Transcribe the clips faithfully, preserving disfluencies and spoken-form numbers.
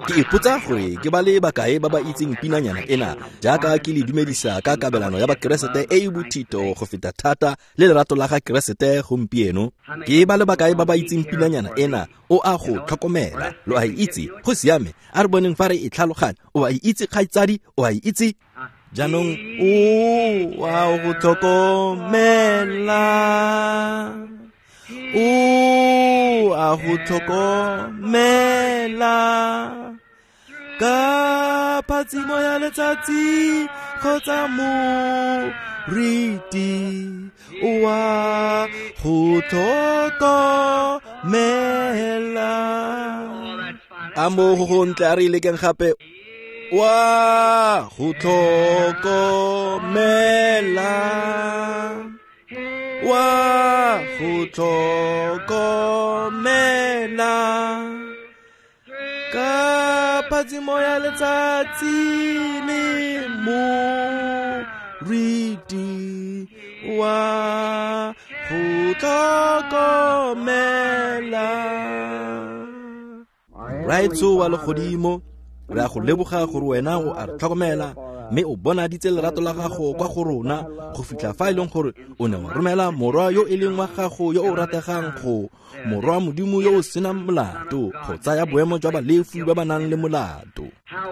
Ke ipotsa gore ke ba le bakae ba ba itseng pinanyana ena jaaka ke le dumedisa ka kabelano ya Bakeresete e e bothito go feta thata le lerato la ga Keresete gompieno. Ke ba le bakae ba ba itseng pinanyana ena o a go tlhokomela, lo a itse, go siame, a re boneng fa re e tlhaloganya. O a itse kgaitsadi, o a itse. Jaanong o a go tlhokomela, o a go tlhokomela ka phatsimo ya letsatsi kgotsa moriti, o a go tlhokomela. A mo go gontle, a re lekeng gape. Wa go tlhokomela, wa go tlhokomela ka phatsimo ya letsatsi le moriti, wa go tlhokomela. Raetsho wa legodimo, re a go leboga gore wena o a re tlhokomela mme o bonaditse lerato la gago kwa go rona go fitlha fa e leng gore o ne wa romela morwa yo e leng wa gago yo o rategang go morwa Modimo yo o senang molato go tsaya boemo jwa balefi ba ba nang le molato.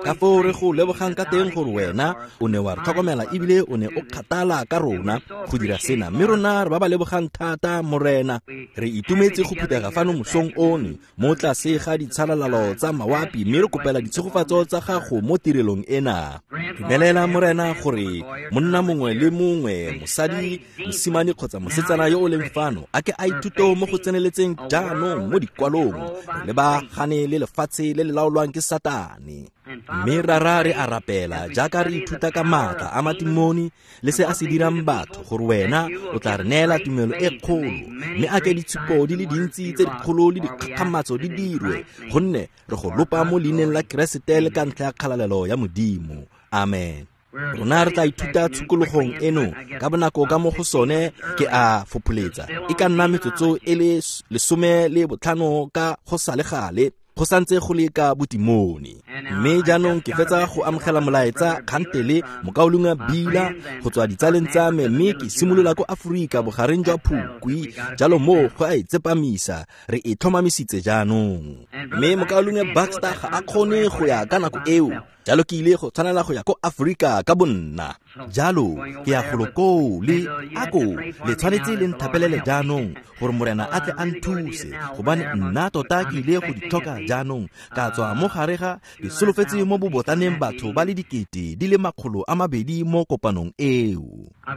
Ka foo re go lebogang ka teng gore wena o ne wa re tlhokomela ebile o ne o kgathala ka rona go dira sena, mme rona re ba ba lebogang thata Morena. Re itumetse go phuthega fano mosong ono mo tlase ga ditshalalalo tsa mawapi, mme re kopela ditshegofatso tsa gago mo tirelong ena. Dumelela Morena gore monna mongwe le mongwe, mosadi, mosimane kgotsa mosetsana yo o leng fano a ke a ithute mo go tseneletseng jaanong mo dikwalong, re lebagane le lefatshe le le laolwang ke Satane. Mme rara re a rapela jaaka re ithuta ka maatla a matimoni le se a se dirang batho, gore wena o tla re neela tumelo e kgolo, mme a ke ditshupo di le dintsi tse dikgolo le dikgakgamatso di dirwe, gonne re go lopa mo leineng la Keresete le ka ntlha ya kgalalelo ya Modimo. Amen. Rona re tla ithuta tshokologong eno ka bonako ka mo go sone ke a fopholetsa e ka nna metsotso e le lesome le botlhano ka go sa le gale, go santse go le ka botimone. Mme jaanong ke fetsa go amogela molaetsa kgantele mokaulengwe Bila go tswa ditsaleng tsa me, mme ke simolola ko Aforika bogareng jwa Phukwi, jalo moo go a e tsepamisa, re e tlhomamisitse jaanong. Mme mokaulengwe Baxter ga a kgone go ya ka nako eo, jalo ke ile go tshwanela go ya ko Aforika ka bonna. Jalo ke ya golo koo le ako le tshwanetse le nthapelele jaanong gore Morena a tle a nthuse, gobane nna tota ke ile go di tlhoka jaanong. Ka tswa mo gare ga ke solofetse mo bobotlaneng batho ba le dikete di le makgolo a mabedi mo kopanong eo.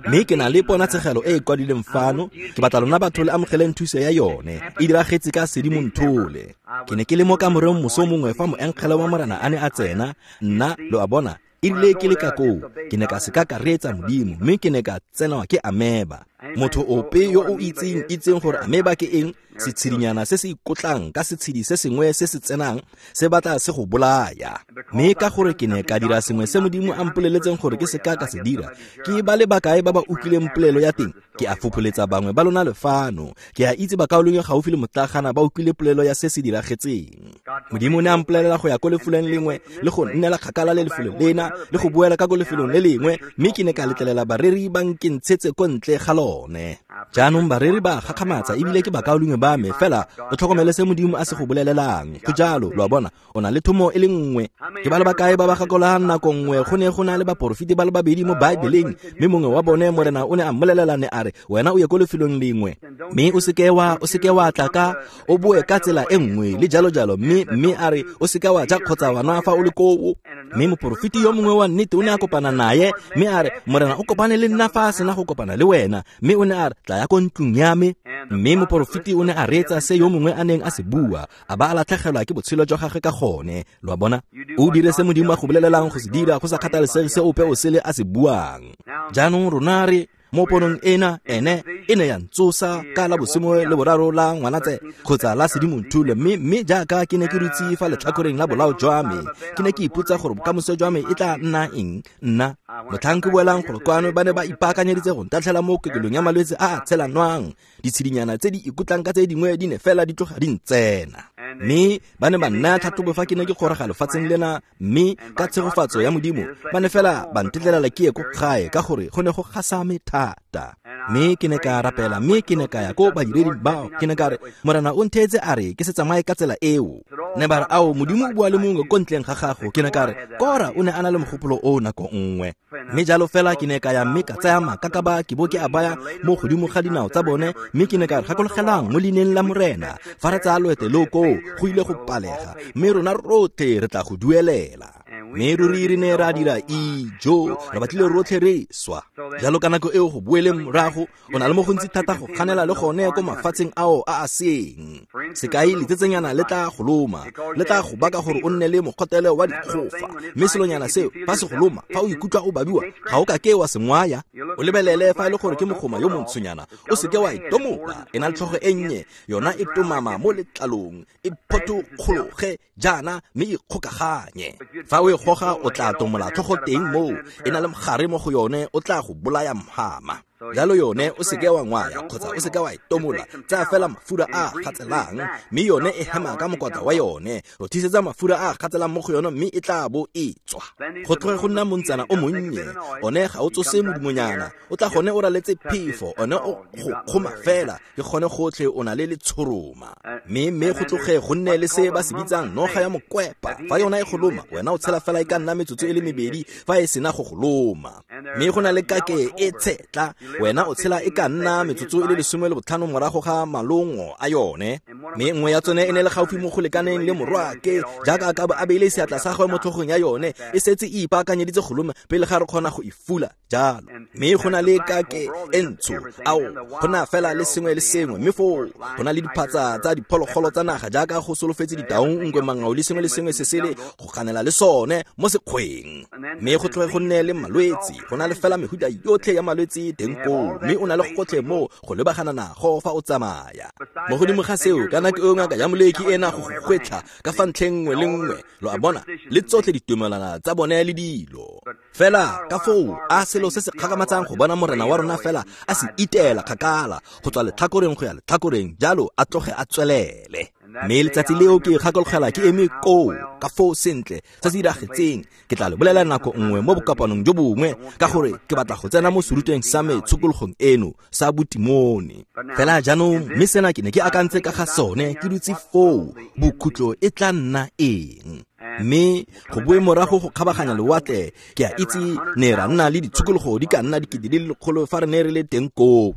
Mme ke na le ponatshegelo e e kwadileng fano, ke batla lona batho le amogeleng thuso ya yone. E diragetse ka Sedimonthole. Ke ne ke le mo kamoreng moso mongwe fa moengele wa Morena a ne a tsena, nna lo a bona erile ke le ka koo, ke ne ka seka ka reetsa Modimo, mme ke ne ka tsenwa ke ameba. Motho ope yo o itseng itseng gore ameba ke eng, setshedinyana se se ikotlang ka setshedi se sengwe se se tsenang se batla se go bolaya. Mme ka gore ke ne ka dira sengwe se Modimo a mpoleletseng gore ke seka ka se dira, ke ba le bakae ba ba utlwileng polelo ya teng? Ke a fopholetsa bangwe ba lona lefano. Ke a itse bakaulengwe gaufi le motlagana ba utlwile polelo ya se se diragetseng. Modimo o ne a mpolelela go ya ko lefelong lengwe le go nnela kgakala le lefelo lena le go boela ka ko lefelong le lengwe, mme ke ne ka letlelela bareri ba nkentshetse ko ntle ga lone. Jaanong bareri ba gakgamatsa ebile ke bakaulengwe ba me, fela o tlhokomele se Modimo a se go bolelelang. Go jalo, lo a bona, o na le thomo e le nngwe. Ke ba le bakae ba ba gakologang nako nngwe go ne go na le baporofeti ba le babedi mo Baebeleng, mme mongwe wa bone Morena o ne a mmolelela ne a re, wena o ye ko lefelong lengwe, mme o seke wa o seke wa tla ka o boe ka tsela e nngwe le jalo jalo, mme mme a re o seke wa ja kgotsa wa nwa fa o le koo. Mme moporofeti yo mongwe wa nnete o ne a kopana naye, mme a re, Morena o kopane le nna fa a sena go kopana le wena, mme o ne a re, tla ya ko ntlong ya me. Mme moporofeti o ne a reetsa se yo mongwe a neng a se bua, a ba a latlhegelwa ke botshelo jwa gagwe ka gone. Lo a bona, o dire se Modimo a go bolelelang go se dira, go sa kgathalesege se ope o sele a se buang. Jaanong rona re mo ponong ena, ene e ne ya ntsosa ka la bosome le boraro la Ngwanatse kgotsa la Sedimonthole, mme mme jaaka ke ne ke dutse fa letlhakoreng la bolao jwa me, ke ne ke ipotsa gore bokamoso jwa me e tla nna eng. Nna motlhang ke boelang gore kwano ba ne ba ipaakanyeditse go ntatlhela mo kokelong ya malwetse a a tshelanwang, ditshedinyana tse di ikutlang ka tse dingwe di ne fela di tloga di ntsena. Mme ba ne ba nnaya tlhatlhobo fa ke ne ke goroga lefatsheng lena, mme ka tshegofatso ya Modimo ba ne fela ba ntetlelela ke ye ko gae ka gore go ne go gasame thata. Mme ke ne ka rapela, mme ke ne ka ya ko badireding bao, ke ne ka re, Morena o ntheetse a re ke se tsamaye ka tsela eo. Ne ba re, ao, Modimo o bua le mongwe ko ntleng ga gago. Ke ne ka re, Kora o ne a na le mogopolo o nako nngwe. Mme jalo fela ke ne ka ya mme ka tsaya makakaba ke bo ke a baya mo godimo ga dinao tsa bone, mme ke ne ka re, gakologelang mo leineng la Morena, fa re tsaya loeto leo koo go ile go palega, mme rona rotlhe re tla go duelela. Mme ruri re ne ra dira ijo, re batlile rotlhe re swa. Jalo ka nako eo go boeleng morago, o na le mo gontsi thata go kganela le gone ko mafatsheng ao a a seng. Sekai, letsetsenyana le tla go loma, le tla go baka gore o nne le mogotelo wa dikgofa. Mme selonyana seo, fa se go loma, fa o ikutlwa o babiwa, ga o ka ke wa se ngwaya. O lebelele fa e le gore ke mogoma yo montshonyana, o seke wa e tomola, e na le tlhogo e nnye, yona e tomama mo letlalong, e photokgologe jaana mme e kgokaganye. Fa o e goga o tla tomola tlhogo teng moo, e na le mogare mo go yone, o tla go bolaya mhama. Jalo yone o seke wa ngwaya kgotsa o seke wa e tomola, tsaya fela mafura a a gatselang, mme yone e hema ka mokotla wa yone. Rothisetsa mafura a a gatselang mo go yone mme e tla bo e tswa. Go tloge go nna montsana o monnye, one ga o tsose modumonyana, o tla gone o raletse phefo, one o go kgoma fela, ke gone gotlhe o na le letshoroma. Mme mme go tloge go nne le se ba se bitsang noga ya mokwepa. Fa yona e go loma, wena o tshela fela e ka nna metsotso e le mebedi fa e sena go go loma. Mme go na le kake e tshetla, wena o tshela e ka nna metsotso e le lesome le botlhano morago ga malongo a yone. Mme nngwe ya tsone e ne le gaufi mo go lekaneng le morwake, jaaka a ka bo a beile seatla sa gagwe mo tlhogong ya yone, e setse e ipaakanyeditse go loma pele ga re kgona go e fula jalo. Mme go na le kake e ntsho, ao, go na fela le sengwe le sengwe. Mme foo go na le diphatsa tsa diphologolo tsa naga jaaka go solofetse ditaung, nkwe, mangau le sengwe le sengwe se sele go ganela le sone mo sekgweng. Mme go tloge go nne le malwetse, go na le fela mehuta yotlhe ya malwetse teng koo, mme o na le gotlhe mo go lebagana nago fa o tsamaya. Mo godimo ga seo, ka nako eo ngaka ya moleki ena go go gwetlha ka fa ntlheng nngwe le nngwe, lo a bona, le tsotlhe ditumelana tsa bone le dilo. Fela ka foo a selo se se kgakgamatsang go bona Morena wa rona fela a se iteela kgakala go tswa letlhakoreng go ya letlhakoreng, jalo a tloge a tswelele. Mme letsatsi leo ke gakologela ke eme koo ka foo sentle se se diragetseng. Ke tla le bolela nako nngwe mo bokopanong jo bongwe, ka gore ke batla go tsena mo serutweng sa me tshokologong eno sa botimone. Fela jaanong, mme sena ke ne ke akantse ka ga sone ke dutse foo, bokhutlo e tla nna eng? Mme go boe morago go kgabaganya lewatle, ke a itse ne ra nna le ditshokologo di ka nna dikete di le lekgolo fa re ne re le teng koo.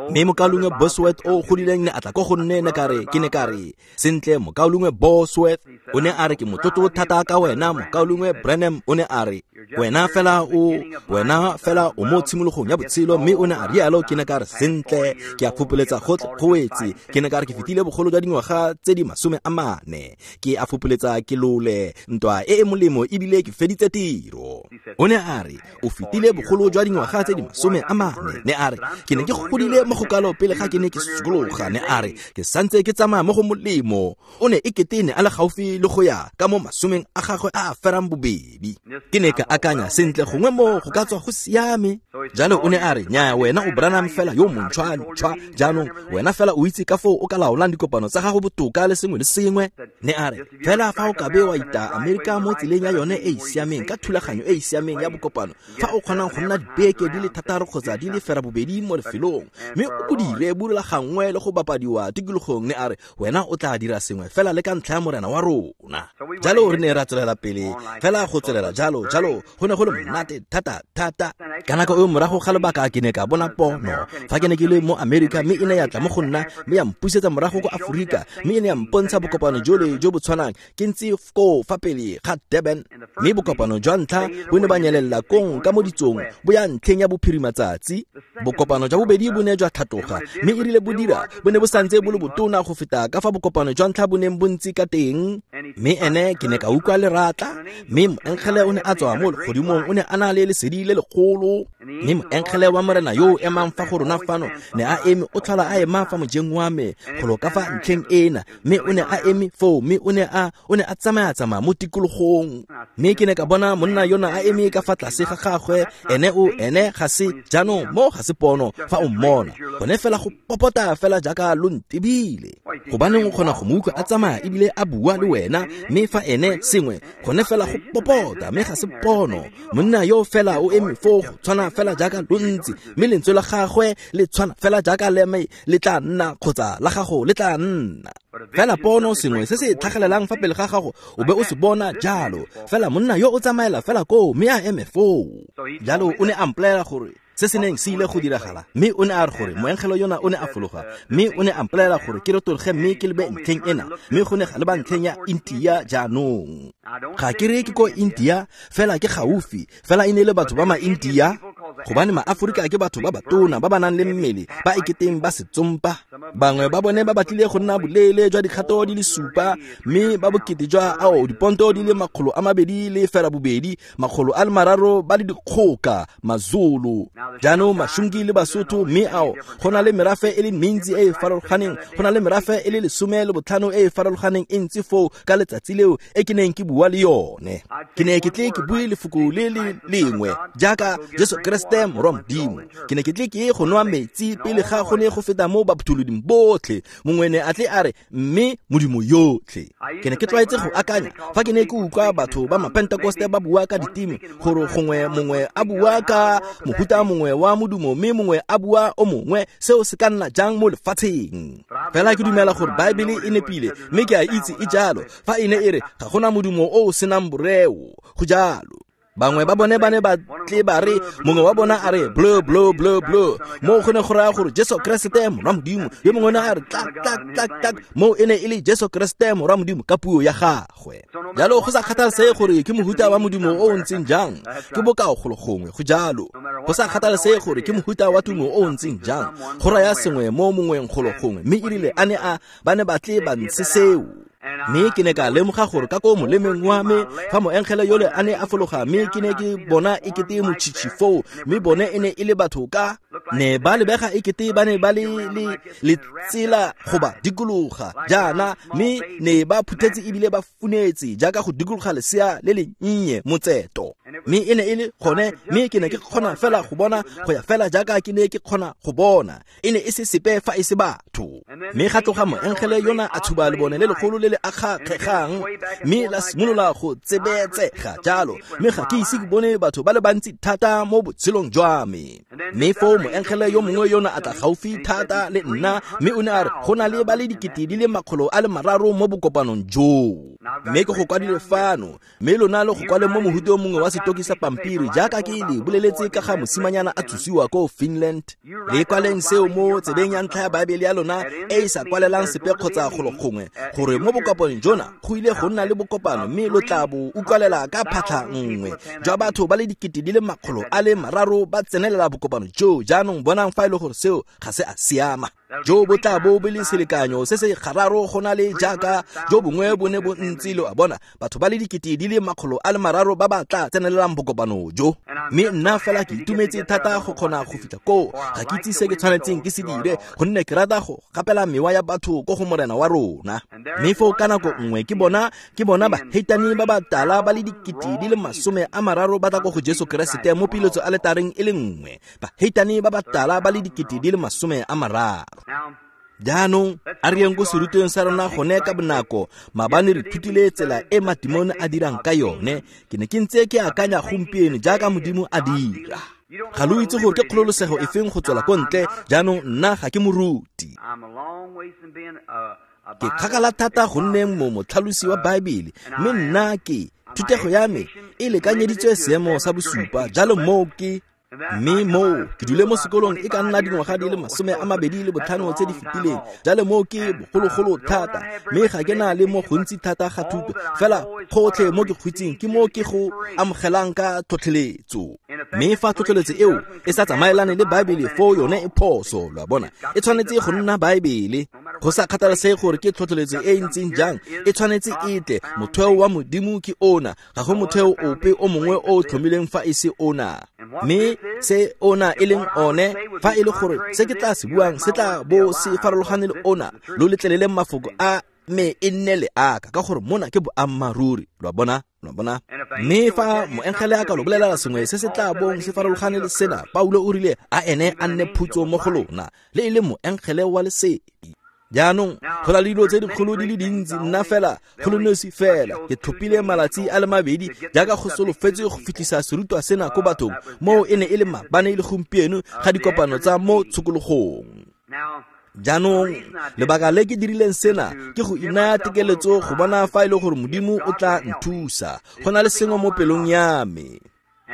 Mme mokaulengwe Bosworth o godileng ne a tla ko go nne, ne ka re, ke ne ka re, sentle mokaulengwe Bosworth, o ne a re ke motlotlo thata ka wena mokaulengwe Branham. O ne a re wena fela o wena fela o mo tshimologong ya botshelo. Mme o ne a rialo. Ke ne ka re sentle, ke a fopoletsa gotlhe go wetse. Ke ne ka re ke fetile bogolo jwa dingwaga tse di masome a mane, ke a fopoletsa ke lole ntwa e e molemo ebile ke feditse tiro. O ne a re o fetile bogolo jwa dingwaga tse di masome a mane. Ne a re ke ne ke godile mo go kalo pele ga ke ne ke sokologa. Ne a re ke santse ke tsamaya mo go molemo. O ne e kete ne a le gaufi le go ya ka mo masomeng a gagwe a a ferang bobedi. Ke ne ka akanya sentle, gongwe mo go ka tswa go siame. Jalo o ne a re nyaa, wena o Branham fela yo montšhwa-ntšhwa, jaanong wena fela o itse ka foo o ka laolang dikopano tsa gago botoka le sengwe le sengwe. Ne a re fela fa o ka be wa ita Amerika mo tseleng ya yone e e siameng, ka thulaganyo e e siameng ya bokopano, fa o kgonang go nna dibeke di le thataro kgotsa di le fera bobedi mo lefelong, mme o bo dire bo rulagangwe le go bapadiwa tikologong, ne a re wena o tla dira sengwe fela le ka ntlha ya Morena wa rona. Jalo re ne ra tswelela pele fela go tswelela jalo jalo, go ne go le monate thata thata. Ka nako eo morago ga lobaka ke ne ka bona pono fa ke ne ke le mo Amerika, mme e ne ya tla mo go nna mme ya mpusetsa morago ko Aforika, mme e ne ya mpontsha bokopano jole jo bo tshwanang ke ntse koo fa pele ga Durban. Mme bokopano jwa ntlha bo ne ba nyelela kong ka mo ditsong bo ya ntlheng ya bophirimatsatsi. Bokopano jwa bobedi bo ne jwa tlhatloga, mme e rile bo dira bo ne bo santse bo le botona go feta ka fa bokopano jwa ntlha bo neng bo ntse ka teng. Mme ene ke ne ka utlwa leratla, mme moengele o ne a tswa mo legodimong, o ne a na le lesedi le legolo foo. Mme moengele wa Morena yo o emang fa go rona fano ne a eme, o tlhola a ema fa mojeng wa me golo ka fa ntlheng ena, mme o ne a eme foo, mme o ne a o ne a tsamaya-tsamaya mo tikologong. Mme ke ne ka bona monna yona a eme ka fa tlase ga gagwe, ene o ene ga se jaanong mo ga se pono fa o mmona, gone fela go popota fela jaaka lo ntebile. Gobaneng o kgona go mo utlwa a tsamaya ebile a bua le wena, mme fa ene sengwe gone fela go popota, mme ga se pono. Monna yo fela o eme foo go tshwana fela jaaka lo ntse, mme lentswe la gagwe le tshwana fela jaaka le me le tla nna kgotsa la gago le tla nna. Fela pono sengwe se se tlhagelelang fa pele ga gago o be o se bona jalo. Fela monna yo o tsamaela fela koo mme a eme foo. Jalo o ne a mpolelela gore se se neng se ile go diragala, mme o ne a re gore moengele yona o ne a fologa, mme o ne a mpolelela gore ke retologe mme ke lebe ntlheng ena, mme go ne ga leba ntlheng ya India jaanong. Ga ke re ke ko India, fela ke gaufi, fela e ne le batho ba ma-India, gobane ma-Aforika ke batho ba batona ba ba nang le mmele ba eketeng ba setsompa. Bangwe ba bone ba batlile go nna boleele jwa dikgato di le supa, mme ba bokete jwa ao diponto di le makgolo a mabedi le fela bobedi, makgolo a le mararo ba le dikgoka, Mazulu. Jaanong Mashungi le Basotho, mme ao go na le merafe e le mentsi e e farologaneng, go na le merafe e le lesome le botlhano e e farologaneng e ntsi foo ka letsatsi leo e ke neng ke bua le yone. Ke ne ke tle ke bue lefoko le le lengwe jaaka Jesu Kreste Morwa Modimo. Ke ne ke tle ke ye go nwa metsi pele ga go ne go feta mo baphuthuloding botlhe. Mongwe ne a tle a re mme Modimo yotlhe. Ke ne ke tlwaetse go akanya fa ke ne ke utlwa batho ba Mapentekoste ba bua ka diteme, gore gongwe mongwe a bua ka mohuta mongwe wa modumo mme mongwe a bua o mongwe, seo se ka nna jang mo lefatsheng. Fela ke dumela gore Baebele e nepile, mme ke a itse e jalo fa e ne e re ga gona modumo o o senang boreo, go jalo. Bangwe ba bone ba ne ba tle ba re, mongwe wa bona a re blue blue blue blue, mo go ne go raya gore Jesu Kreste Morwa Modimo. Yo mongwe ne a re tlak tlak tlak tlak, mo e ne e le Jesu Kreste Morwa Modimo ka puo ya gagwe. Jalo go sa kgathalesege gore ke mohuta wa modumo o o ntseng jang, ke bokao golo gongwe, go jalo. Go sa kgathalesege gore ke mohuta wa tumo o o ntseng jang, go raya sengwe mo mongweng golo gongwe. Mme erile a ne a ba ne ba tle ba ntshe seo. Mme ke ne ka lemoga gore ka ko molemeng wa me fa moengele yole a ne a fologa, mme ke ne ke bona ekete motšhitšhi foo, mme bone e ne e le batho ka ne ba lebega ekete ba ne ba le le letsela go ba dikologa jaana, mme ne ba phuthetse ebile ba funetse jaaka go dikologa lesea le le nnye motseto. Mme e ne e le gone, mme ke ne ke kgona fela go bona go ya fela jaaka ke ne ke kgona go bona, e ne e se sepe fa e se batho. Mme ga tloga moengele yona a tshuba lebone le legolo le le akgakgegang, mme la simolola go tsebetsega jalo, mme ga ke ise ke bone batho ba le bantsi thata mo botshelong jwa me. Mme foo moengele yo mongwe yona a tla gaufi thata le nna, mme o ne a re go na le ba le dikete di le makgolo a le mararo mo bokopanong joo. Mme ke go kwadile fano, mme lona le go kwale mo mohuteng mongwe wa setoki sa pampiri jaaka ke le boleletse ka ga mosimanyana a tsosiwa ko Finland. Le kwaleng seo mo tsebeng ya ntlha ya Baebele ya lona e e sa kwalelang sepe kgotsa golo gongwe, gore mo bokopanong jona go ile go nna le bokopano, mme lo tla bo utlwalela ka phatlha nngwe jwa batho ba le dikete di le makgolo a le mararo ba tsenelela bokopano joo. Jaanong bonang fa e le gore seo ga se a siama. Jo bo tla bo bo le selekanyo se se gararo go na le jaaka jo bongwe bo ne bo ntse, lo a bona, batho ba le dikete di le makgolo a le mararo ba ba tla tsenelelang bokopano jo. Mme nna fela ke itumetse thata go kgona go fitlha koo. Ga ke itse se ke tshwanetseng ke se dire, gonne ke rata go gapela mewa ya batho ko go Morena wa rona. Mme foo ka nako nngwe ke bona ke bona baheitane ba ba tala ba le dikete di le masome a mararo ba tla ko go Jesu Keresete mo piletso aletareng e le nngwe. Baheitane ba ba tala ba le dikete di le masome a mararo. Jaanong a re yeng ko serutweng sa rona gone ka bonako. Maabane re thutile tsela e matimone a dirang ka yone. Ke ne ke ntse ke akanya gompieno jaaka Modimo a dira. Ga lo itse gore ke kgololosego e feng go tswela ko ntle. Jaanong nna ga ke moruti, ke kgakala thata go nneng mo motlhalosi wa Baebele, mme nna ke thutego ya me e lekanyeditswe seemo sa bosupa. Jalo moo ke mme moo ke dule mo sekolong e ka nna dingwaga di le masome a mabedi le botlhano tse di fetileng. Jalo moo ke bogologolo thata, mme ga ke na le mo gontsi thata ga thuto, fela gotlhe mo ke kgwitseng ke mo ke go amogelang ka tlhotlheletso. Mme fa tlhotlheletso eo e sa tsamaelane le Baebele, foo yone e phoso, lo a bona, e tshwanetse go nna Baebele. Go sa kgathalesege gore ke tlhotlheletso e e ntseng jang, e tshwanetse e tle. Motheo wa Modimo ke ona, ga go motheo ope o mongwe o o tlhomileng fa e se ona. Mme se ona e leng one, fa e le gore se ke tla se buang se tla bo se farologane le ona, lo letleleleng mafoko a me e nne le aka, ka gore mona ke boammaaruri. Lo a bona? Lo a bona? Mme fa moengele a ka lo bolelela sengwe se se tla bong se farologane le sena, Paulo o rile a ene a nne phutso mo go lona, le e le moengele wa lesedi. Jaanong go na le dilo tse dikgolo di le dintsi, nna fela go le nosi fela ke tlhophile malatsi a le mabedi jaaka go solofetse go fitlhisa serutwa sena ko bathong, moo e ne e le maabane le gompieno ga dikopano tsa mo tshokologong. Jaanong lebaka le ke dirileng sena ke go inaya tekeletso go bona fa e le gore Modimo o tla nthusa. Go na le sengwe mo pelong ya me.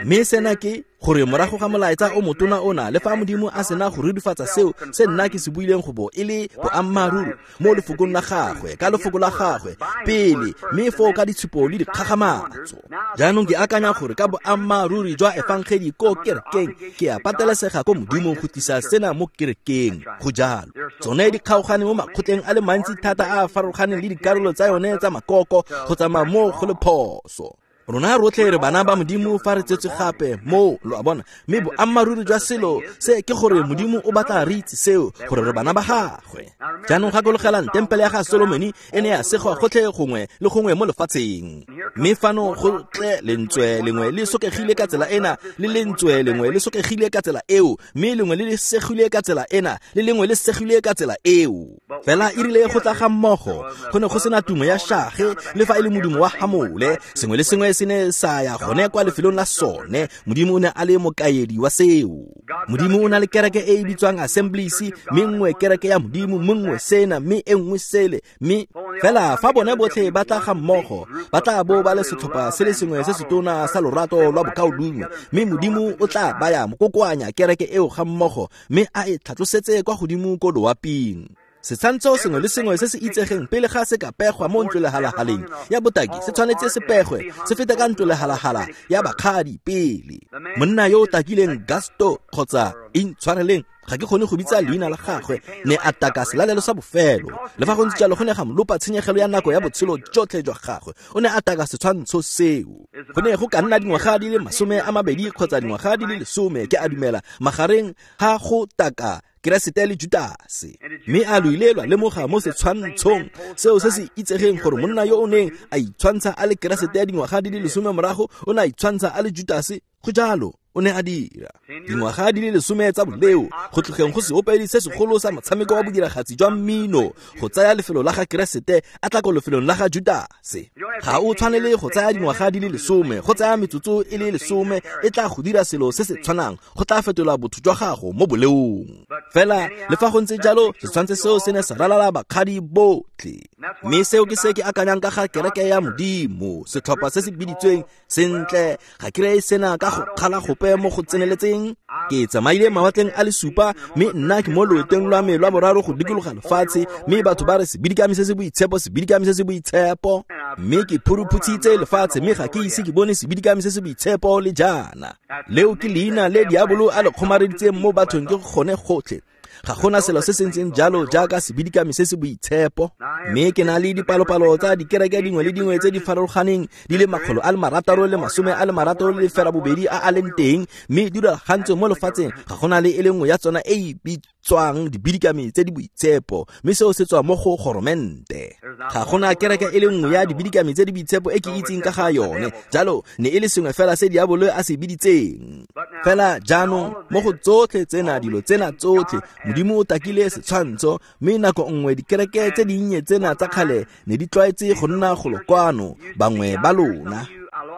Mme sena ke gore morago ga molaetsa o motona ona, le fa Modimo a sena go rurifatsa seo se nna ke se buileng go bo e le boammaaruri mo lefokong la gagwe, ka lefoko la gagwe pele, mme foo ka ditshupo le dikgakgamatso. Jaanong ke akanya gore ka boammaaruri jwa efangedi ko kerekeng, ke a patelesega ko Modimong go tlisa sena mo kerekeng. Go jalo. Tsone di kgaogane mo makgotleng a le mantsi thata a a farologaneng le dikarolo tsa yone tsa makoko, go tsamaya mo go le phoso. Rona rotlhe re bana ba Modimo fa re tsetswe gape moo, lo a bona. Mme boammaaruri jwa selo se ke gore Modimo o batla re itse seo, gore re bana ba gagwe. Jaanong gakologelang tempele ya ga Solomone e ne ya segwa gotlhe gongwe le gongwe mo lefatsheng. Mme fano go tle lentswe lengwe le sokegile ka tsela ena, le lentswe lengwe le sokegile ka tsela eo, mme lengwe le le segile ka tsela ena, le lengwe le segile ka tsela eo. Fela e rile go tla ga mmogo, go ne go sena tumo ya shage le fa e le modumo wa hamole, sengwe le sengwe se ne sa ya gone kwa lefelong la sone. Modimo o ne a le mokaedi wa seo. Modimo o na le kereke e e bitswang Assemblies, mme nngwe kereke ya Modimo, mme nngwe sena, mme e nngwe sele. Mme fela fa bone botlhe ba tla ga mmogo, ba tla bo ba le setlhopha se le sengwe se setona sa lorato lwa bokaulengwe, mme Modimo o tla baya mokokoanya kereke eo ga mmogo, mme a e tlhatlosetse kwa godimo ko loaping. Setshwantsho sengwe le sengwe se se itsegeng pele ga se ka pegwa mo ntlolehalahaleng ya botaki se tshwanetse se pegwe se fete ka ntlolehalahala ya bakgadi pele. Monna yo o takileng Gasto kgotsa intshwareleng, ga ke kgone go bitsa leina la gagwe, ne a taka selalelo sa bofelo. Le fa go ntse jalo, go ne ga mo lopa tshenyegelo ya nako ya botshelo jotlhe jwa gagwe. O ne a taka setshwantsho seo. Go ne go ka nna dingwaga di le masome a mabedi kgotsa dingwaga di le lesome, ke a dumela, magareng ga go taka Keresete le Judase. Mme a lo ile lwa lemoga mo setshwantshong seo se se itsegeng gore monna yo o neng a itshwantsha a le Keresete ya dingwaga di le lesome morago o ne a itshwantsha a le Judase. Go jalo, o ne a dira dingwaga di le lesome tsa boleo, go tlogeng go seopedi se segolo sa motshameko wa bodiragatsi jwa mmino, go tsaya lefelo la ga Keresete a tla ko lefelong la ga Judase. Ga o tshwanele go tsaya dingwaga di le lesome, go tsaya metsotso e le lesome e tla go dira selo se se tshwanang, go tla fetola botho jwa gago mo boleong. Fela le fa go ntse jalo, setshwantsho seo se ne sa ralala bakgadi botlhe. Mme seo ke se ke akanyang ka ga kereke ya Modimo, setlhopha se se biditsweng sentle. Ga ke reye sena ka go kgala gope mo go tseneletseng. Ke tsamaile mawatleng a le supa, mme nna ke mo loetong lwa me lwa boraro go dikologa lefatshe, mme batho ba re sebidikami se se boitshepo, sebidikami se se boitshepo. Mme ke phuruphutsitse lefatshe, mme ga ke ise ke bone sebidikami se se boitshepo le jaana. Leo ke leina le diabolo a le kgomareditseng mo bathong ke gone gotlhe. Ga gona selo se se ntseng jalo jaaka sebidikami se se boitshepo. Mme ke na le dipalopalo tsa dikereke dingwe le dingwe tse di farologaneng di le makgolo a le marataro le masome a le marataro le lefela bobedi a a leng teng, mme di rulagantswe mo lefatsheng. Ga gona le e le nngwe ya tsona e e bitswang dibidikami tse di boitshepo, mme seo se tswa mo go goromente. Ga gona kereke e le nngwe ya dibidikami tse di boitshepo e ke itseng ka ga yone. Jalo ne e le sengwe fela se diabolo a se biditseng. Fela jaanong mo go tsotlhe tsena, dilo tsena tsotlhe, Modimo o takile setshwantsho, mme nako nngwe dikereke tse dinnye tsena tsa kgale ne di tlwaetse go nna golo kwano, bangwe ba lona.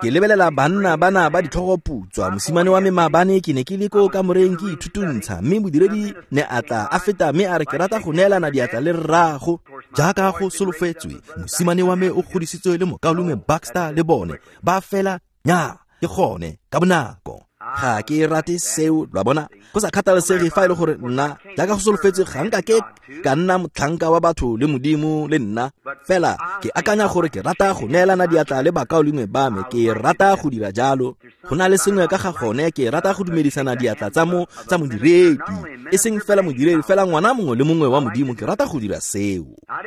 Ke lebelela banna bana ba ditlhogoputswa. Mosimane wa me maabane ke ne ke le ko kamoreng ke ithutuntsha, mme modiredi ne a tla a feta mme a re ke rata go neelana diatla le rrago. Jaaka go solofetswe, mosimane wa me o godisitswe le mokaulengwe Baxter le bone ba fela nya ke gone ka bonako. Ga ke rate seo, lo a bona. Go sa kgathalesege fa e le gore nna jaaka go solofetse ga nka ke ka nna motlhanka wa batho le Modimo le nna. Fela ke akanya gore ke rata go neelana diatla le bakaulengwe ba me, ke rata go dira jalo. Go na le sengwe ka ga gone, ke rata go dumedisana diatla tsa mo tsa modiredi, e seng fela modiredi, fela ngwana mongwe le mongwe wa Modimo, ke rata go dira seo.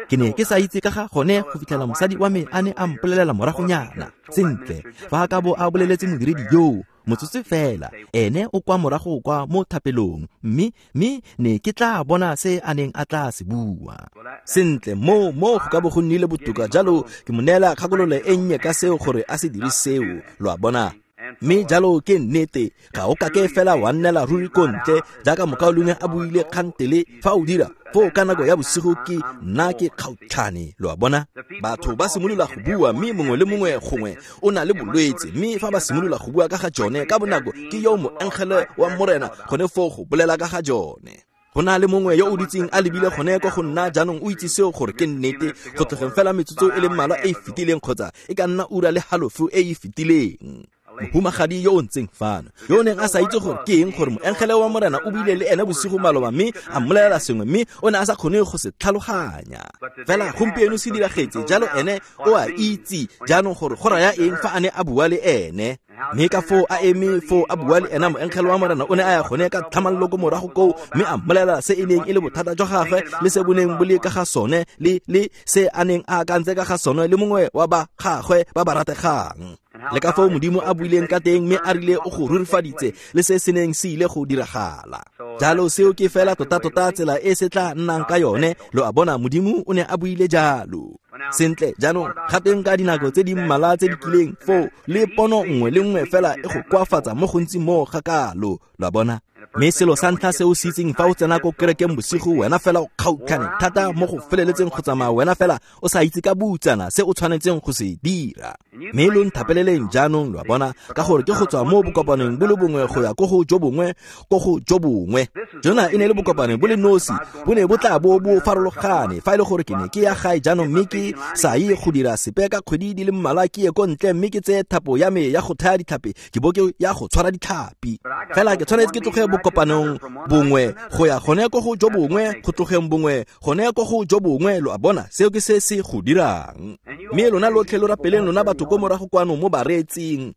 Ke ne ke sa itse ka ga gone go fitlhela mosadi wa me a ne a mpolelela moragonyana. Sentle, fa a ka bo a boleletse modiredi yoo motsotso fela, ene o kwa morago kwa mo thapelong, mme mme ne ke tla bona se a neng a tla se bua. Sentle, mo mo go ka bo go nnile botoka jalo, ke mo neela kgakololo e nnye ka seo gore a se dire seo, lo a bona. Mme jalo ke nnete, ga o kake fela wa nnela ruri ko ntle jaaka mokaulengwe a buile kgantele. Fa o dira foo ka nako ya bosigo ke nna ke kgaotlhane, lo a bona. Batho ba simolola go bua, mme mongwe le mongwe gongwe o na le bolwetse, mme fa ba simolola go bua ka ga jone ka bonako ke yo moengele wa Morena gone foo go bolela ka ga jone. Go na le mongwe yo o dutseng a lebile gone kwa go nna jaanong, o itse seo gore ke nnete, go tlogeng fela metsotso e le mmalwa e e fetileng kgotsa e ka nna ura le halofo e e fetileng. Mohumagadi yo o ntseng fano, yo o neng a sa itse gore ke eng gore moengele wa Morena o buile le ene bosigo maloba mme a mmolelela sengwe, mme o ne a sa kgone go se tlhaloganya. Fela gompieno se diragetse jalo, ene o a itse jaanong gore go raya eng fa a ne a bua le ene. Mme ka foo a eme foo a bua le ena, moengele wa Morena o ne a ya gone ka tlhamallo ko morago koo, mme a mmolelela se e neng e le bothata jwa gagwe le se bo neng bo le ka ga sone, le le se a neng a akantse ka ga sone le mongwe wa ba gagwe ba ba rategang. Le ka foo Modimo a buileng ka teng, mme a rile o go rurifaditse le se se neng se ile go diragala. Jalo seo ke fela tota-tota tsela e se tla nnang ka yone, lo a bona, Modimo o ne a buile jalo. Sentle, jaanong gateng ka dinako tse di mmalwa tse di kileng foo le pono nngwe le nngwe fela e go koafatsa mo gontsi mo ga kalo, lo a bona. Mme selo sa ntlha se o se itseng fa o tsena ko kerekeng bosigo, wena fela o kgaotlhane thata mo go feleletseng go tsamaya, wena fela o sa itse ka boutsana se o tshwanetseng go se dira. Mme lo nthapeleleng jaanong, lo a bona, ka gore ke go tswa mo bokopanong bo le bongwe go ya ko go jo bongwe, ko go jo bongwe. Jona e ne e le bokopanong bo le nosi, bo ne bo tla bo bo farologane. Fa e le gore ke ne ke ya gae jaanong mme ke sa ye go dira sepe ka kgwedi di le mmalwa, ke ye ko ntle mme ke tseye thapo ya me ya go thaya ditlhapi, ke bo ke ya go tshwara ditlhapi. Fela ke tshwanetse ke tloge bokopanong bongwe go ya gone ko go jo bongwe, go tlogeng bongwe gone ko go jo bongwe, lo a bona, seo ke se se go dirang. Mme lona lotlhe lo rapeleng, lona batho ko morago kwano mo bareetsing.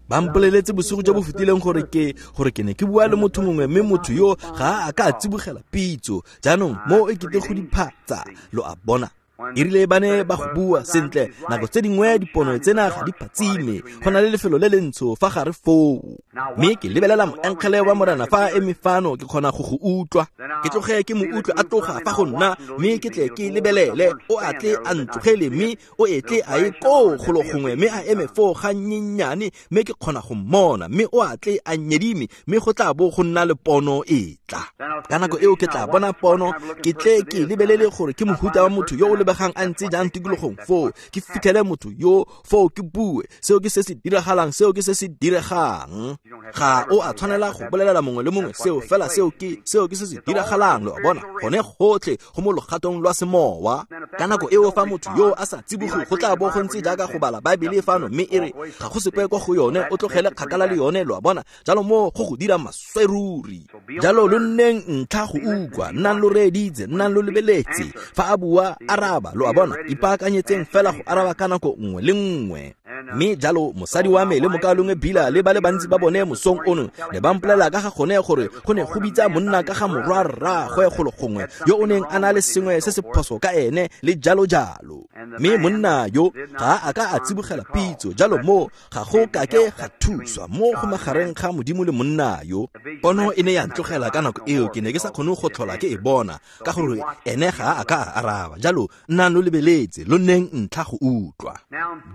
Ba mpoleletse bosigo jo bo fetileng gore ke gore ke ne ke bua le motho mongwe, mme motho yo ga a ka a tsibogela pitso. Jaanong mo e kete go diphatsa, lo a bona. E rile ba ne ba go bua sentle, nako tse dingwe dipono tsena ga di phatsime, go na le lefelo le lentsho fa gare foo. Mme ke lebelela moengele wa Morena fa a eme fano, ke kgona go go utlwa. Ke tloge ke mo utlwe a tloga fa go nna, mme ke tle ke lebelele, o a tle a ntlogele, mme o etle a ye koo golo gongwe, mme a eme foo ga nnyenyane, mme ke kgona go mmona, mme o a tle a nyedime, mme go tla bo go nna le pono e tla. Ka nako eo ke tla bona pono, ke tle ke lebelele gore ke mohuta wa motho yo o lebegang a ntse jang tikologong foo, ke fitlhele motho yo foo ke bue. Seo ke se se diragalang, seo ke se se diregang. Ga o a tshwanela go bolelela mongwe le mongwe seo, fela seo ke seo ke se se diragalang, lo a bona. Gone gotlhe go mo logatong lwa semowa. Ka nako eo fa motho yo a sa tsiboge, go tla bo go ntse jaaka go bala Baebele fano, mme e re ga go sepe kwa go yone, o tlogele kgakala le yone, lo a bona. Jalo mo go go dira maswe ruri. Jalo lo nneng ntlha go utlwa, nnang lo reeditse, nnang lo lebeletse. Fa a bua, araba, lo a bona. Ipaakanyetseng fela go araba ka nako nngwe le nngwe. Mme jalo mosadi wa me le mokaulengwe Bila le ba le bantsi ba bone mosong ono ne ba mpolelela ka ga gone gore go ne go bitsa monna ka ga morwa rraagwe golo gongwe yo o neng a na le sengwe se se phoso ka ene le jalo jalo. Mme monna yo ga a ka a tsibogela pitso, jalo mo ga go kake ga thuswa mo go magareng ga Modimo le monna yo. Pono e ne ya ntlogela ka nako eo, ke ne ke sa kgone go tlhola ke e bona ka gore ene ga a ka a araba. Jalo nnang lo lebeletse, lo nneng ntlha go utlwa.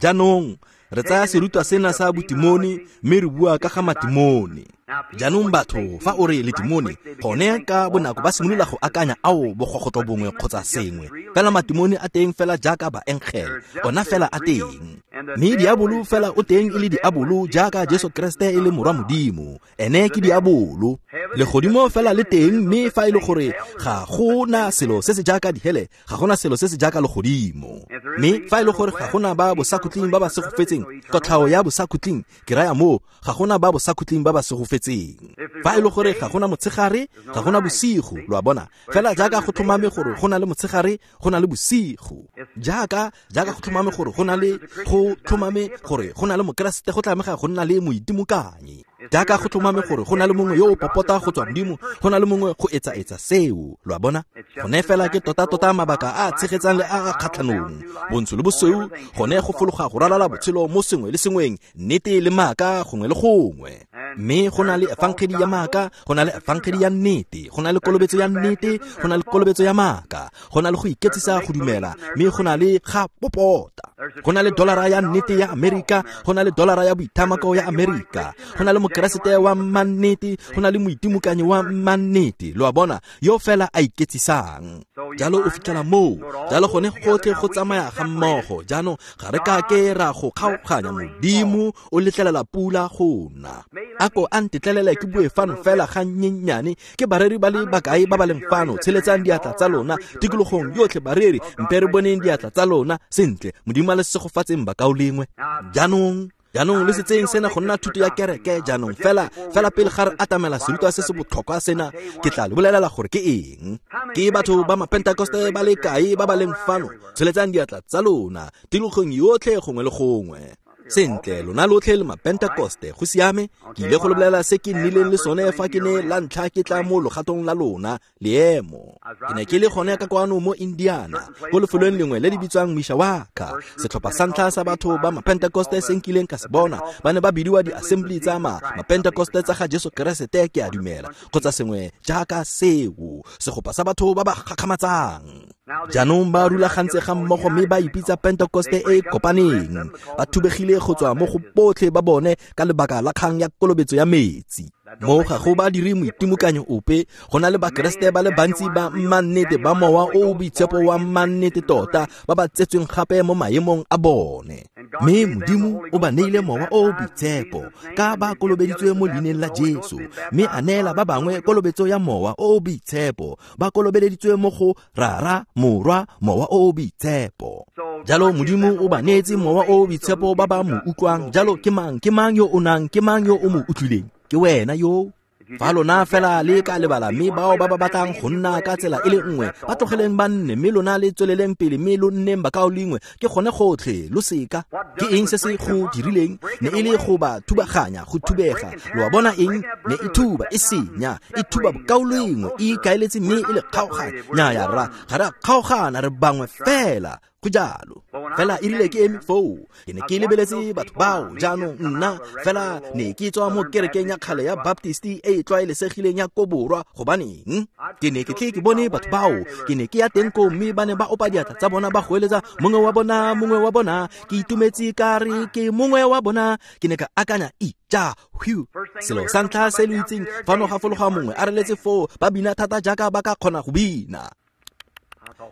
Jaanong re tsaya serutwa sena sa botimone, mme re bua ka ga matimone. Jaanong batho fa o re letimone, gone ka bonako ba simolola go akanya ao bogogotlo bongwe kgotsa sengwe. Fela matimone a teng fela jaaka baengele, ona fela a teng. Mme diabolo fela o teng e le diabolo jaaka Jesu Kreste e le morwa Modimo, ene ke diabolo. Legodimo fela le teng, mme fa e le gore ga gona selo se se jaaka dihele, ga gona selo se se jaaka legodimo. Mme fa e le gore ga gona ba bosakhutleng ba ba segofetseng, kotlhao ya bosakhutleng, ke raya moo, ga gona ba bosakhutleng ba ba segofetseng. Fa e le gore ga gona motshegare, ga gona bosigo, lo a bona. Fela jaaka go tlhomame gore go na le motshegare, go na le bosigo. Jaaka jaaka go tlhomame gore go na le go tlhomame gore go na le mokeresete, go tlamega go nna le moitimokanyi. Jaaka go tlhomame gore go na le mongwe yo o popota go tswa Modimo, go na le mongwe go etsa-etsa seo, lo a bona. Gone fela ke tota-tota mabaka a a tshegetsang le a a kgatlhanong, bontsho le bosweu, gone go fologa go ralala botshelo mo sengwe le sengweng, nnete le maaka gongwe le gongwe. Mme go na le efangedi ya maaka, go na le efangedi ya nnete, go na le kolobetso ya nnete, go na le kolobetso ya maaka, go na le go iketsisa go dumela, mme go na le ga popota. Go na le dolara ya nnete ya Amerika, go na le dolara ya boithamako ya Amerika, go na le mokeresete wa mannete, go na le moitimokanyi wa mannete, lo a bona, yo fela a iketsisang. Jalo o fitlhela moo, jalo gone gotlhe go tsamaya ga mmogo. Jaanong ga re ka ke ra go kgaoganya, Modimo o letlelela pula go na. Ako a ntetlelele ke bue fano fela ga nnyenyane. Ke bareri ba le bakae ba ba leng fano? Tsheletsang diatla tsa lona tikologong yotlhe, bareri, mpe re boneng diatla tsa lona. Sentle, Modimo a le segofatseng bakaulengwe. Jaanong jaanong le setseng sena go nna thuto ya kereke. Jaanong fela fela pele ga re atamela serutwa se se botlhokwa sena, ke tla le bolelela gore ke eng. Ke batho ba mapentekoste ba le kae ba ba leng fano? Tsheletsang diatla tsa lona tikologong yotlhe gongwe le gongwe. Sentle, lona lotlhe le mapentekoste, go siame. Ke ile go le bolelela se ke nnileng le sone fa ke ne la ntlha ke tla mo logatong la lona, leemo. Ke ne ke le gone ka kwano mo Indiana, ko lefelong lengwe le le bitswang Mishawaka. Setlhopha sa ntlha sa batho ba mapentekoste se nkileng ka se bona, ba ne ba bidiwa di-assembly tsa ma mapentekoste tsa ga Jesu Keresete, ke a dumela, kgotsa sengwe jaaka seo, segopa sa batho ba ba gakgamatsang. Jaanong ba rulagantse ga mmogo mme ba ipitsa Pentekoste e e kopaneng. Ba thubegile go tswa mo go botlhe ba bone ka lebaka la kgang ya kolobetso ya metsi. Mo ga go ba dire moitimokanyo ope, go na le bakeresete ba le bantsi ba mannete ba mowa o o boitshepo wa mannete tota, ba ba tsetsweng gape mo maemong a bone. Mme Modimo o ba neile mowa o o boitshepo ka ba kolobeditswe mo leineng la Jesu, mme a neela ba bangwe kolobetso ya mowa o o boitshepo, ba kolobeleditswe mo go Rara, Morwa, Mowa o o boitshepo. Jalo Modimo o ba neetse mowa o o boitshepo ba ba mo utlwang. Jalo ke mang, ke mang yo o nang, ke mang yo o mo utlwileng? Ke wena yo. Fa lona fela le ka lebala, mme bao ba ba batlang go nna ka tsela e le nngwe, ba tlogeleng ba nne, mme lona le tsweleleng pele, mme lo nneng bakaulengwe. Ke gone gotlhe, lo seka. Ke eng se se go dirileng? Ne e le go ba thubaganya, go thubega. Lo a bona eng? Ne e thuba, e senya, e thuba bokaulengwe, e ikaeletse mme e le kgaoganya. Nnyaya rra, ga re a kgaogana, re bangwe fela. Go jalo. Fela e rile ke eme foo, ke ne ke lebeletse batho bao. Jaanong nna fela ne ke tswa mo kerekeng ya kgale ya Baptist e e tlwaelesegileng ya ko borwa. Gobaneng? Ke ne ke tle ke bone batho bao, ke ne ke ya teng koo, mme ba ne ba opa diatla tsa bona ba goeletsa, mongwe wa bona, mongwe wa bona. Ke itumetse ka re ke mongwe wa bona. Ke ne ka akanya, ija, whew. Selo sa ntlha se lo itseng, fano ga fologa mongwe a reletse foo, ba bina thata jaaka ba ka kgona go bina.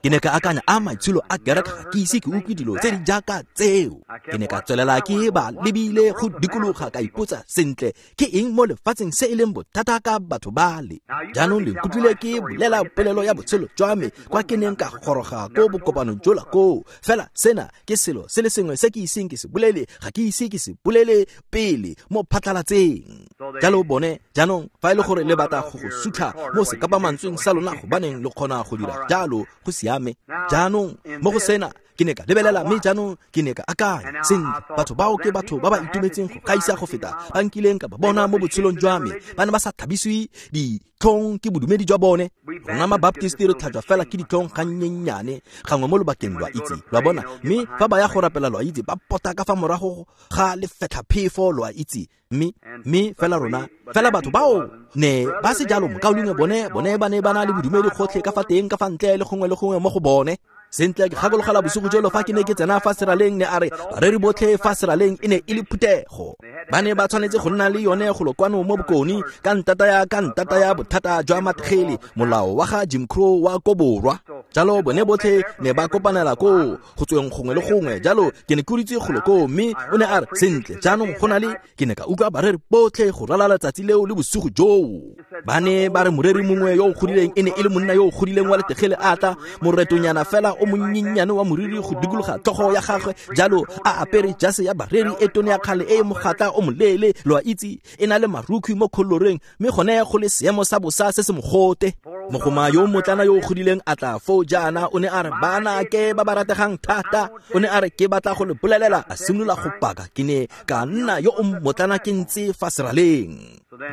Ke ne ka akanya, a maitsholo a kereke, ga ke ise ke utlwe dilo tse di jaaka tseo. Ke ne ka tswelela ke ba lebile go dikologa, ka ipotsa, sentle, ke eng mo lefatsheng se e leng bothata ka batho bale? Jaanong le nkutlwile ke bolela polelo ya botshelo jwa me kwa ke neng ka goroga ko bokopanong jola koo. Fela sena ke selo se le sengwe se ke iseng ke se bolele, ga ke ise ke se bolele pele mo phatlhalatseng. Jalo bone, jaanong fa e le gore le batla go go sutlha mo sekapamantsweng sa lona, gobaneng le kgona go dira jalo, go siame. Jaanong mo go sena ke ne ka lebelela, mme jaanong ke ne ka akanya, sentle, batho bao ke batho ba ba itumetseng go gaisa go feta ba nkileng ka ba bona mo botshelong jwa me. Ba ne ba sa thabisiwe ditlhong ke bodumedi jwa bone. Rona mabaptist re tlhajwa fela ke ditlhong ga nnyenyane gangwe mo lobakeng, lwa itse, lwa bona. Mme fa ba ya go rapela, lwa itse, ba pota ka fa morago ga lefetlhaphefo, lwa itse. Mme mme fela rona fela batho bao ne ba se jalo, mokaulengwe bone bone ba ne ba na le bodumedi gotlhe ka fa teng, ka fa ntle le gongwe le gongwe mo go bone. Sentle, ke gakologela bosigo jolo fa ke ne ke tsena fa seraleng, ne a re bareri botlhe fa seraleng e ne e le phuthego. Ba ne ba tshwanetse go nna le yone golo kwano mo bokone ka ntata ya ka ntata ya bothata jwa mathegele, molao wa ga Jim Crow wa ko borwa. Jalo bone botlhe ne ba kopanela koo go tsweng gongwe le gongwe. Jalo ke ne ke dutse golo koo, mme o ne a re, sentle jaanong go na le, ke ne ka utlwa bareri botlhe go ralala letsatsi leo le bosigo joo. Ba ne ba re moreri mongwe yo o godileng e ne e le monna yo o godileng wa letegele a tla, moretonyana fela o monnyennyane wa moriri go dikologa tlhogo ya gagwe, jalo a apere jase ya bareri e tone ya kgale e e mogatla o moleele, lo a itse, e na le marukhwi mo kholoreng, mme gone go le seemo sa bosa se se mogote. Mogoma yo motlana yo o godileng a tla foo jaana, o ne a re, bana ke ba ba rategang thata. O ne a re, ke batla go le bolelela. A simolola go paka. Ke ne ka nna yo o motlana ke ntse fa seraleng.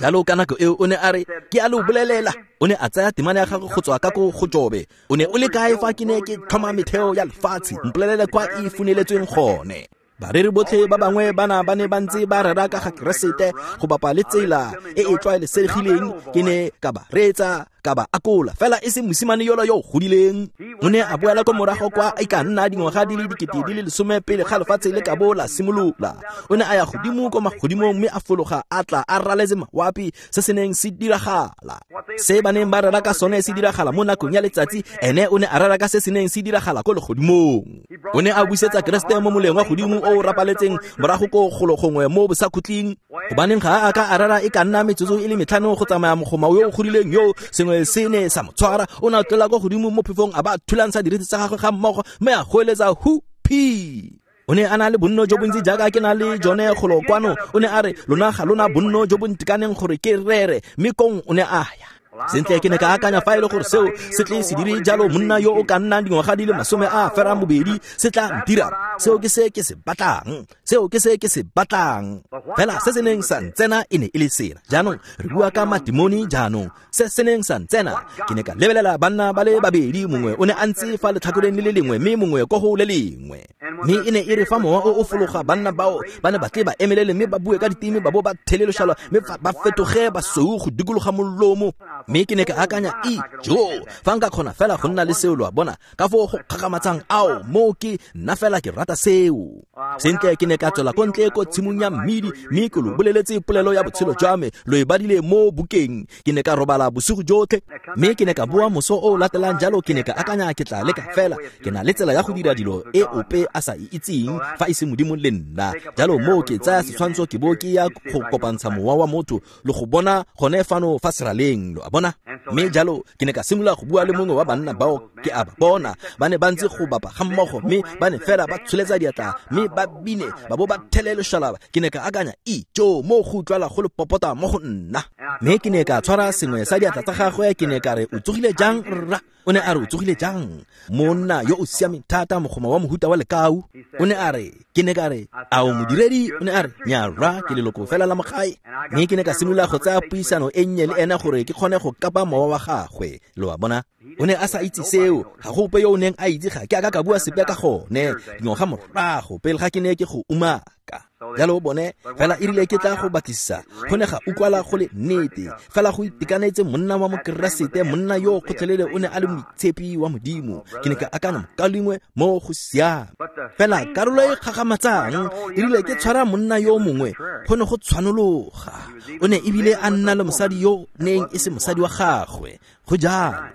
Jalo ka nako eo o ne a re, ke a lo bolelela. O ne a tsaya temana ya gagwe go tswa ka ko go Jobe. O ne o le kae fa ke ne ke tlhoma metheo ya lefatshe? Mpolelele kwa e funeletsweng gone. Bareri botlhe ba bangwe bana ba ne ba ntse ba rera ka ga Keresete go bapa le tsela e e tlwaelesegileng. Ke ne ka ba reetsa, ka ba akola, fela e se mosimane yola yo o godileng. O ne a boela ko morago kwa e ka nna dingwaga di le dikete di le lesome pele ga lefatshe le ka bo la simolola. O ne a ya godimo ko magodimong mme a fologa a tla a raletse mawapi se se neng se diragala. Se ba neng ba rera ka sone se diragala mo nakong ya letsatsi, ene o ne a rera ka se se neng se diragala ko legodimong. O ne a busetsa Keresete mo moleng wa godimo o rapaletseng morago ko golo gongwe mo bosakhutleng. Gobaneng ga a ka a rera e ka nna metsotso e le metlhano go tsamaya mogoma yo o godileng yo sengwe se ne sa mo tshwara. O ne a tlola ko godimo mo phefong a ba thulantsha diriti tsa gagwe ga mmogo mme a goeletsa hupi. O ne a na le bonno jo bontsi jaaka ke na le jone golo kwano. O ne a re, lona ga lona bonno jo bo ntekaneng gore ke rere, mme kong o ne a ya. Sentle ke ne ka akanya fa e le gore seo se tle se dire jalo, monna yo o ka nnang dingwaga di le masome a ferang bobedi se tla ntira. Seo ke se ke se batlang, seo ke se ke se batlang. Fela se se neng sa ntsena e ne e le sena. Jaanong re bua ka madimoni jaanong. Se se neng sa ntsena, ke ne ka lebelela banna ba le babedi, mongwe o ne a ntse fa letlhakoreng le le lengwe mme mongwe ko go le lengwe. Mme e ne e re fa mowa o o fologa, banna bao ba ne ba tle ba emelele mme ba bue ka diteme, ba bo ba theleloshalwa mme ba fetoge basweu go dikologa molomo. Mme ke ne ka akanya, ijo, fa nka kgona fela go nna le seo, lo a bona, ka foo go kgakgamatsang ao, moo ke nna fela ke rata seo. Sentle ke ne ka tswela ko ntle ko tshimong ya mmidi, mme ke lo boleletse polelo ya botshelo jwa me, lo e badile mo bukeng. Ke ne ka robala bosigo jotlhe, mme ke ne ka boa moso o o latelang. Jalo ke ne ka akanya, ke tla leka fela, ke na le tsela ya go dira dilo e ope a sa e itseng fa e se Modimo le nna. Jalo moo ke tsaya setshwantsho ke bo ke ya go kopantsha mowa wa motho le go bona gone fano fa seraleng, lo a bona. Mme jalo ke ne ka simolola go bua le mongwe wa banna bao ke a ba bona, ba ne ba ntse go bapa ga mmogo, mme ba ne fela ba tsholetsa diatla mme ba bine ba bo ba thele loshalaba. Ke ne ka akanya, ijo, mo go utlwala go le popota mo go nna. Mme ke ne ka tshwara sengwe sa diatla tsa gagwe, ke ne ka re, o tsogile jang rra? O ne a re, o tsogile jang? Monna yo o siameng thata, mogoma wa mohuta wa lekau. O ne a re, ke ne ka re, a o modiredi? O ne a re, nya rra, ke leloko fela la mogae. Mme ke ne ka simolola go tsaya puisano e nnye le ena gore ke kgone go kapa mowa wa gagwe, lo a bona. O ne a sa itse seo, ga go ope yo o neng a itse, ga ke a ka ka bua sepe ka gone dingwaga morago pele ga ke ne ke go umaka. Jalo bone fela e rile ke tla go batlisisa, go ne ga utlwala go le nnete fela go itekanetse monna wa mokeresete, monna yo gotlhelele o ne a le moitshepi wa Modimo. Ke ne ka akanya mokalengwe mo go siame. Fela karolo e kgakgamatsang e rile ke tshwara monna yo mongwe, go ne go tshwanologa. O ne ebile a nna le mosadi yo neng e se mosadi wa gagwe, go jalo.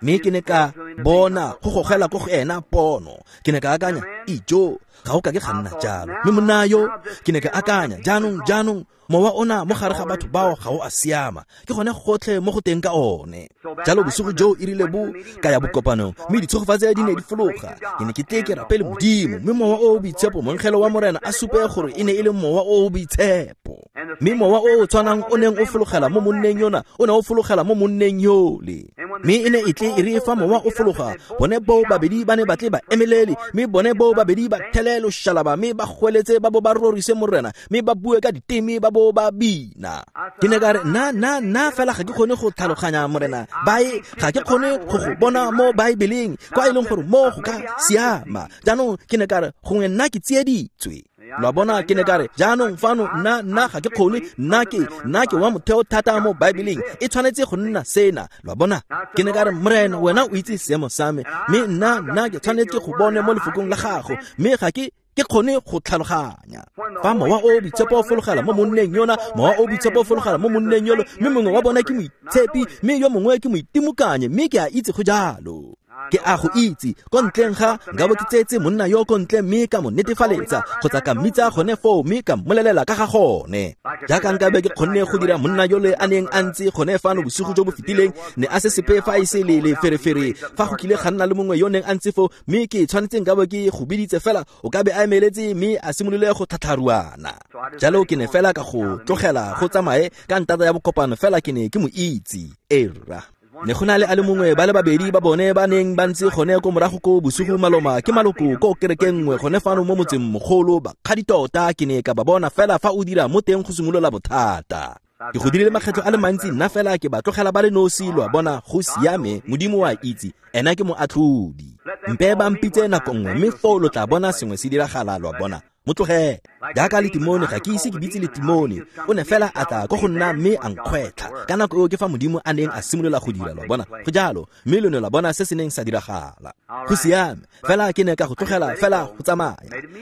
Mme ke ne ka bona go gogela ko go ena pono. Ke ne ka akanya, ijo, ga o ka ke ga nna jalo. Mme monna yo, ke ne ka akanya, jaanong jaanong mowa ona mo gare ga batho bao ga o a siama, ke gone gotlhe mo go teng ka one. Jalo bosigo joo e rile bo ka ya bokopanong, mme ditshegofatso di ne di fologa. Ke ne ke tle ke rapele Modimo, mme mowa o o boitshepo, moengele wa Morena a supe gore e ne e le mowa o o boitshepo. Mme mowa o o tshwanang o neng o fologela mo monneng yona, o ne o fologela mo monneng yole. Mme e ne e tle e re fa mowa o fologa, bone boo babedi ba ne ba tle ba emelele, mme bone boo babedi ba thele loshalaba, mme ba goeletse ba bo ba rorise Morena, mme ba bue ka diteme ba bo ba bina. Ke ne ka re, nna nna nna fela ga ke kgone go tlhaloganya Morena, bae ga ke kgone go go bona mo Baebeleng kwa e leng gore mo go ka siama. Jaanong ke ne ka re, gongwe nna ke tsieditswe. Lo a bona, ke ne ka re, jaanong fano nna nna ga ke kgone, nna ke nna ke wa motheo thata mo Baebeleng, e tshwanetse go nna sena. Lo a bona, ke ne ka re, Morena wena o itse seemo sa me, mme nna nna ke tshwanetse go bone mo lefokong la gago, mme ga ke ke kgone go tlhaloganya. Fa mowa o boitshepo o fologela mo monneng yona, mowa o boitshepo o fologela mo monneng yolo, mme mongwe wa bona ke moitshepi, mme yo mongwe ke moitimokanye, mme ke a itse go jalo. Ke a go itse ko ntleng ga nka bo ke tseetse monna yo ko ntle mme ka mo netefaletsa kgotsa ka mmitsa gone foo mme ka mmolelela ka ga gone. Jaaka nka be ke kgonne go dira monna yole a neng a ntse gone fano bosigo jo bo fetileng, ne a se sepe fa e se le leferefere fa go kile ga nna le mongwe yo neng a ntse foo mme ke tshwanetse nka bo ke go biditse fela o ka be a emeletse mme a simolole go tlhatlharuana. Jalo ke ne fela ka go tlogela go tsamaye ka ntata ya bokopano fela ke ne ke mo itse. Erra. Ne go na le a le mongwe ba le babedi ba bone ba neng ba ntse gone ko morago ko bosigo maloma ke maloko ko kerekeng nngwe gone fano mo motseng mogolo bakgadi tota ke ne ka ba bona fela fa o dira mo teng go simolola bothata. Ke go dirile makgetlho a le mantsi nna fela ke ba tlogela ba le nosi lo a bona go siame Modimo wa itse ena ke moatlhodi. Mpe ba mpitse nako nngwe mme foo lo tla bona sengwe se diragala lo a bona. Mo tlogele jaaka letimone ga ke ise ke bitse letimone o ne fela a tla ko go nna mme a nkgwetlha ka nako eo ke fa Modimo a neng a simolola go dira lo a bona go jalo mme lo ne la bona se se neng sa diragala. Go siame fela ke ne ka go tlogela fela go tsamaya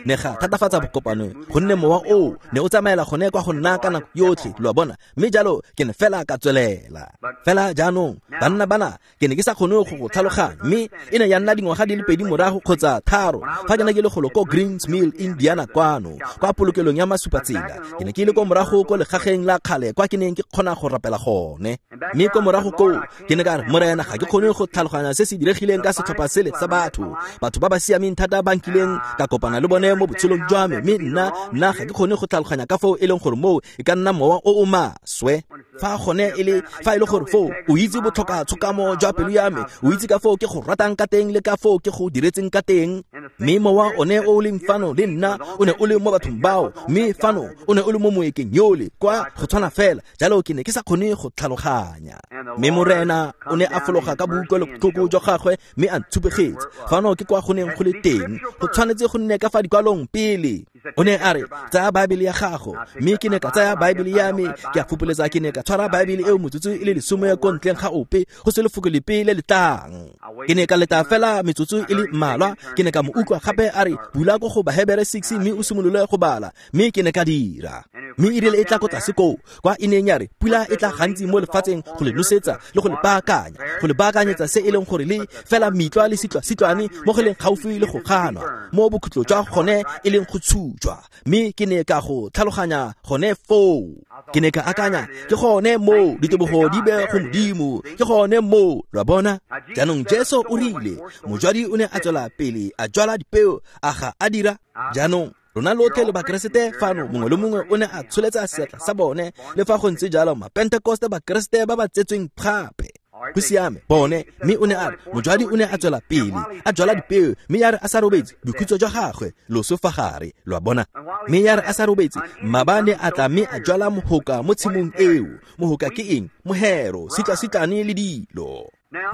ne ga thatafatsa bokopano gonne mowa oo ne o tsamaela gone kwa go nna ka nako yotlhe lo a bona mme jalo ke ne fela ka tswelela fela. Jaanong banna bana ke ne ke sa kgone go go tlhaloganya mme e ne ya nna dingwaga di le pedi morago kgotsa tharo fa ke ne ke le golo ko Greens Mill Indiana kwano kwa polokelong ya masupatsela ke ne ke ile ko morago ko legageng la kgale kwa ke neng ke kgona go rapela gone mme ko morago koo ke ne ka re Morena ga ke kgone go tlhaloganya se se diregileng ka setlhopha sele sa batho batho ba ba siameng thata ba nkileng ka kopana le bone mo botshelong jwa me mme nna nna ga ke kgone go tlhaloganya ka foo e leng gore moo e ka nna mowa o o maswe fa gone e le fa e le gore foo o itse botlhoka tshokamo jwa pelo ya me o itse ka foo ke go ratang ka teng le ka foo ke go diretseng ka teng mme mowa one o leng fano le nna o ne o le mo bathong bao mme fano o ne o le mo moekeng yole kwa go tshwana fela jalo ke ne ke sa kgone go tlhaloganya. Mme Morena o ne a fologa ka boutlwelobotlhoko jwa gagwe mme a ntshupegetse fano ke kwa go neng go le teng go tshwanetse go nne ka fa dikwalong pele. O ne a re tsaya Baebele ya gago mme ke ne ka tsaya Baebele ya me ke a fopoletsa ke ne ka tshwara Baebele eo metsotso e le lesome ko ntleng ga ope go se lefoko lepe le le tlang. Ke ne ka leta fela metsotso e le mmalwa ke ne ka mo utlwa gape a re bula ko go Bahebere six mme o simolole go bala mme ke ne ka dira. Mme e rile e tla ko tlase koo kwa e neng ya re pula e tla gantsi mo lefatsheng go le nosetsa le go le baakanya go le baakanyetsa se e leng gore le fela mitlwa le sitlwa-sitlwane mo go leng gaufi le go ganwa mo bokhutlo jwa gone e leng go tshujwa mme ke ne ka go tlhaloganya gone foo. Ke ne ka akanya ke gone moo ditebogo di be go Modimo ke gone moo lo a bona. Jaanong Jesu o rile mojwadi o ne a tswela pele a jwala dipeo a ga a dira. Jaanong rona lotlhe le bakeresete fano mongwe le mongwe o ne a tsholetsa seatla sa bone le fa go ntse jalo mapentekoste bakeresete ba ba tsetsweng gape go siame bone mme o ne a re mojwadi o ne a tswela pele a jwala dipeo mme ya re a sa robetse bokhutso jwa gagwe loso fa gare lo a bona mme ya re a sa robetse mabane a tla mme a jwala mohoka mo tshimong eo. Mohoka ke eng? Mohero sitlasitlane le dilo.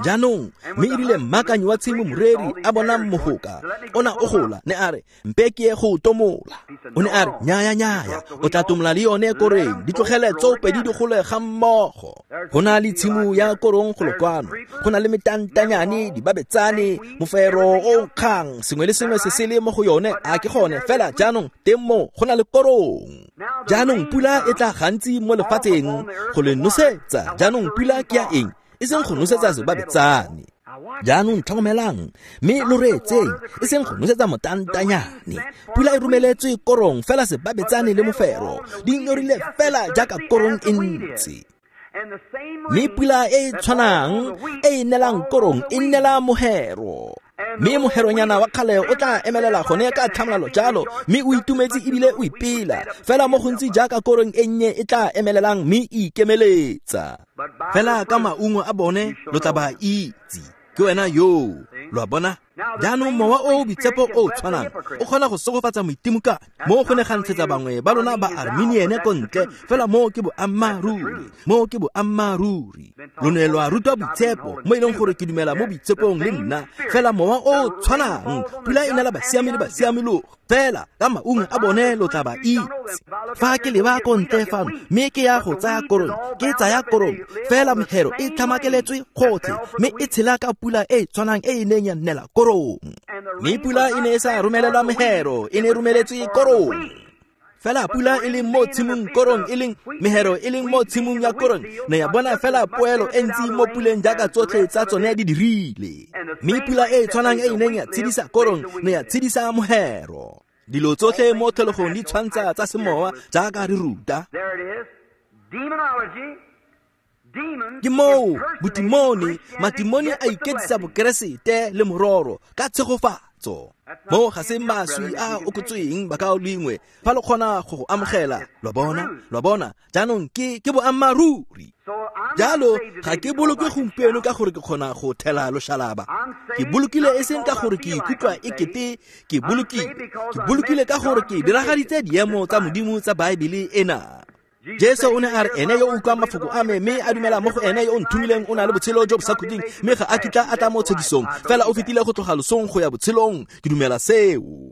Jaanong mme e rile mmakanyi wa tshimo moreri a bona mohoka ona o gola ne a re mpe ke ye go tomola. O ne a re nyaya nyaya o tla tomola le yone koreng di tlogele tsoopedi di gole ga mmogo. Go na le tshimo ya korong golo kwano go na le metantanyane dibabetsane mofero o nkgang sengwe le sengwe se se le mo go yone a ke gone fela. Jaanong teng mo go na le korong. Jaanong pula e tla gantsi mo lefatsheng go le nosetsa. Jaanong pula ke ya eng? E seng go nosetsa sebabetsane. Jaanong tlhokomelang mme lo reetseng e seng go nosetsa motantanyane. Pula e romeletswe korong fela sebabetsane le mofero di nyorile fela jaaka korong e ntse. Mme pula e e tshwanang e e nelang korong e nela mohero. Mme moheronyana wa kgale o tla emelela gone ka tlhamalalo jalo mme o itumetse ebile o ipela fela mo gontsi jaaka korong e nnye e tla emelelang mme e ikemeletsa. Fela ka maungo a bone lo tla ba itse. Ke wena yo lo a bona. Jaanong mowa o o boitshepo o o tshwanang o kgona go segofatsa moitimokanyi mo go ne ga ntshetsa bangwe ba lona ba Arminiane ko ntle fela moo ke boammaaruri moo ke boammaaruri. Lo ne lwa rutwa boitshepo mo e leng gore ke dumela mo boitshepong le nna fela mowa o o tshwanang pula e nela basiami le basiamologo fela ka maungo a bone lo tla ba itse. Fa ke leba ko ntle fano mme ke ya go tsaya korong ke tsaya korong fela mehero e tlhamakeletswe gotlhe mme e tshela ka pula e tshwanang e e neng ya nnela korong. Mme pula e ne e sa romelelwa mehero e ne e romeletswe korong. Fela pula e leng mo tshimong korong e leng mehero e leng mo tshimong ya korong ne ya bona fela poelo e ntsi mo puleng jaaka tsotlhe tsa tsone di dirile. Mme pula e e tshwanang e e neng ya tshedisa korong ne ya tshedisa mohero. Dilo tsotlhe mo tlholegong di tshwantsha tsa semowa jaaka re ruta. Ke moo botimone, matimone a iketsisa bokeresete le mororo ka tshegofatso. Mo ga se maswi a okotsweng bakaulengwe fa lo kgona go go amogela, lo bona, lo bona, jaanong ke ke boammaaruri. Jalo ga ke boloke gompieno ka gore ke kgona go thela loshalaba. Ke bolokile e seng ka gore ke ikutlwa e kete ke bolokile. Ke bolokile ka gore ke diragaditse diemo tsa Modimo tsa Baebele ena. Jesu o ne a re ene yo o utlwang mafoko a me mme a dumela mo go ene yo o nthomileng o na le botshelo jo bo sa khutleng mme ga a kitla a tla mo tshekisong, fela o fetile go tloga losong go ya botshelong. Ke dumela seo.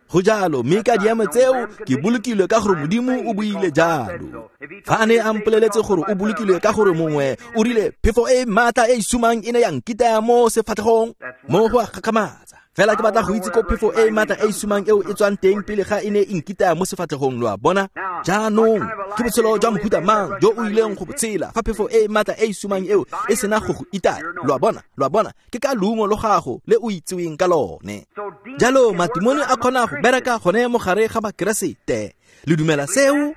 Go jalo, mme ka diemo tseo ke bolokilwe ka gore Modimo o buile jalo. Fa a ne a mpoleletse gore o bolokilwe ka gore mongwe o rile phefo e maatla e e sumang e ne ya nkitaya mo sefatlhegong, mo go a gakgamatsa. Fela ke batla go itse ko phefo e maatla e e sumang eo e tswang teng pele ga e ne e nkitaya mo sefatlhegong, lo a bona. Jaanong ke botshelo jwa mohuta mang jo o ileng go botshela fa phefo e maatla e e sumang eo e sena go go itaya, lo a bona, lo a bona, ke ka leungo lo gago le o itseweng ka lone. Jalo matimone a kgona go bereka gone mo gare ga bakeresete. Le dumela seo?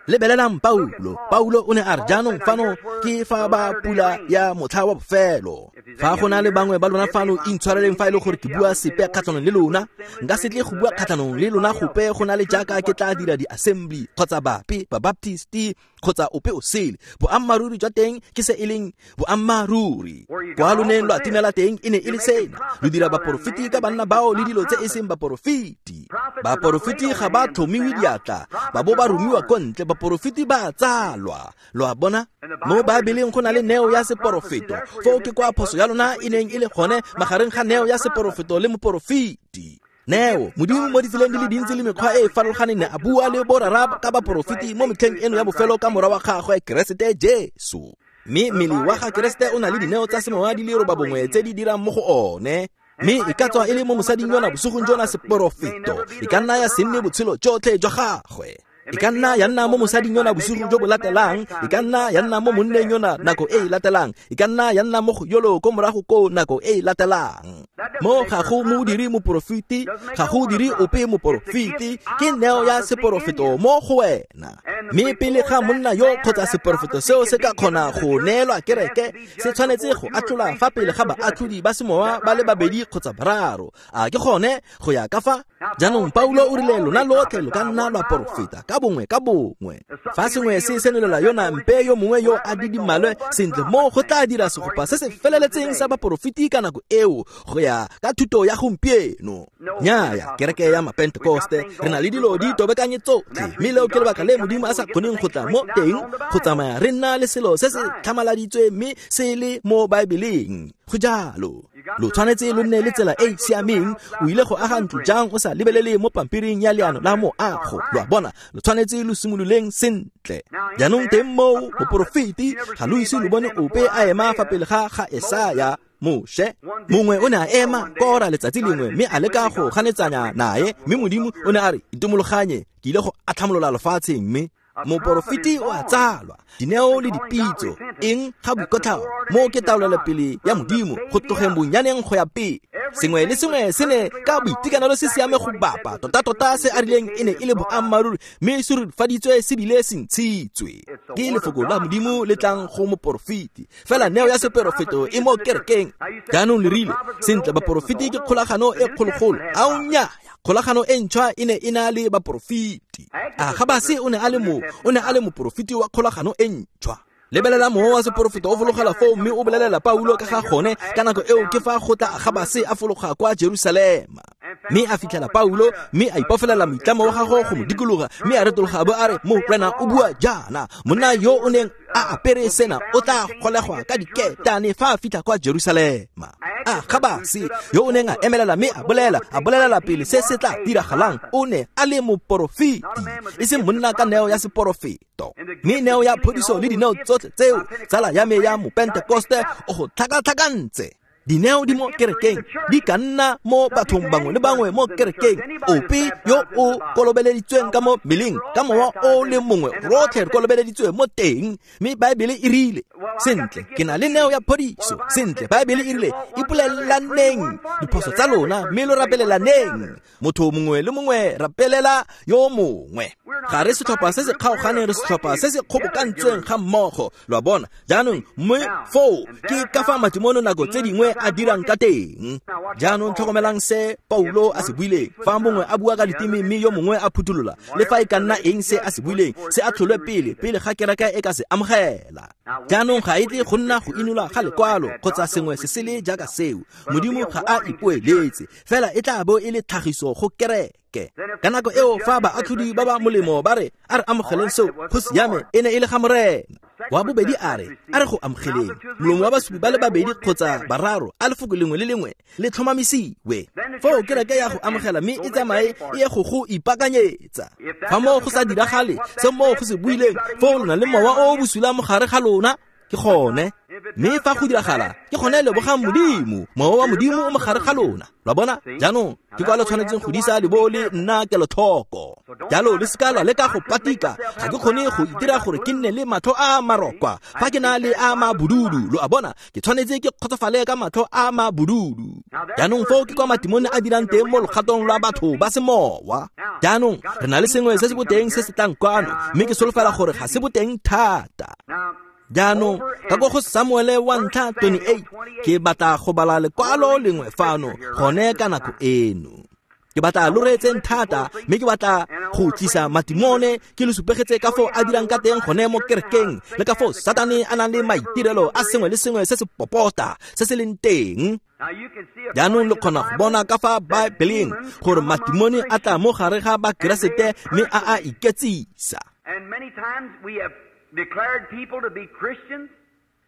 Lebelelang Paulo. Paulo o ne a re jaanong fano ke fa ba pula ya motlha wa bofelo. Fa go na le bangwe ba lona fano intshwareleng fa e le gore ke bua sepe kgatlhanong le lona, nka se tle go bua kgatlhanong le lona gope go na le jaaka ke tla dira di-assembly kgotsa bape ba baptisti kgotsa ope o sele. Boammaaruri jwa teng ke se e leng boammaaruri. Kwa lo neng lo atimela teng e ne e le sena, lo dira baporofeti ka banna bao le dilo tse e seng baporofeti. Baporofeti ga ba tlhomiwe diatla, ba bo ba romiwa ko ntle. Baporofeti ba tsalwa, lo a bona. Mo Baebeleng go na le neo ya seporofeto. Foo ke kwa phoso ya lona e neng e le gone magareng ga neo ya seporofeto le moporofeti. Neo, Modimo mo ditseleng di le dintsi le mekgwa e e farologaneng ne a bua le borara ka baporofeti mo metlheng eno ya bofelo ka morwa wa gagwe Keresete Jesu. Mme mmele wa ga Keresete o na le dineo tsa semowa di le robabongwe tse di dirang mo go one. Mme e ka tswa e le mo mosading yona bosigong jona seporofeto, e ka nna ya se nne botshelo jotlhe jwa gagwe. E ka nna ya nna mo mosading yona bosigo jo bo latelang, e ka nna ya nna mo monneng yona nako e e latelang, e ka nna ya nna mo go yolo ko morago ko nako e e latelang. Mo ga go mo dire moporofeti, ga go dire ope moporofeti, ke neo ya seporofeto mo go wena. Mme pele ga monna yo kgotsa seporofeto seo se ka kgona go neelwa kereke, se tshwanetse go atlholwa fa pele ga baatlhodi ba semowa ba le babedi kgotsa bararo. A ke gone go ya ka fa? Jaanong Paulo o rile lona lotlhe lo ka nna lwa porofeta ka bongwe ka bongwe. Fa sengwe se senolela yona mpe yo mongwe yo a didimalwe sentle, mo go tla dira segopa se se feleletseng sa baporofeti ka nako eo go ya ka thuto ya gompieno. Nnyaya, kereke ya Mapentekoste re na le dilo di tobekanye tsotlhe, mme leo ke lebaka le Modimo a sa kgoneng go tla mo teng go tsamaya re nna le selo se se tlhamaladitswe mme se le mo Baebeleng. Go jalo, lo tshwanetse lo nne le tsela e e siameng. O ile go aga ntlo jang o sa lebelele mo pampiring ya leano la moago, lo a bona. Lo tshwanetse lo simololeng sentle. Jaanong teng moo moporofeti ga lo ise lo bone ope a ema fa pele ga ga Esaya, Moshe. Mongwe o ne a ema Kora letsatsi lengwe mme a leka go ganetsanya nae, mme Modimo o ne a re itomologanye, ke ile go atlhamolola lefatsheng. Mme moporofeti o a tsalwa, dineo le dipitso eng ga boikotlhao, mo ke taolelopele ya Modimo go tlogeng bonyaneng go ya pele. Sengwe le sengwe se ne ka boitekanelo se siame go bapa tota-tota se a rileng e ne e le boammaaruri, mme se rurifaditswe se bile se ntshitswe. Ke lefoko la Modimo le tlang go moporofeti. Fela neo ya seporofeto e mo kerekeng. Jaanong le rile sentle, baporofeti ke kgolagano e kgologolo. Ao nnyaya, kgolagano e ntšhwa e ne e na le baporofeti. Agabase o ne a le mo o ne a le moporofeti wa kgolagano e ntšhwa. Lebelela mowa wa seporofeto o fologela foo mme o bolelela Paulo ka ga gone. Ka nako eo ke fa go tla Agabase a fologa kwa Jerusalema, mme a fitlhela Paulo mme a ipofelela moitlamo wa gagwe go mo dikologa, mme a retologa a bo a re, Morena o bua jaana, monna yo o neng a apere sena o tla golegwa ka diketane fa a fitlha kwa Jerusalema. Agabase yo o neng a emelela mme a bolela a bolelela pele se se tla diragalang, o ne a le moporofeti, e seng monna ka neo ya seporofeto. Mme neo ya phodiso le dineo tsotlhe tseo, tsala ya me ya Mopentekoste o go tlhakatlhakantse. Dineo di mo kerekeng di ka nna mo bathong bangwe le bangwe mo kerekeng. Ope yo o kolobeleditsweng ka mo mmeleng ka mowa o le mongwe, rotlhe re kolobeleditswe mo teng. Mme Baebele e rile, sentle, ke na le neo ya phodiso. Sentle, Baebele e rile, ipolelelaneng diphoso tsa lona mme lo rapelelaneng. Motho mongwe le mongwe rapelela yo mongwe. Ga re setlhopha se se kgaoganeng, re setlhopha se se kgobokantsweng ga mmogo. Lo a bona? Jaanong mme foo ke ka fa matimono nako tse dingwe a dirang ka teng. Jaanong tlhokomelang se Paulo a se buileng. Fa mongwe a bua ka diteme mme yo mongwe a phuthulola, le fa e ka nna eng se a se buileng, se a tlholwe pele pele ga kereke e ka se amogela. Jaanong ga e tle go nna go inolwa ga lekwalo kgotsa sengwe se sele jaaka seo. Modimo ga a ipoeletse, fela e tla bo e le tlhagiso go kereke. Ka nako eo fa baatlhodi ba ba molemo ba re, a re amogeleng seo, go siame, e ne e le ga Morena. Wa bobedi a re, a re go amogeleng. Molomo wa basupi ba le babedi kgotsa bararo, a lefoko lengwe le lengwe le tlhomamisiwe. Foo kereke ya go amogela mme e tsamaye e ye go go ipaakanyetsa. Fa moo go sa diragale se moo go se buileng, foo lo na le mowa o o bosula mo gare ga lona. Ke gone. Mme fa go diragala, ke gone lebogang Modimo. Mowa wa Modimo o mo gare ga lona. Lo a bona? Jaanong ke kwa le tshwanetseng go disa le bo le nna kelotlhoko. Jalo le seka lwa leka go patika. Ga ke kgone go itira gore ke nne le matlho a marokwa fa ke na le a mabududu. Lo a bona? Ke tshwanetse ke kgotsofale ka matlho a mabududu. Jaanong foo ke kwa matimone a dirang teng mo logatong lwa batho ba semowa. Jaanong re na le sengwe se se boteng se se tlang kwano, mme ke solofela gore ga se boteng thata. Jaanong ka ko go Samuele wa ntlha twenty-eight, ke batla go bala lekwalo lengwe fano gone ka nako eno. Ke batla lo reetseng thata, mme ke batla go tlisa matimone ke le supegetse ka foo a dirang ka teng gone mo kerekeng, le ka foo Satane a nang le maitirelo a sengwe le sengwe se se popota se se leng teng. Jaanong le kgona go bona ka fa Baebeleng gore matimone a tla mo gare ga Bakeresete mme a a iketsisa. And many times we have declared people to be Christians.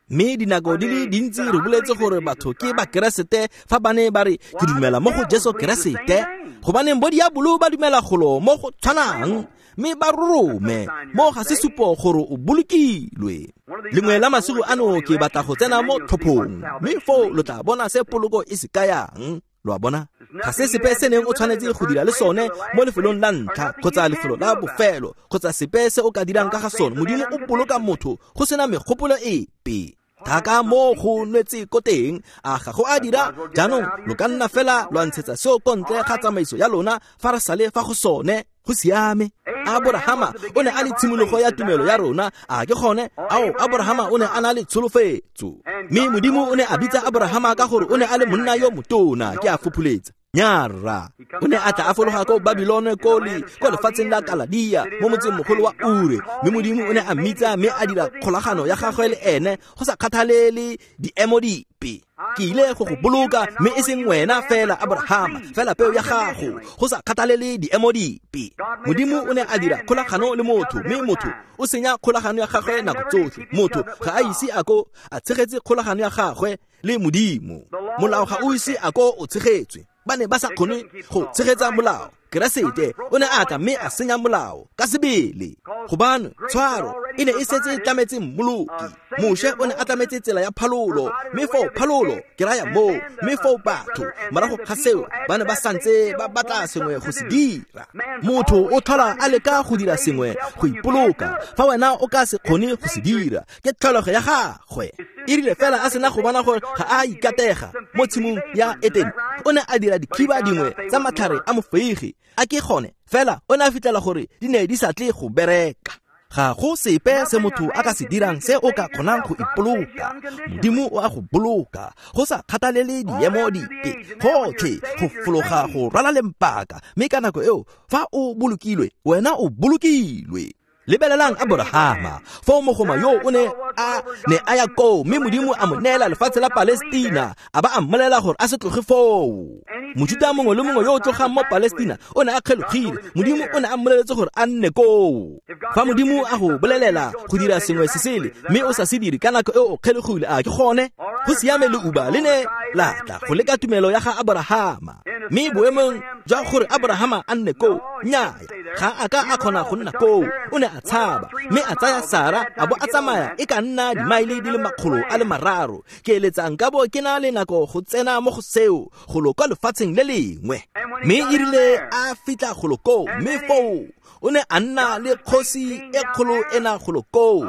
Mme dinako di le dintsi re boletse gore batho ke Bakeresete fa ba ne ba re ke dumela mo go Jesu Keresete. Gobaneng bo diabolo ba dumela golo mo go tshwanang, mme ba rorome mo ga se supo gore o bolokilwe. Lengwe la masigo ano ke batla go tsena mo tlhophong, mme foo lo tla bona se poloko e se kayang. Lo a bona? Ga se sepe se neng o tshwanetse go dira le sone mo lefelong la ntlha kgotsa lefelo la bofelo kgotsa sepe se o ka dirang ka ga sone. Modimo o boloka motho go sena megopolo epe. Thaka mo go nwetse ko teng, a ga go a dira. Jaanong lo ka nna fela lwa ntshetsa seo ko ntle ga tsamaiso ya lona fa re sale fa go sone. Go siame. Aborahama o ne a le tshimologo ya tumelo ya rona. A ke gone? Ao, Aborahama o ne a na le tsholofetso. Mme Modimo o ne a bitsa Aborahama ka gore o ne a le monna yo motona. Ke a fopholetsa. Nyara. O ne a tla a fologa ko Babilone ko le ko lefatsheng la Kaladia mo motseng mogolo wa Ure. Mme Modimo o ne a mmitsa mme a dira kgolagano ya gagwe le ene go sa kgathalele diemo dipe. Ke ile go go boloka mme e seng wena fela Abrahama, fela peo ya gago, go sa kgathalele diemo dipe. Modimo o ne a dira kgolagano le motho, mme motho o senya kgolagano ya gagwe nako tsotlhe. Motho ga a ise a ko a tshegetse kgolagano ya gagwe le Modimo. Molao ga o ise a ko o tshegetswe. Ba ne ba sa kgone go tshegetsa molao. Keresete o ne a tla mme a senya molao ka sebele. Gobane tshwaro e ne e setse e tlametse mmoloki. Moshe o ne a tlametse tsela ya phalolo, mme foo phalolo ke raya moo, mme foo batho morago ga seo ba ne ba santse ba batla sengwe go se dira. Motho o tlhola a leka go dira sengwe go ipoloka, fa wena o ka se kgone go se dira, ke tlholego ya gagwe. E rile fela a sena go bona gore ga a ikatega mo tshimong ya Etene, o ne a dira dikhiba dingwe tsa matlhare a mofeige. A ke gone fela o ne a fitlhela gore di ne di sa tle go bereka. Ga go sepe se motho a ka se dirang se o ka kgonang go ipoloka. Modimo o a go boloka go sa kgathalele diemo dipe, gotlhe go fologa go rwala lempaka. Mme ka nako eo fa o bolokilwe, wena o bolokilwe. Lebelelang Aborahama, foo mogoma yo o ne a ne a ya koo, mme Modimo a mo neela lefatshe la Palestina, a ba a mmolelela gore a se tloge foo. Mojuta mongwe le mongwe yo o tlogang mo Palestina o ne a kgelogile. Modimo o ne a mmoleletse gore a nne koo. Fa Modimo a go bolelela go dira sengwe se sele mme o sa se dire ka nako eo o kgelogile, a ke gone? Go siame leuba le ne la tla go leka tumelo ya ga Aborahama. Mme boemong jwa gore Aborahama a nne koo, nnyaya, ga a ka a kgona go nna koo. O ne a a tshaba mme a tsaya Sara a bo a tsamaya e ka nna dimaele di le makgolo a le mararo. Ke eletsa nka bo ke na le nako go tsena mo go seo golo kwa lefatsheng le lengwe. Mme e rile a fitlha golo koo, mme foo o ne a nna le kgosi e kgolo ena golo koo,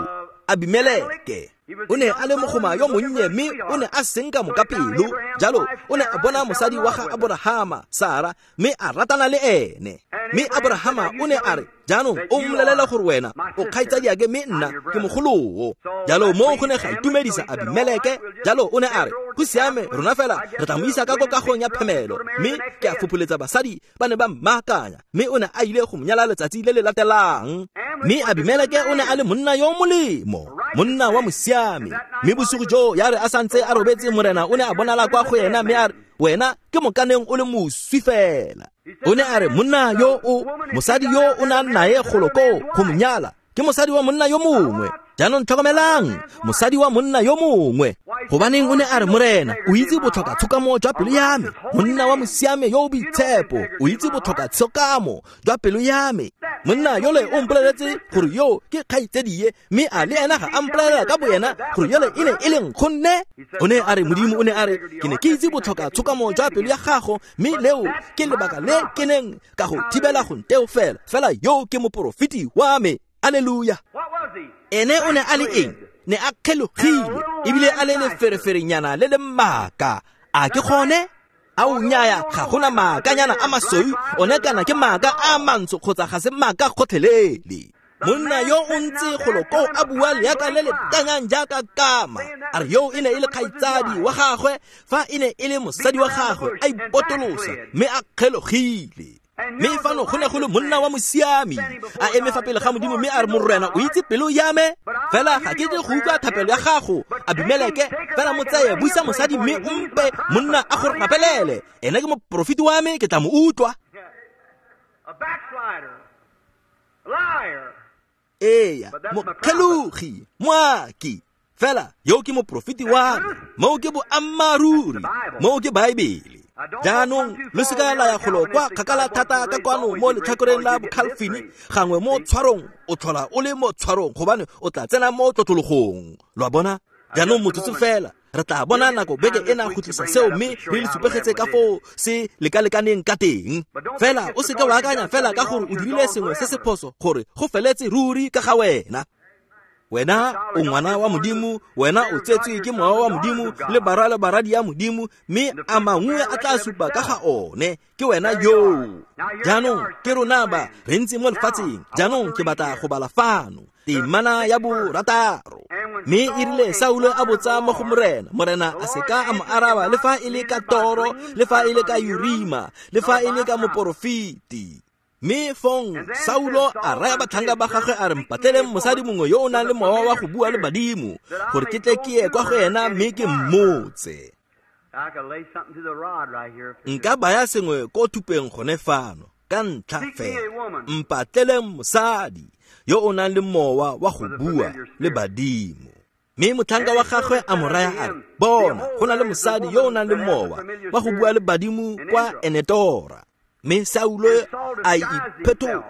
Abimeleke. O ne a le mogoma yo monnye mme o ne a senka mokapelo. Jalo o ne a bona mosadi wa ga Aborahama, Sara, mme a ratana le ene. Mme Aborahama o ne a re, jaanong o mmolelela gore wena o kgaitsadiake mme nna ke mogoloo. Jalo mo go ne ga itumedisa Abimeleke. Jalo o ne a re, go siame, rona fela re tla mo isa ka ko kagong ya phemelo. Mme ke a fopholetsa basadi ba ne ba mmaakanya, mme o ne a ile go mo nyala letsatsi le le latelang. Mme Abimeleke o ne a le monna yo molemo, monna wa mosiami. Mme bosigo jo ya re a santse a robetse, morena o ne a bonala kwa go ena mme a re, wena ke mokaneng o le moswi fela. O ne a re, monna yo o mosadi yo o nang nae golo koo go mo nyala ke mosadi wa monna yo mongwe. Jaanong tlhokomelang, mosadi wa monna yo mongwe. Gobaneng o ne a re, morena o itse botlhoka tshokamo jwa pelo ya me, monna wa mosiame yo o boitshepo o itse botlhoka tshokamo jwa pelo ya me. Monna yole o mpoleletse gore yo ke kgaitsedie, mme a le ena ga a mpolelela ka boyena gore yole e ne e leng gonne. O ne a re, Modimo o ne a re, ke ne ke itse botlhoka tshokamo jwa pelo ya gago, mme leo ke lebaka le ke neng ka go thibela go nteo fela. Fela yo ke moporofeti wa me. Alleluia. Ene o ne a le eng? Ne a kgelogile ebile a le lefereferenyana le le maaka. A ke gone? A o nyaya, ga gona maakanyana a masweu, one kana ke maaka a mantsho kgotsa ga se maaka gotlhelele. Monna yo o ntse golo koo a bua leaka le le tanyang jaaka kama. A re yo e ne e le kgaitsadi wa gagwe, fa e ne e le mosadi wa gagwe, a ipotolosa mme a kgelogile. Mme fano go ne go le monna wa mosiami a eme fa pele ga Modimo mme a re, morena o itse pelo ya me, fela ga ke tle go utlwa thapelo ya gago, Abimeleke. Fela mo tseye, buisa mosadi mme o mpe monna a go rapelele. Ene ke moporofeti wa me, ke tla mo utlwa. Eya, mokgelogi, moaki, fela yo ke moporofeti wa me. Moo ke boammaaruri, moo ke Baebele. Jaanong lo seka la ya golo kwa kgakala thata ka kwano mo letlhakoreng la Bokhalfini. Gangwe mo tshwarong o tlhola o le mo tshwarong, gobane o tla tsena mo tlotlologong. Lo a bona? Jaanong motsotso fela re tla bona nako beke ena go tlisa seo, mme re le supegetse ka foo se lekalekaneng ka teng. Fela o seka wa akanya fela ka gore o dirile sengwe se se phoso gore go feletse ruri ka ga wena. Wena o ngwana wa Modimo, wena o tsetswe ke mowa wa Modimo le barwa le baradi ya Modimo, mme a mangwe a tla supa ka ga one. Ke wena yoo. Jaanong ke rona ba re ntse mo lefatsheng. Jaanong ke batla go bala fano temana ya borataro. Mme e rile Saulo a botsa mo go morena, morena a seka a mo araba le fa e le ka toro, le fa e le ka Urima, le fa e le ka moporofeti. Mme fong Saulo a raya batlhanka ba gagwe a re, mpatleleng mosadi mongwe yo o nang le mowa wa go bua le badimo, gore ke tle ke ye kwa go ena mme ke mmotse. Nka baya sengwe ko thupeng gone fano ka ntlha fela. Mpatleleng mosadi yo o nang le mowa wa go bua le badimo. Mme motlhanka wa gagwe a mo raya a re, bona, go na le mosadi yo o nang le mowa wa go bua le badimo kwa Enetora. Mme Saulo a iphetola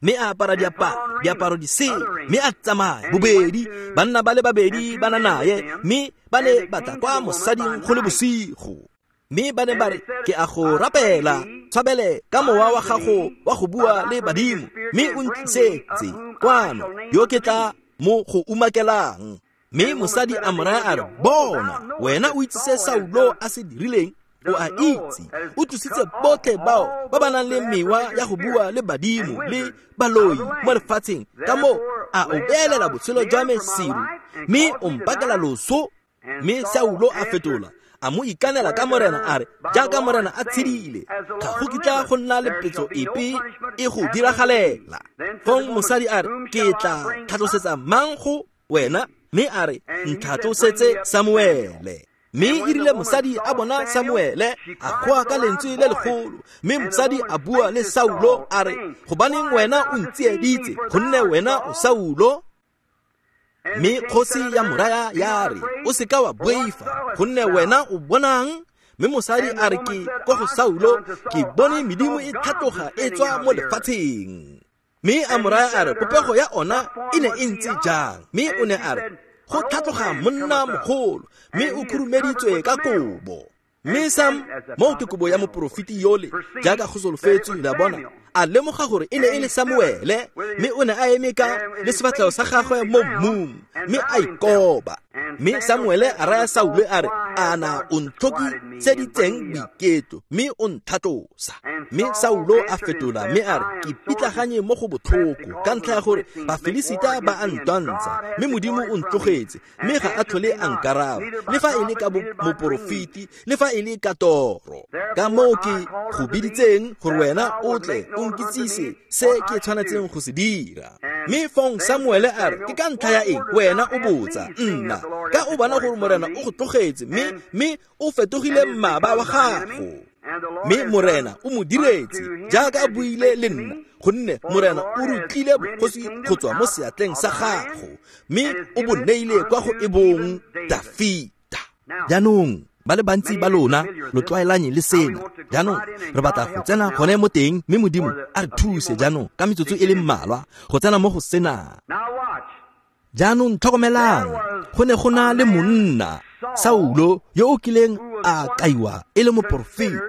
mme a apara diaparo diaparo di sele, mme a tsamaya bobedi, banna ba le babedi ba na naye, mme ba ne ba tla kwa mosading go le bosigo. Mme ba ne ba re, ke a go rapela, tshwabele ka mowa wa gago wa go bua le badimo, mme o ntlisetse kwano yo ke tla mo go umakelang. Mme mosadi a mo raya a re, bona, wena o itse se Saulo a se dirileng, o a itse, o tlositse botlhe bao ba ba nang le mewa ya go bua le badimo le baloi mo lefatsheng, ka moo a o beelela botshelo jwa me seru, mme o mpakela loso. Mme Saulo a fetola a mo ikanela ka morena a re, jaaka morena a tshedile, ga go kitla go nna le petso epe e go diragalela. Fong mosadi a re, ke tla tlhatlosetsa mang go wena? Mme a re, ntlhatlosetse Samuele. Mme e rile mosadi a bona Samuele, a goa ka lentswe le legolo. Mme mosadi a bua le Saulo a re, gobaneng wena o ntsieditse, gonne wena o Saulo? Mme kgosi ya mo raya ya re, o seka wa boifa, gonne wena o bonang? Mme mosadi a re, ke kwa go Saulo, ke bone medimo e tlhatloga e tswa mo lefatsheng. Mme a mo raya a re popego ya ona e ne e ntse jang, mme o ne a re go tlhatloga monna mogolo, mme o khurumeditswe ka kobo. Mme Sam, moo ke kobo ya moporofeti yole, jaaka go solofetswe, la bona, a lemoga gore e ne e le Samuele, mme o ne a eme ka le sefatlhego sa gagwe mo mmung, mme a ikoba. Mme Samuele a raya Saule a re, ana o ntlhokiseditseng boiketlo, mme o nthatlosa. Mme Saulo a fetola mme a re, ke pitlaganye mo go botlhoko ka ntlha ya gore Bafilisita ba a ntwantsha, mme Modimo o ntlogetse, mme ga a tlhole a nkaraba, le fa e le ka moporofeti, le fa e le ka toro. Ka moo ke go biditseng gore wena o tle o nkitsise se ke tshwanetseng go se dira. Mme fong Samuele a re, ke ka ntlha ya eng wena o botsa nna, ka o bona gore Morena o go tlogetse, mme mme o fetogile mmaba wa gago. Mme Morena o mo diretse jaaka a buile le nna, gonne Morena o rutlile bogosi go tswa mo seatleng sa gago, mme o bo neile kwa go ebong Dafita. Jaanong ba le bantsi ba lona lo tlwaelanye le sena. Jaanong re batla go tsena gone mo teng, mme Modimo a re thuse jaanong ka metsotso e le mmalwa go tsena mo go sena. Jaanong tlhokomelang, go ne go na le monna Saulo yo o kileng a kaiwa e le moporofeta,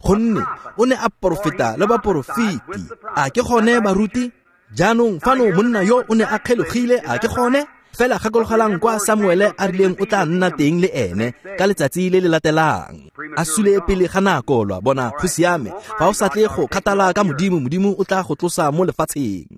gonne o ne a porofeta le baporofeti. A ke gone baruti? Jaanong fano monna yo o ne a kgelogile, a ke gone? Fela gakologelang kwa Samuele a rileng o tla nna teng le ene ka letsatsi le le latelang. A sule pele ga nako, lwa bona, go siame. Fa o sa tle go kgathala ka Modimo, Modimo o tla go tlosa mo lefatsheng.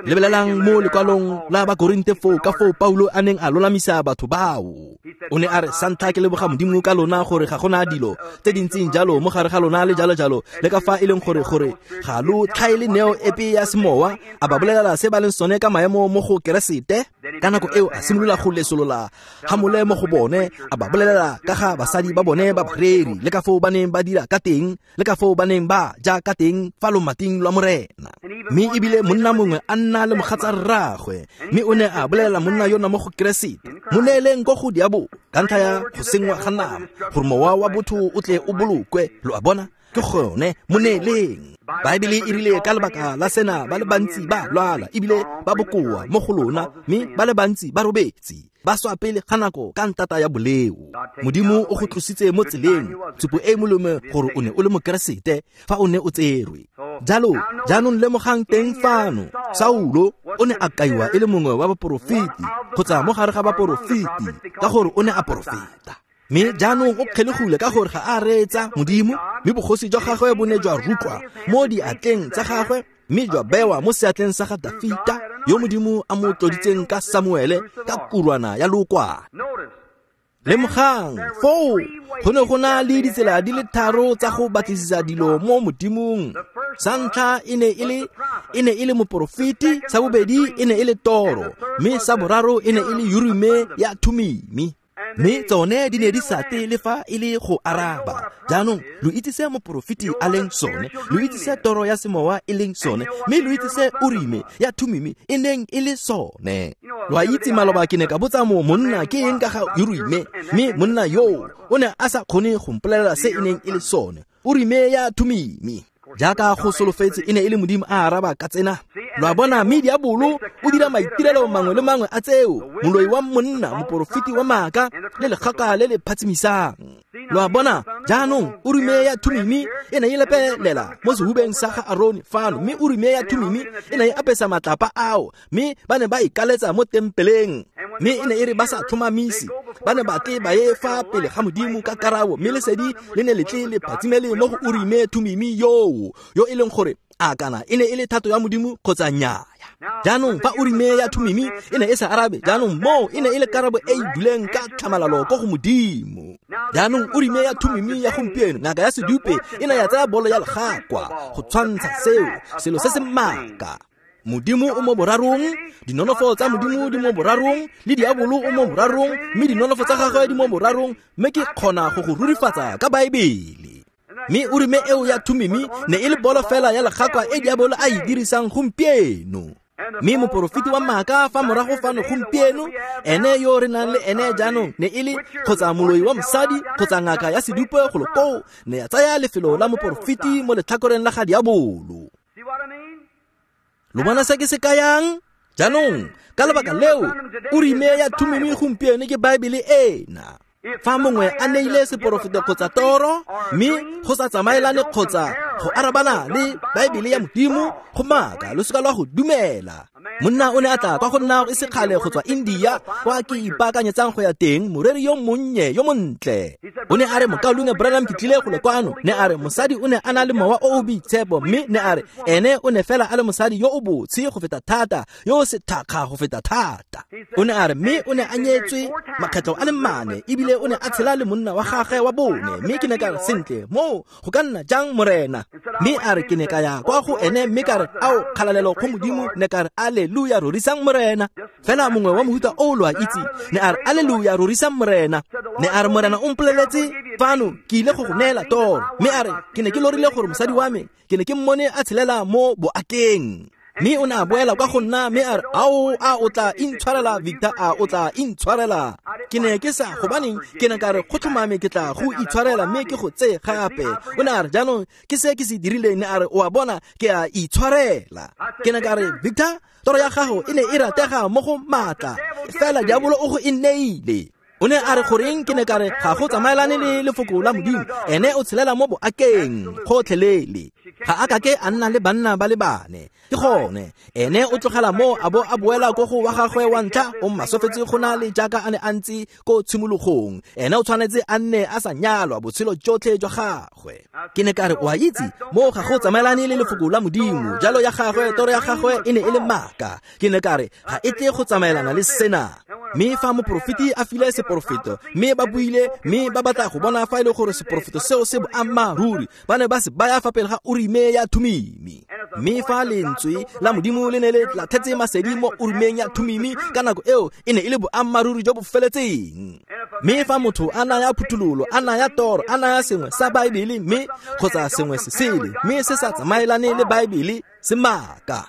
Lebelelang mo lekwalong la Bakorinte foo ka foo Paulo a neng a lolamisa batho bao. O ne a re, sa ntlha ke leboga Modimo ka lona gore ga gona dilo tse di ntseng jalo mo gare ga lona le jalo jalo, le ka fa e leng gore gore ga lo tlhaele neo epe ya semowa. A ba bolelela se ba leng sone ka maemo mo go Keresete. Ka nako eo a simolola go lesolola hamole mo go bone, a ba bolelela ka ga basadi ba bone ba bareri, le ka foo ba neng ba dira ka teng, le ka foo ba neng ba ja ka teng fa lomating lwa Morena. Mme ebile monna mongwe a nna le mogatsa rraagwe, mme o ne a bolelela monna yona mo go Keresete, mo neeleng ko go diabo ka ntlha ya go sengwa ga nama, gore mowa wa botho o tle o bolokwe. Lo a bona? Ke gone, mo neeleng. Baebele e rile ka lebaka la sena ba le bantsi ba lwala ebile ba bokoa mo go lona, mme ba le bantsi ba robetse, ba swa pele ga nako ka ntata ya boleo. Modimo o go tlositse mo tseleng, tshupo e molemo gore o ne o le mokeresete fa o ne o tserwe. Jalo jaanong lemogang teng fano, Saulo o ne a kaiwa e le mongwe wa baporofeti kgotsa mo gare ga baporofeti ka gore o ne a porofeta. Mme jaanong o kgelegile ka gore ga a reetsa Modimo, mme bogosi jwa gagwe bo ne jwa rutlwa mo diatleng tsa gagwe, mme jwa bewa mo seatleng sa ga Dafita, yo Modimo a mo tloditseng ka Samuele ka kurwana ya lookwane. Lemogang foo go ne go na le ditsela di le tharo tsa go batlisisa dilo mo Modimong. Sa ntlha e ne e le e ne e le moporofeti, sa bobedi e ne e le toro, mme sa boraro e ne e le Urime ya Thumimi. Mme tsone di ne di sa tle le fa e le go araba. Jaanong lo itse se moporofeti a leng sone, lo itse se toro ya semowa e leng sone, mme lo itse se Urime ya Thumimi e neng e le sone. Lo a itse maloba ke ne ka botsa mo monna ke eng ka ga Urime, mme monna yoo o ne a sa kgone go mpolelela se e neng e le sone. Urime ya Thumimi, jaaka go solofetse, e ne e le Modimo a araba ka tsena. Lo a bona, mme diabolo o dira maitirelo mangwe le mangwe a tseo, moloi wa monna, moporofeti wa maaka, le legaka le le phatsimisang. Lo a bona, jaanong Urime ya Thumimi e ne e lepelela mo sehubeng sa ga Arone fano, mme Urime ya Thumimi e ne e apesa matlapa ao, mme ba ne ba ikaletsa mo tempeleng. Mme e ne e re ba sa tlhomamise, ba ne ba tle ba ye fa pele ga Modimo ka karabo, mme lesedi le ne le tle le phatsimele mo go Urime Thumimi yoo, yo e leng gore a kana e ne e le thato ya Modimo kgotsa nnyaya. Jaanong fa Urime ya Thumimi e ne e sa arabe, jaanong moo e ne e le karabo e e duleng ka tlhamalalo ko go Modimo. Jaanong Urime ya Thumimi ya gompieno, ngaka ya sedupe, e ne ya tsaya bolo ya legakwa go tshwantsha seo, selo se se maaka. Modimo o mo borarong, dinonofo tsa Modimo di mo borarong, le diabolo o mo borarong, mme dinonofo tsa gagwe di mo borarong, mme ke kgona go go rurifatsa ka Baebele. Mme Urime eo ya Thumimi ne e le bolo fela ya legakwa e diabolo a e dirisang gompieno. Mme moporofeti wa maaka fa morago fano gompieno, ene yo re nang le ene jaanong ne e le kgotsa moloi wa mosadi kgotsa ngaka ya sedupe golo koo, ne ya tsaya lefelo la moporofeti mo letlhakoreng la ga diabolo. Lo bona se ke se kayang? Jaanong ka lebaka leo Urime ya Thumimi gompieno ke Baebele ena. Fa mongwe a neile seporofeto kgotsa toro mme go sa tsamaelane kgotsa go arabana le Baebele ya Modimo, go maaka, lo seka lwa go dumela. Monna o ne a tla kwa go nna e se kgale go tswa India kwa ke ipaakanyetsang go ya teng, moreri yo monnye yo montle. O ne a re, Mokaulengwe Branham, ke tlile go le kwano. Ne a re mosadi o ne a na le mowa o o boitshepo, mme ne a re ene o ne fela a le mosadi yo o botshe go feta thata, yo o sethakga go feta thata. O ne a re mme o ne a nyetswe makgetlo a le mane, ebile o ne a tshela le monna wa gagwe wa bone. Mme ke ne ka re, sentle, moo go ka nna jang, morena? Mme a re ke ne ka ya kwa go ene mme ka re, ao, kgalalelo go Modimo. Ne ka re, alleluia, rorisang morena. Fela mongwe wa mohuta o lo a itse. Ne a re, alleluia, rorisang morena. Ne a re, morena o mpoleletse fano ke ile go go neela toro. Mme a re ke ne ke lorile gore mosadi wa me ke ne ke mmone a tshelela mo boakeng. Mme o ne a boela kwa go nna mme a re, ao, a o tla intshwarela, Victor, a o tla intshwarela? Ke ne ke sa, gobaneng ke ne ka re go tlhomame ke tla go itshwarela mme ke go tseye gape. O ne a re, jaanong ke se ke se dirileng. Ne a re, o a bona, ke a itshwarela. Ke ne ka re, Victor, toro ya gago e ne e ratega mo go maatla, fela diabolo o go e neile. O ne a re, goreng? Ke ne ka re ga go tsamaelane le lefoko la Modimo, ene o tshelela mo boakeng gotlhelele. Ga a kake a nna le banna ba le bane. Ke gone ene o tlogela mo a bo a boela ko go wa gagwe wa ntlha, o masofetse go na le jaaka a ne a ntse ko tshimologong. Ene o tshwanetse a nne a sa nyalwa botshelo jotlhe jwa gagwe. Ke ne ka re, o a itse, mo ga go tsamaelane le lefoko la Modimo, jalo ya gagwe toro ya gagwe e ne e le maaka. Ke ne ka re ga e tle go tsamaelana le sena. Mme fa moporofeti a file seporofeto, mme ba buile, mme ba batla go bona fa e le gore seporofeto seo se boammaaruri, ba ne ba se baya fa pele ga Urime ya Thumimi. Mme fa lentswe la Modimo le ne le latlhetse masedi mo Urimeng ya Thumimi ka nako eo, e ne e le boammaaruri jo bo feletseng. Mme fa motho a naya phuthololo, a naya toro, a naya sengwe sa Baebele mme kgotsa sengwe se sele, mme se sa tsamaelane le Baebele, se maaka.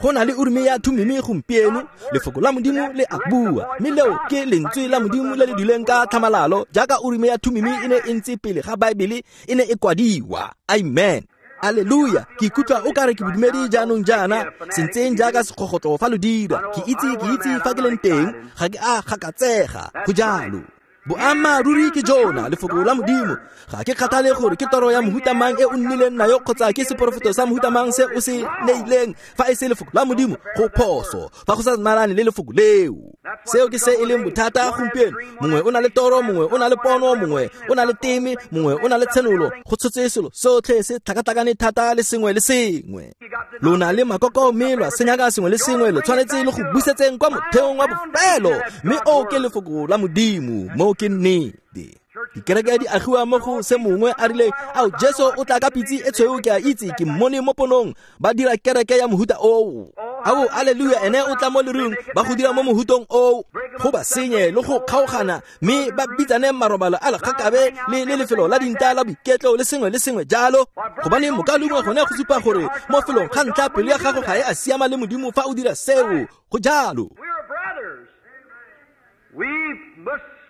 Go na le Urime ya Thumimi gompieno, lefoko la Modimo le a bua, mme leo ke lentswe la Modimo le le duleng ka tlhamalalo jaaka Urime ya Thumimi e ne e ntse pele ga Baebele e ne e kwadiwa. Amen. Alleluia. Ke ikutlwa o kare ke bodumedi jaanong jaana, sentseng jaaka sekgogotlo fa lo dira. Ke itse, ke itse fa ke leng teng, ga ke a gakatsega. Go jalo. Boammaaruri ke jona, lefoko la Modimo. Ga ke kgathale gore ke toro ya mohuta mang e o nnileng nayo kgotsa ke seporofeto sa mohuta mang se o se neileng, fa e se lefoko la Modimo, go phoso, fa go sa tsamaelane le lefoko leo. Seo ke se e leng bothata gompieno. Mongwe o na le toro, mongwe o na le pono, mongwe o na le teme, mongwe o na le tshenolo. Go tshotse selo sotlhe se tlhakatlhakane thata le sengwe le sengwe. Lo na le makoko mme lwa senyaka sengwe le sengwe, lo tshwanetse le go busetseng kwa motheong wa bofelo, mme o ke lefoko la Modimo, mo ke nnete. Dikereke di agiwa mo go se mongwe a rileng, ao, Jesu o tla ka pitse e tshweu, ke a itse, ke mmone mo ponong, ba dira kereke ya mohuta oo. Ao, alleluia, ene o tla mo lerung, ba go dira mo mohutong oo, go ba senye le go kgaogana, mme ba bitsane marobalo a lekgakabe le le lefelo la dinta la boiketlo le sengwe le sengwe jalo. Gobane mokalengwe gone go supa gore mo felong ga ntlha pelo ya gago ga e a siama le Modimo fa o dira seo. Go jalo.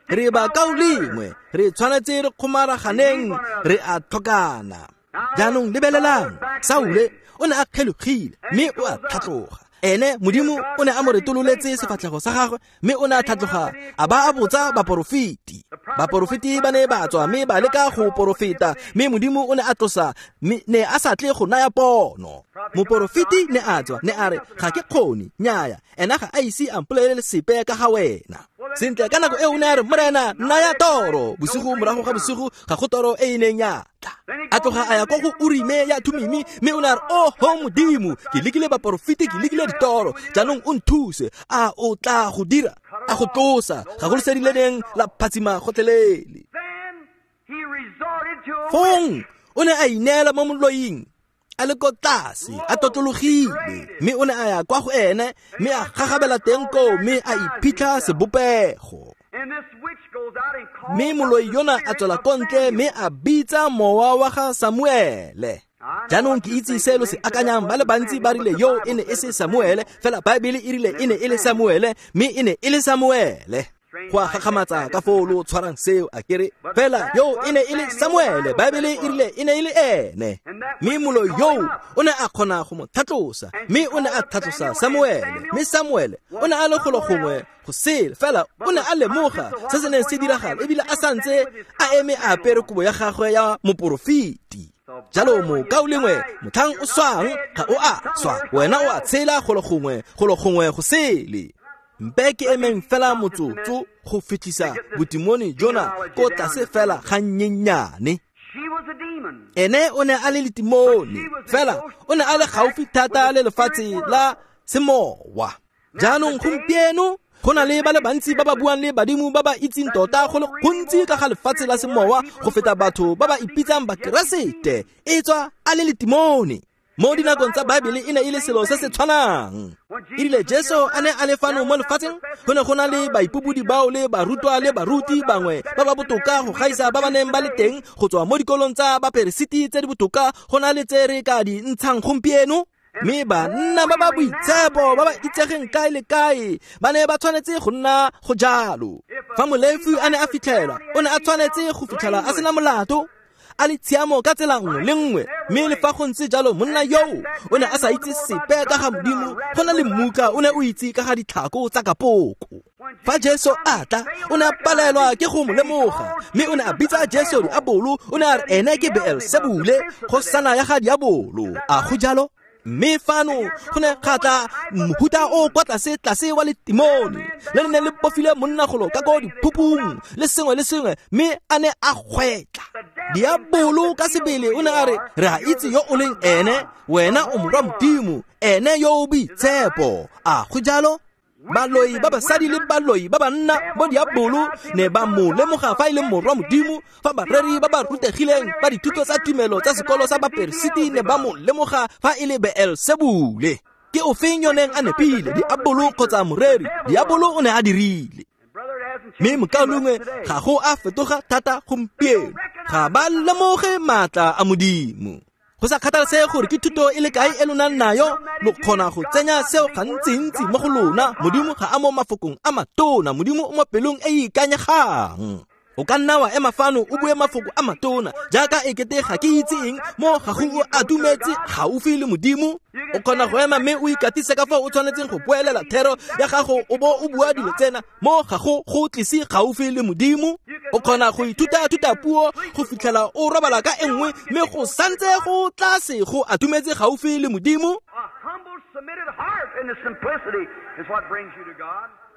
Re ba kaulengwe, re tshwanetse re kgomaraganeng, re a tlhokana. Jaanong lebelelang, Saule o ne a kgelogile mme o a tlhatloga. Ene Modimo o ne a mo retololetse sefatlhego sa gagwe, mme o ne a tlhatloga a ba a botsa baporofeti. Baporofeti ba ne ba tswa mme ba leka go porofeta, mme Modimo o ne a tlosa, mme ne a sa tle go naya pono. Moporofeti ne a tswa, ne a re, ga ke kgone, nnyaya, ena ga a ise a mpolelele sepe ka ga wena. Sentle, ka nako eo o ne a re, morena, naya toro. Bosigo morago ga bosigo ga go toro e e neng ya tla. A tloga a ya kwa go Urime ya Thumimi, mme o ne a re, oho Modimo, ke lekile baporofeti, ke lekile ditoro, jaanong o nthuse. A o tla go dira? A go tlosa, ga go lesedi le neng la phatsima gotlhelele. Fong o ne a ineela mo moloing, a le ko tlase, a totlologile, mme o ne a ya kwa go ene, mme a gagabela teng koo, mme a iphitlha sebopego. Mme moloi yona a tswela ko ntle mme a bitsa mowa wa ga Samuele. Jaanong ke itse se lo se akanyang, ba le bantsi ba rile yo e ne e se Samuele, fela Baebele e rile e ne e le Samuele, mme e ne e le Samuele. Go a gakgamatsa ka foo lo tshwarang seo a kere fela yo e ne e le Samuele, Baebele e rile e ne e le ene. Mme moloi yoo o ne a kgona go mo tlhatlosa, mme o ne a tlhatlosa Samuele, mme Samuele o ne a le golo gongwe go sele, fela o ne a lemoga se se neng se diragala ebile a santse a eme a apere kobo ya gagwe ya moporofeti. Jalo mokaulengwe, motlhang o swang ga o a swa, wena o a tshela golo gongwe, golo gongwe go sele. Mpe ke emeng fela motsotso go fitlhisa botimone jona ko tlase fela ga nnyenyane. Ene o ne a le letimone, fela o ne a le gaufi thata le lefatshe la semowa. Jaanong gompieno go na le ba le bantsi ba ba buang le badimo ba ba itseng tota go le gontsi ka ga lefatshe la semowa go feta batho ba ba ipitsang bakeresete, e tswa a le letimone. Mo dinakong tsa Baebele e ne e le selo se se tshwanang. Erile Jesu a ne a le fano mo lefatsheng, go ne go na le baipobodi bao le barutwa le baruti bangwe ba ba botoka go gaisa ba ba neng ba le teng go tswa mo dikolong tsa baperesiti tse di botoka go na le tse re ka di ntshang gompieno. Mme banna ba ba boitshepo ba ba itsegeng kae le kae ba ne ba tshwanetse go nna go jalo. Fa molefi a ne a fitlhelwa, o ne a tshwanetse go fitlhela a sena molato, a le tshiamo ka tsela nngwe le nngwe. Mme le fa go ntse jalo, monna yoo o ne a sa itse sepe ka ga Modimo, go na le mmuka o ne o itse ka ga ditlhako tsa kapoko. Fa Jesu a tla, o ne a palelwa ke go mo lemoga, mme o ne a bitsa Jesu diabolo, o ne a re ene ke Beelsebule, kgosana ya ga diabolo. A go jalo? Mme fano go ne ga tla mohuta o kwa tlase tlase wa letimone le le neng le bofile monnagolo ka ko diphupung le sengwe le sengwe, mme a ne a gwetla. Diabolo ka sebele o ne a re, re a itse yo o leng ene, wena o morwa Modimo, ene yo o boitshepo. A go jalo? Baloi ba basadi le baloi ba banna bo diabolo ne ba mo lemoga fa e le morwa Modimo, fa bareri ba ba rutegileng ba dithuto tsa tumelo tsa sekolo sa baperesiti ne ba mo lemoga fa e le Beelsebule. Ke ofeng yo neng a nepile, diabolo kgotsa moreri? Diabolo o ne a dirile. Mme mokaulengwe, ga go a fetoga thata gompieno, ga ba lemoge maatla a Modimo. Go sa kgathalesege gore ke thuto e le kae e lo nang nayo, lo kgona go tsenya seo gantsintsi mo go lona. Modimo ga a mo mafokong a matona, Modimo o mo pelong e e ikanyegang. O ka nna wa ema fano o bue mafoko a matona jaaka ekete ga ke itse eng, mo ga go o atumetse gaufi le Modimo. O kgona go ema mme o ikatise ka fao o tshwanetseng go boelela thero ya gago o bo o bua dilo tsena, mo ga go go tlise gaufi le Modimo. O kgona go ithuta thuta puo go fitlhela o robala ka e nngwe, mme go santse go tlase go atumetse gaufi le Modimo.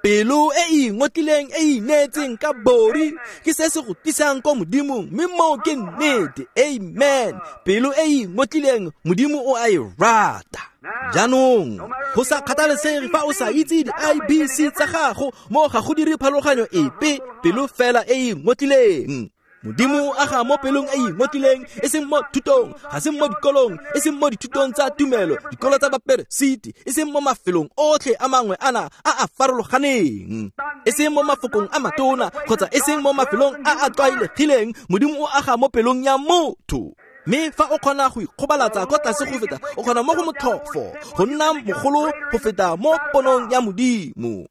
Pelo e e ingotlileng e ineetseng ka bori ke se se go tlisang ko Modimong, mme moo ke nnete. Amen. Pelo e e ingotlileng Modimo o a e rata. Jaanong go sa kgathalesege fa o sa itse di-I B C tsa gago, mo ga go dire pharologanyo epe, pelo fela e e ingotlileng. Modimo o aga mo pelong e e ingotlileng, e seng mo thutong, ga se mo dikolong, e seng mo dithutong tsa tumelo, dikolo tsa baperesiti, e seng mo mafelong otlhe a mangwe ana a a farologaneng, e seng mo mafokong a matona, kgotsa e seng mo mafelong a a tlwaelegileng. Modimo o aga mo pelong ya motho. Mme fa o kgona go ikgobalatsa kwa tlase go feta, o kgona mo go motlhofo go nna mogolo go feta mo ponong ya Modimo.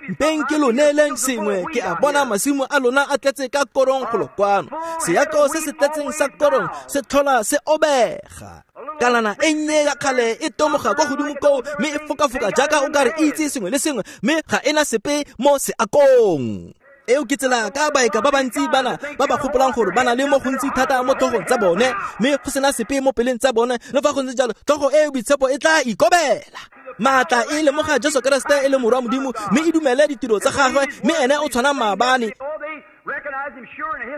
Mpeng ke lo neeleng sengwe, ke a bona masimo a lona a tletse ka korong golo kwano. Seako se se tletseng sa korong se tlhola se obega. Kalana e nnye ya kgale e tomoga kwa godimo koo, mme e fokafoka jaaka o ka re itse sengwe le sengwe, mme ga ena sepe mo seakong. Eo ke tsela ka baeka ba bantsi bana ba ba gopolang gore ba na le mo gontsi thata mo tlhogong tsa bone, mme go sena sepe mo peleng tsa bone. Le fa go ntse jalo, tlhogo e e boitshepo e tla ikobela. Maatla e lemoga Jesu Keresete e le morwa Modimo, mme e dumele ditiro tsa gagwe, mme ene o tshwana maabane.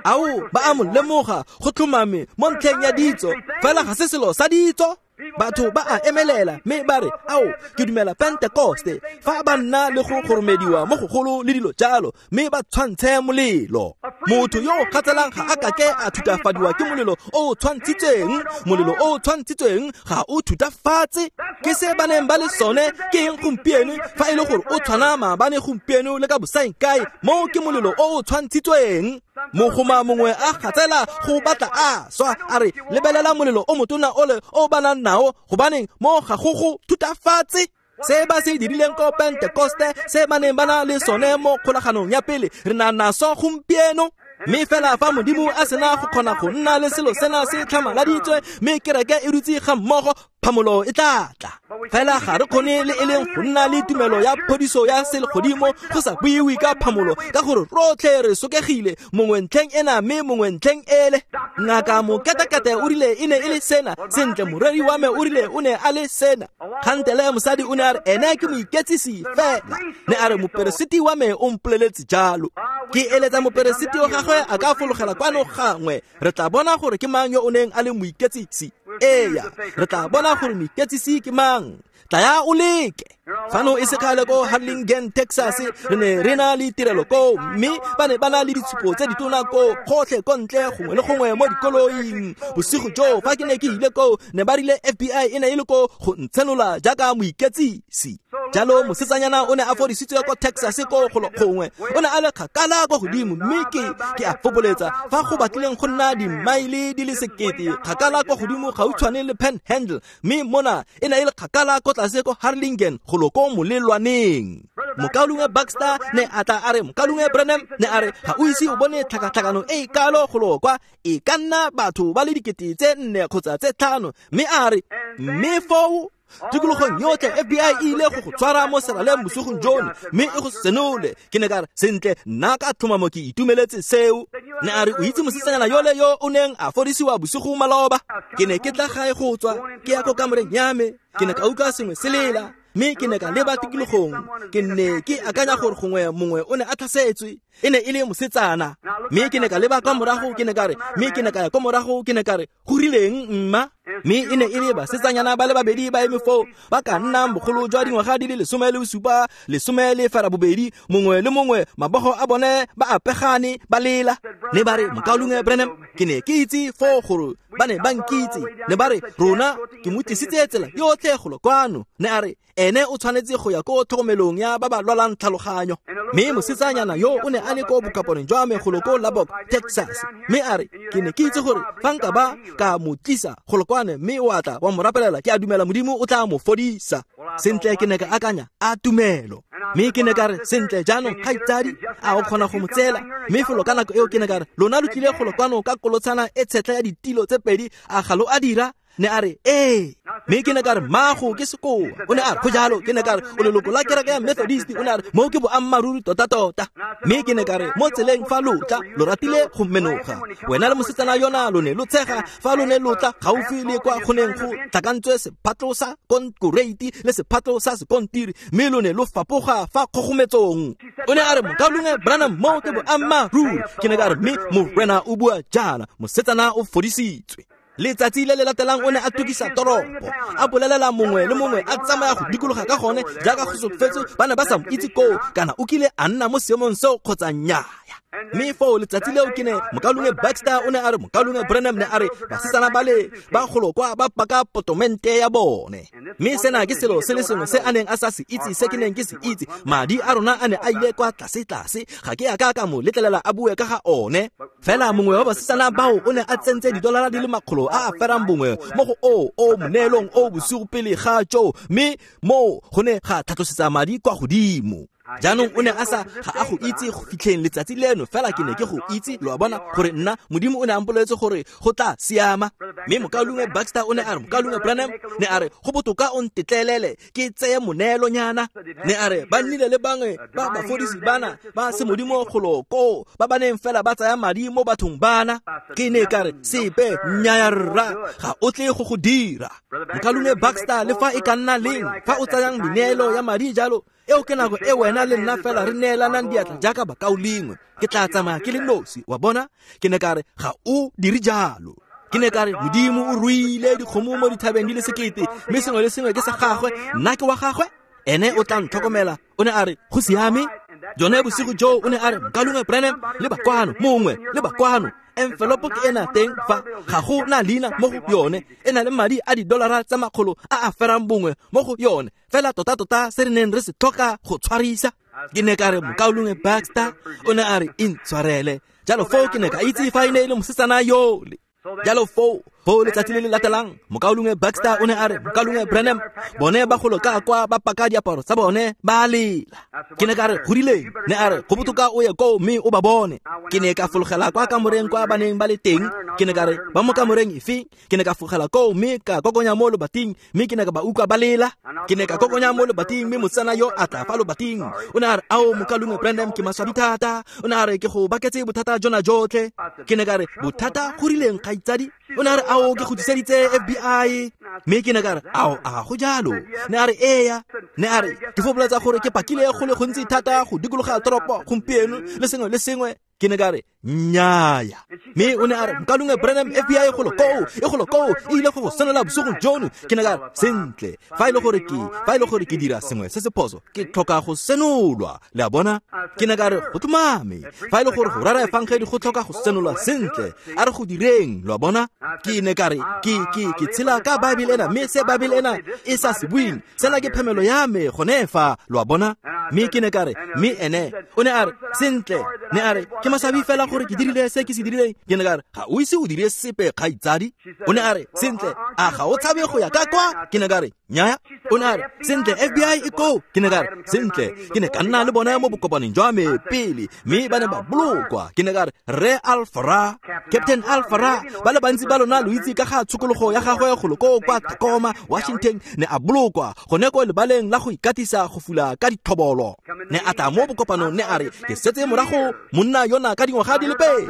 Ao, ba a mo lemoga go tlhomame mo ntlheng ya ditso, fela ga se selo sa ditso. Batho ba a emelela mme ba re, ao, ke dumela Pentekoste, fa ba nna le go goromediwa mo gogolo le dilo jalo, mme ba tshwantshe molelo. Motho yo o kgatselang ga a kake a thutafadiwa ke molelo o o tshwantshitsweng. Molelo o o tshwantshitsweng ga o thutafatse. Ke se ba neng ba le sone ke eng gompieno, fa e le gore o tshwana maabane gompieno le ka bosaeng kae, moo ke molelo o o tshwantshitsweng. Mogoma mongwe a gatsela go batla a swa, a re lebelela molelo o motona ole o ba nang nao, gobaneng mo ga go go thutafatse. Se ba se dirileng ko Pentekoste, se ba neng ba na le sone mo kgolaganong ya pele, re na naso gompieno. Mme fela fa Modimo a sena go kgona go nna le selo sena se tlhamaladitswe, mme kereke e dutse ga mmogo, phamolo e tla tla. Fela ga re kgone le e leng go nna le tumelo ya phodiso ya selegodimo go sa buiwe ka phamolo, ka gore rotlhe re sokegile, mongwe ntlheng ena mme mongwe ntlheng ele. Ngaka moketekete o rile e ne e le sena, sentle moreri wa me o rile o ne a le sena. Kgantele mosadi o ne a re ene ke moiketsisi fela, ne a re moperesiti wa me o mpoleletse jalo. Ke eletsa moperesiti wa gagwe a ka fologela kwano gangwe, re tla bona gore ke mang yo o neng a le moiketsisi. Eya, re tla bona gore moiketsisi ke mang. Tlaya o leke. Fano e se kgale ko Harlingen, Texas, re ne re na le tirelo koo, mme ba ne ba na le ditshupo tse ditona koo gotlhe ko ntle gongwe le gongwe mo dikoloing. Bosigo joo fa ke ne ke ile koo, ne ba rile F B I e ne e le koo go ntshenola jaaka moiketsisi. Jalo mosetsanyana o ne a fodisitswe ko Texas ko golo gongwe, o ne a le kgakala ko godimo, mme ke ke a fopoletsa fa go batlileng go nna dimaele di le sekete kgakala ko godimo gautshwane le Panhandle, mme mona e ne e le kgakala ko tlase ko Harlingen golo ko molelwaneng. Mokaulengwe Baxter ne a tla a re, Mokaulengwe Branham ne a re, ga o ise o bone tlhakatlhakano e e kalo golo kwa, e ka nna batho ba le dikete tse nne kgotsa tse tlhano, mme a re, mme foo tikologong yotlhe F B I e ile go go tshwara mo seraleng bosigong jono, mme e go senole. Ke ne ka re, sentle, nna ka tlhomamo ke itumeletse seo. Ne a re, o itse mosetsanyana yole yo o neng a fodisiwa bosigo maloba? Ke ne ke tla gae go tswa, ke ya ko kamoreng ya me, ke ne ka utlwa sengwe se lela, mme ke ne ka leba tikologong. Ke ne ke akanya gore gongwe mongwe o ne a tlhasetswe, e ne e le mosetsana. Mme ke ne ka leba kwa morago, ke ne ka re, mme ke ne ka ya kwa morago, ke ne ka re, go rileng mma? Mme e ne e le basetsanyana ba le babedi ba eme foo, ba ka nnang bogolo jwa dingwaga di le lesome le bosupa, lesome le ferabobedi, mongwe le mongwe mabogo a bone ba apegane ba lela. Ne ba re, Mokaulengwe Branham, ke ne ke itse foo gore ba ne ba nkitse. Ne ba re, rona ke mo tlisitse tsela yotlhe golo kwano. Ne a re, ene o tshwanetse go ya ko tlhokomelong ya ba ba lwalang tlhaloganyo. Mme mosetsanyana yo o ne a le ko bokaponeng jwa me golo ko Lubbock, Texas. Mme a re, ke ne ke itse gore fa nka ba ka mo tlisa golo kwane mme o a tla wa mo rapelela, ke a dumela Modimo o tla mo fodisa. Sentle, ke ne ka akanya, a tumelo. Mme ke ne ka re, sentle jaanong kgaitsadi, a o kgona go mo tseela? Mme felo ka nako eo ke ne ka re, lona lo tlile golo kwano ka kolotshana e tshetlha ya ditilo tse pedi, a ga lo a dira? Ne a re, ee. Mme ke ne ka re, mmago ke sekoa. O ne a re, go jalo. Ke ne ka re, o leloko la kereke ya Methodist. O ne a re, moo ke boammaaruri tota-tota. Mme ke ne ka re, mo tseleng fa lo tla, lo ratile go menoga. Wena le mosetsana yona lo ne lo tshega fa lo ne lo tla gaufi le kwa go neng go tlhakantswe sephatlo sa konkoreiti le sephatlo sa sekontiri, mme lo ne lo fapoga fa kgogometsong. O ne a re, Mokaulengwe Branham, moo ke boammaaruri. Ke ne ka re, mme Morena o bua jaana, mosetsana o fodisitswe. Letsatsi le le latelang o ne a tukisa toropo, a bolelela mongwe le mongwe, a tsamaya go dikologa ka gone jaaka go solofetswe ba ne ba sa mo itse koo kana o kile a nna mo seemong seo kgotsa nnyaa. Mme foo letsatsi leo ke ne Mokaulengwe Baxter o ne a re, Mokaulengwe Branham ne a re, basetsana ba le ba golo kwa ba paka potomente ya bone. Mme sena ke selo se le sengwe se a neng a sa se itse se ke neng ke se itse. Madi a rona a ne a ile kwa tlase-tlase, ga ke a ka ka mo letlelela a bue ka ga one. Fela mongwe wa basetsana bao o ne a tsentse didolara di le makgolo a a ferang bongwe mo go o o moneelong o bosigo pele ga joo, mme moo go ne ga tlhatlosetsa madi kwa godimo. Jaanong o ne a sa ga a go itse go fitlheng letsatsi leno, fela ke ne ke go itse, lo a bona, gore nna Modimo o ne a mpoleletse gore go tla siama. Mme Mokaulengwe Baxter o ne a re, Mokaulengwe Branham ne a re, go botoka o ntetlelele ke tseye moneelonyana. Ne a re, ba nnile le bangwe ba bafodisi bana ba semodimo golo koo ba ba neng fela ba tsaya madi mo bathong bana. Ke ne ka re, sepe, nnyaya rra, ga o tle go go dira. Mokaulengwe Baxter, le fa e ka nna leng fa o tsayang meneelo ya madi jalo, eo ke nako e wena le nna fela re neelanang diatla jaaka bakaulengwe. Ke tla tsamaya ke le nosi, wa bona. Ke ne ka re, ga o dire jalo. Ke ne ka re, Modimo o ruile dikgomo mo dithabeng di le sekete, mme sengwe le sengwe ke sa gagwe, nna ke wa gagwe, ene o tla ntlhokomela. O ne a re, go siame. Jone bosigo joo o ne a re, Mokaulengwe Branham, le bakwano mongwe, le bakwano, envelope ke ena teng fa, ga go na leina mo go yone, e na le madi a didolara tsa makgolo a a ferang bongwe mo go yone, fela tota-tota se re neng re se tlhoka go tshwarisa. Ke ne ka re, Mokaulengwe Baxter, o ne a re, intshwarele. Jalo foo ke ne ka itse fa e ne e le mosetsana yole. Jalo foo Foo letsatsi le le latelang mokaulengwe Baxter o ne a re mokaulengwe Branham bone ba golo ka kwa ba paka diaparo tsa bone ba lela. Ke ne ka re go rileng? Ne a re go botoka o ye koo mme o ba bone. Ke ne ka fologela kwa kamoreng kwa ba neng ba le teng. Ke ne ka re ba mo kamoreng efe? Ke ne ka fologela koo mme ka kokonya mo lobating mme ke ne ka ba utlwa ba lela. Ke ne ka kokonya mo lobating mme mosetsana yo a tla fa lobating. O ne a re ao mokaulengwe Branham ke maswabi thata. O ne a re ke go baketse bothata jona jotlhe. Ke ne ka re bothata go rileng kgaitsadi? O ne a re ao ke go tliseditse F B I. Mme ke ne ka re ao a go jalo? Ne a re eya. Ne a re ke fopholetsa gore ke pakile go le gontsi thata go dikologa toropo gompieno le sengwe le sengwe. Ke ne ka re nnyaya. Mme o ne a re mokaulengwe Branham F B I golo koo e golo koo e ile go go senola bosigong jono. Ke ne ka re sentle fa e le gore ke fa e le gore ke dira sengwe se se phoso ke tlhoka go senolwa. Le a bona? Ke ne ka re go tlhomame fa e le gore go rera efangedi go tlhoka go senolwa sentle a re go direng. Lo a bona? Ke ne ka re ke ke ke tshela ka Bible ena mme se Bible ena e sa se bueng sena ke phemelo ya me gone fa. Lo a bona? Mme ke ne ka re mme ene o ne a re sentle ne a re ke maswabi fela gore ke dirile se ke se dirileng. Ke ne ka re ga o ise o dire sepe kgaitsadi. O ne a re sentle a ga o tshabe go ya ka kwa? Ke ne ka re nnyaya. O ne a re sentle F B I e koo. Ke ne ka re sentle ke ne ka nna le bona mo bokopaneng jwa me pele mme ba ne ba bolokwa. Ke ne ka re Rre Alfara, Captain Alfara, ba le bantsi ba lona lo itse ka ga tshokologo ya gagwe golo koo kwa Tacoma, Washington, ne a bolokwa gone ko lebaleng la go ikatisa go fula ka dithobolo. Ne a tla mo bokopanong ne a re ke setse morago monna yona ka dingwaga di le pedi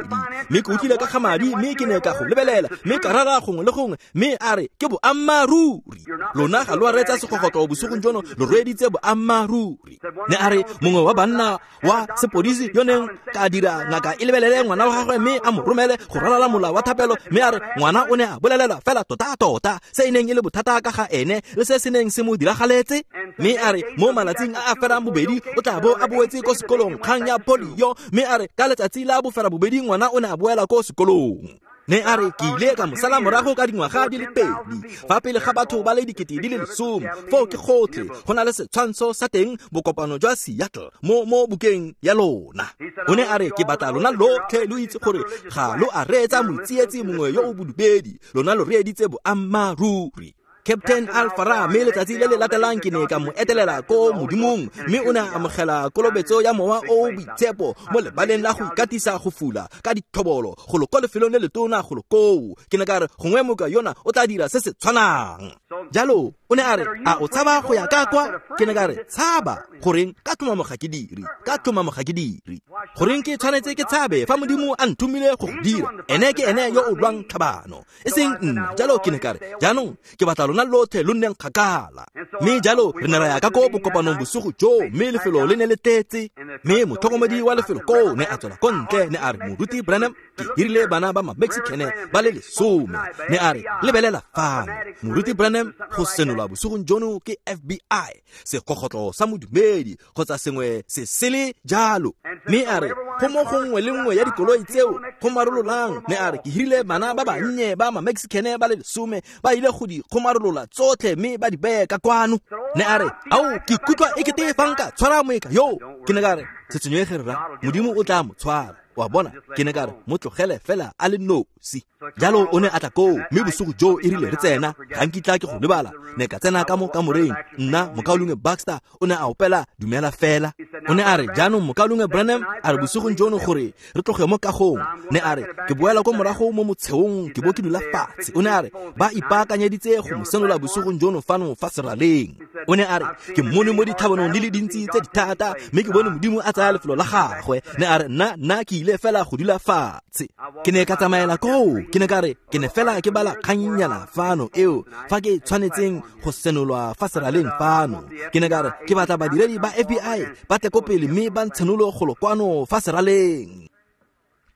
mme ke utlwile ka ga madi mme ke ne ka go lebelela mme ka rara gongwe le gongwe mme a re ke boammaaruri. Lona ga lo a reetsa segogotlo bosigong jono, lo reeditse boammaaruri. Ne a re mongwe wa banna wa sepodisi yo neng ka dira ngaka e lebelele ngwana wa gagwe mme a mo romele go ralala mola wa thapelo mme a re ngwana o ne a bolelela fela tota-tota se e neng e le bothata ka ga ene le se se neng se mo diragaletse. Mme a re mo malatsing a a ferang bobedi o tla bo a boetse ko sekolong kgang ya polio mme a re ka letsatsi la bofera bobedi ngwana o ne a boela ko sekolong. Ne a re ke ile ka mo sala morago ka dingwaga di le pedi fa pele ga batho ba le dikete di le lesome. Foo ke gotlhe go na le setshwantsho sa teng bokopano jwa Seattle mo mo bukeng ya lona. O ne a re ke batla lona lotlhe lo itse gore ga lo a reetsa motsietsi mongwe yo o bodumedi, lona lo reeditse boammaaruri. Captain Alfara mme letsatsi le le latelang ke ne ka mo etelela ko modimong mme o ne a amogela kolobetso ya mowa o o boitshepo mo lebaleng la go ikatisa go fula ka dithobolo golo ko lefelong le letona golo koo. Ke ne ka re gongwe moka yona o tla dira se se tshwanang. Jalo o ne a re a o tshaba go ya ka kwa? Ke ne ka re tshaba goreng? Ka tlhomamo ga ke dire, ka tlhomamo ga ke dire. Goreng ke tshwanetse ke tshabe fa modimo a nthomile go go dira? Ene ke ene yo o lwang tlhabano e seng nna. Jalo ke ne ka re jaanong ke batla lona lotlhe lo nneng kgakala. Mme jalo re ne ra ya ka ko bokopanong bosigo joo mme lefelo le ne le tletse. Mme motlhokomedi wa lefelo koo ne a tswela ko ntle ne a re moruti Branham ke hirile bana ba ma-Mexicane ba le lesome. Ne a re lebelela fano moruti Branham go senola bosigong jono ke F B I segogotlo sa modumedi kgotsa sengwe se sele jalo. Mme a re go mo gongwe le nngwe ya dikoloi tseo go marololang. Ne a re ke hirile bana ba bannye ba ma-Mexicane ba le lesome ba ile go di kgomarolola tsotlhe mme ba di beye ka kwano. Ne a re ao ke ikutlwa e kete fa nka tshwara moeka yo. Ke ne ka re se tshwenyege rra, modimo o tla mo tshwara. Wa bona? Ke ne ka re mo tlogele fela a le nosi. Jalo o ne a tla koo mme bosigo joo e rile re tsena ga nkitla ke go lebala. Ne ka tsena ka mo kamoreng nna mokaulengwe Baxter o ne a opela dumela fela. O ne a re jaanong mokaulengwe Branham a re bosigong jono gore re tloge mo kagong. Ne a re ke boela ko morago mo motsheong ke bo ke dula fatshe. O ne a re ba ipaakanyeditse go mo senola bosigong jono fano fa seraleng. O ne a re ke mmone mo ditlhabanong di le dintsi tse di thata mme ke bone modimo a tsaya lefelo la gagwe. Ne a re nna nna ke ile fela go dula fatshe. Ke ne ka tsamaela koo. Ke ne ka re ke ne fela ke bala kgannyana fano eo fa ke tshwanetseng go senolwa fa seraleng fano. Ke ne ka re ke batla badiredi ba F B I ba tle ko pele mme ba ntshenolo golo kwano fa seraleng.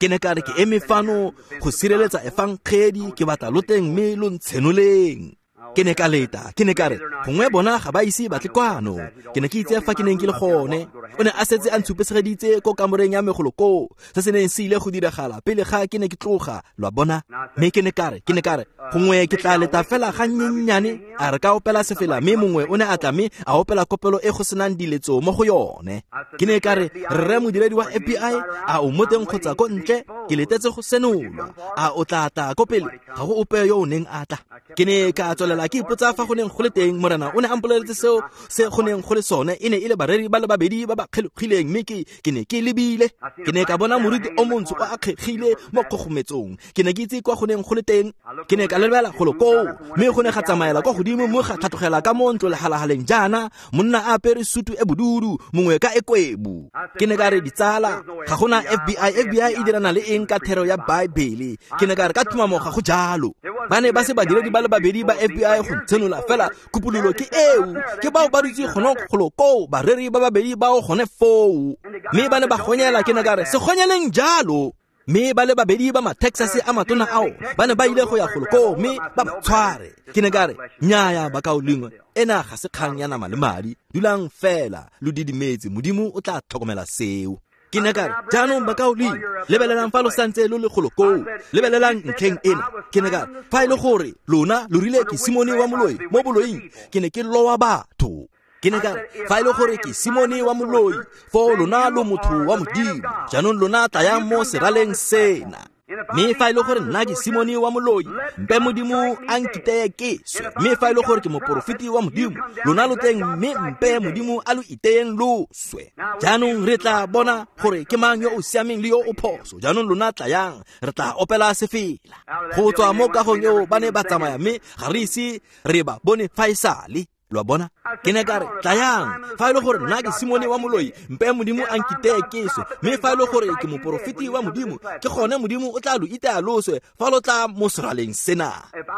Ke ne ka re ke eme fano go sireletsa efangedi, ke batla lo teng mme lo ntshenoleng. Ke ne ka leta, ke ne ka re gongwe bona ga ba ise ba tle kwano. Ke ne ke itse fa ke neng ke le gone. O ne a setse a ntshupesegeditse ko kamoreng ya megolo koo se se neng se ile go diragala pele ga ke ne ke tloga. Lo a bona? Mme ke ne ka re ke ne ka re gongwe ke tla leta fela ga nnyennyane. A re ka opela sefela mme mongwe o ne a tla mme a opela kopelo e go senang diletso mo go yone. Ke ne ka re rre modiredi wa F B I a o mo teng kgotsa ko ntle? Ke letetse go senolwa. A o tla tla ko pele? Ga go ope yo o neng a tla. Ke ne ka tswelela ke ipotsa fa go neng go le teng. Morena o ne a mpoleletse seo se go neng go le sone. E ne e le bareri ba le babedi ba ba kgelogileng, mme ke ke ne ke lebile. Ke ne ka bona moriti o montsho o akgegile mo kgogometsong. Ke ne ke itse kwa go neng go le teng. Ke ne ka lebela golo koo, mme go ne ga tsamaela kwa godimo mo ga tlhatlogela ka mo ntlo lehalahaleng jaana, monna a apere sutu e bodudu, mongwe ka e kwebu. Ke ne ka re, ditsala, ga gona F B I. F B I e dirana le eng ka thero ya Baebele? Ke ne ka re, ka tumamo ga go jalo. Ba ne ba se badiredi ba le babedi ba F B I go ntshenola, fela kupololo ke eo. Ke bao ba dutse gone golo koo, bareri ba babedi bao gone foo. Mme ba ne ba gonyela. Ke ne ka re, se gonyeleng jalo. Mme ba le babedi ba ma-Texas a matona ao ba ne ba ile go ya golo koo mme ba ba tshware. Ke ne ka re, nnyaya bakaulengwe, ena ga se kgang ya nama le madi. Dulang fela lo didimetse, Modimo o tla tlhokomela seo. Ke ne ka re, jaanong bakaulengwe, lebelelang fa lo santse lo le golo koo, lebelelang ntlheng ena. Ke ne ka re, fa e le gore lona lo rile ke Simone wa moloi mo boloing, ke ne ke lowa batho. Ke ne ka re, fa e le gore ke Simone wa moloi, foo lona lo motho wa Modimo, jaanong lona tlayang mo seraleng sena. Mme fa e le gore nna ke Simone wa moloi, mpe Modimo a nkiteye ke swe. Mme fa e le gore ke moporofeti wa Modimo, lona lo tleng mme mpe Modimo a lo iteyeng lo swe. Jaanong re tla bona gore ke mang yo o siameng le yo o phoso. Jaanong lona tlayang, re tla opela sefela. Go tswa mo kagong eo ba ne ba tsamaya, mme ga re ise re ba bone fa e sale. Lo a bona? Ke ne ka re, tlayang, fa e le gore nna ke Simone wa moloi, mpe Modimo a nkiteye ke swe. Mme fa e le gore ke moporofeti wa Modimo, ke gone Modimo o tla lo itaya lo swe fa lo tla mo seraleng sena.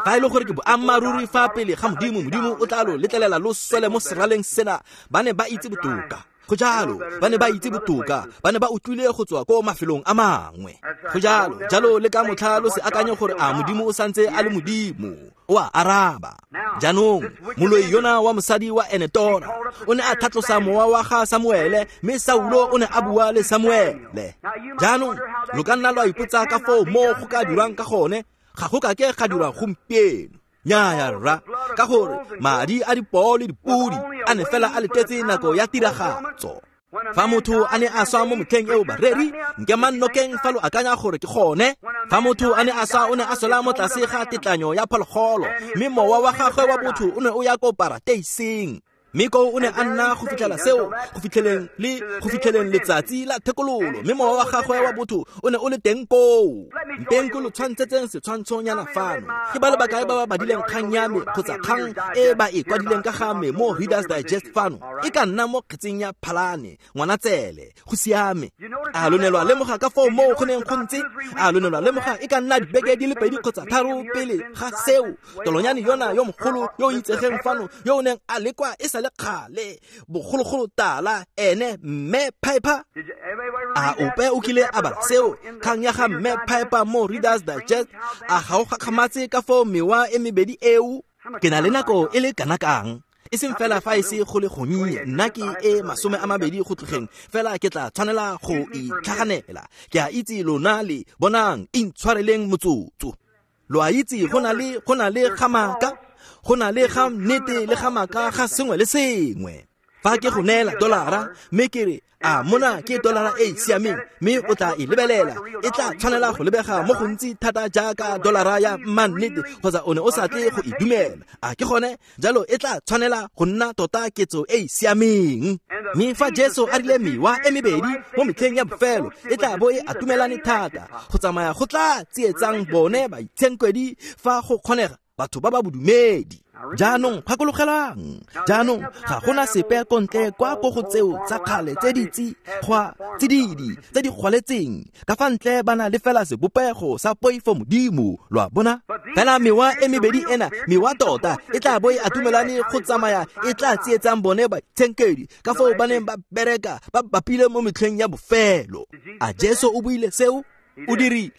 Fa e le gore ke boammaaruri fa pele ga Modimo, Modimo o tla lo letlelela lo swele mo seraleng sena. Ba ne ba itse botoka. Go jalo, ba ne ba itse botoka, ba ne ba utlwile go tswa ko mafelong a mangwe. Go jalo, jalo le ka motlha lo se akanye gore a Modimo o santse a le Modimo. O a araba. Jaanong, moloi yona wa mosadi wa Enetora o ne a tlhatlosa mowa wa ga Samuele, mme Saulo o ne a bua le Samuele. Jaanong, lo ka nna lwa ipotsa ka foo mo go ka dirwang ka gone. Ga go ka ke ga dirwa gompieno. Nnyaya rra, ka gore madi a dipoo le dipodi a ne fela a letetse nako ya tiragatso. Fa motho a ne a swa mo motlheng eo bareri, nke mannokeng fa lo akanya gore ke gone. Fa motho a ne a swa, o ne a swela mo tlase ga tetlanyo ya phologolo, mme mowa wa gagwe wa botho o ne o ya ko parateiseng. Mme koo o ne a nna go fitlhela seo, go fitlheleng le go fitlheleng letsatsi la thekololo, mme mowa wa gagwe wa botho o ne o le teng koo. Mpeng ke lo tshwantshetseng setshwantshonyana fano. Ke ba le bakae ba ba badileng kgang ya me kgotsa kgang e ba e kwadileng ka ga me mo Reader's Digest fano? E ka nna mo kgetseng ya Phalane, Ngwanatsele. Go siame. A lo ne lwa lemoga ka foo moo go neng go ntse? A lo ne lwa lemoga e ka nna dibeke di le pedi kgotsa tharo pele ga seo? Tolonyane yona yo mogolo yo o itsegeng fano, yo o neng a lekwa e sa le kgale, bogologolo tala, ene Mme Piper. A ope o kile a bala seo, kgang ya ga Mme Piper mo Reader's Digest? A ga o gakgamatse ka foo mewa e mebedi eo? Ke na le nako e le kana kang? E seng fela fa e se go le gonnye, nna ke e masome a mabedi go tlogeng, fela ke tla tshwanela go itlhaganela. Ke a itse lona le bonang, intshwareleng motsotso. Lo a itse go na le go na le ga maaka, go na le ga nnete le ga maaka ga sengwe le sengwe. Fa ke go neela dolara, mme ke re, a mona ke dolara e e siameng, mme o tla e lebelela, e tla tshwanela go lebega mo gontsi thata jaaka dolara ya mannete, kgotsa o ne o sa tle go e dumela. A ke gone? Jalo e tla tshwanela go nna tota ketso e e siameng. Mme fa Jesu a rile mewa e mebedi mo metlheng ya bofelo e tla bo e atumelane thata, go tsamaya go tla tsietsang bone baitshenkwedi fa go kgonega batho ba ba bodumedi. Jaanong gakologelang, jaanong ga gona sepe ko ntle kwa ko go tseo tsa kgale tse di tsi gwa tsididi tse di gwaletseng ka fa ntle, ba na le fela sebopego sa poifo Modimo. Lo a bona? Fela mewa e mebedi ena, mewa tota e tla bo e atumelane go tsamaya e tla tsietsang bone baitshenkedi ka foo ba neng ba bereka ba bapile mo metlheng ya bofelo. A Jesu o buile seo? O dirile.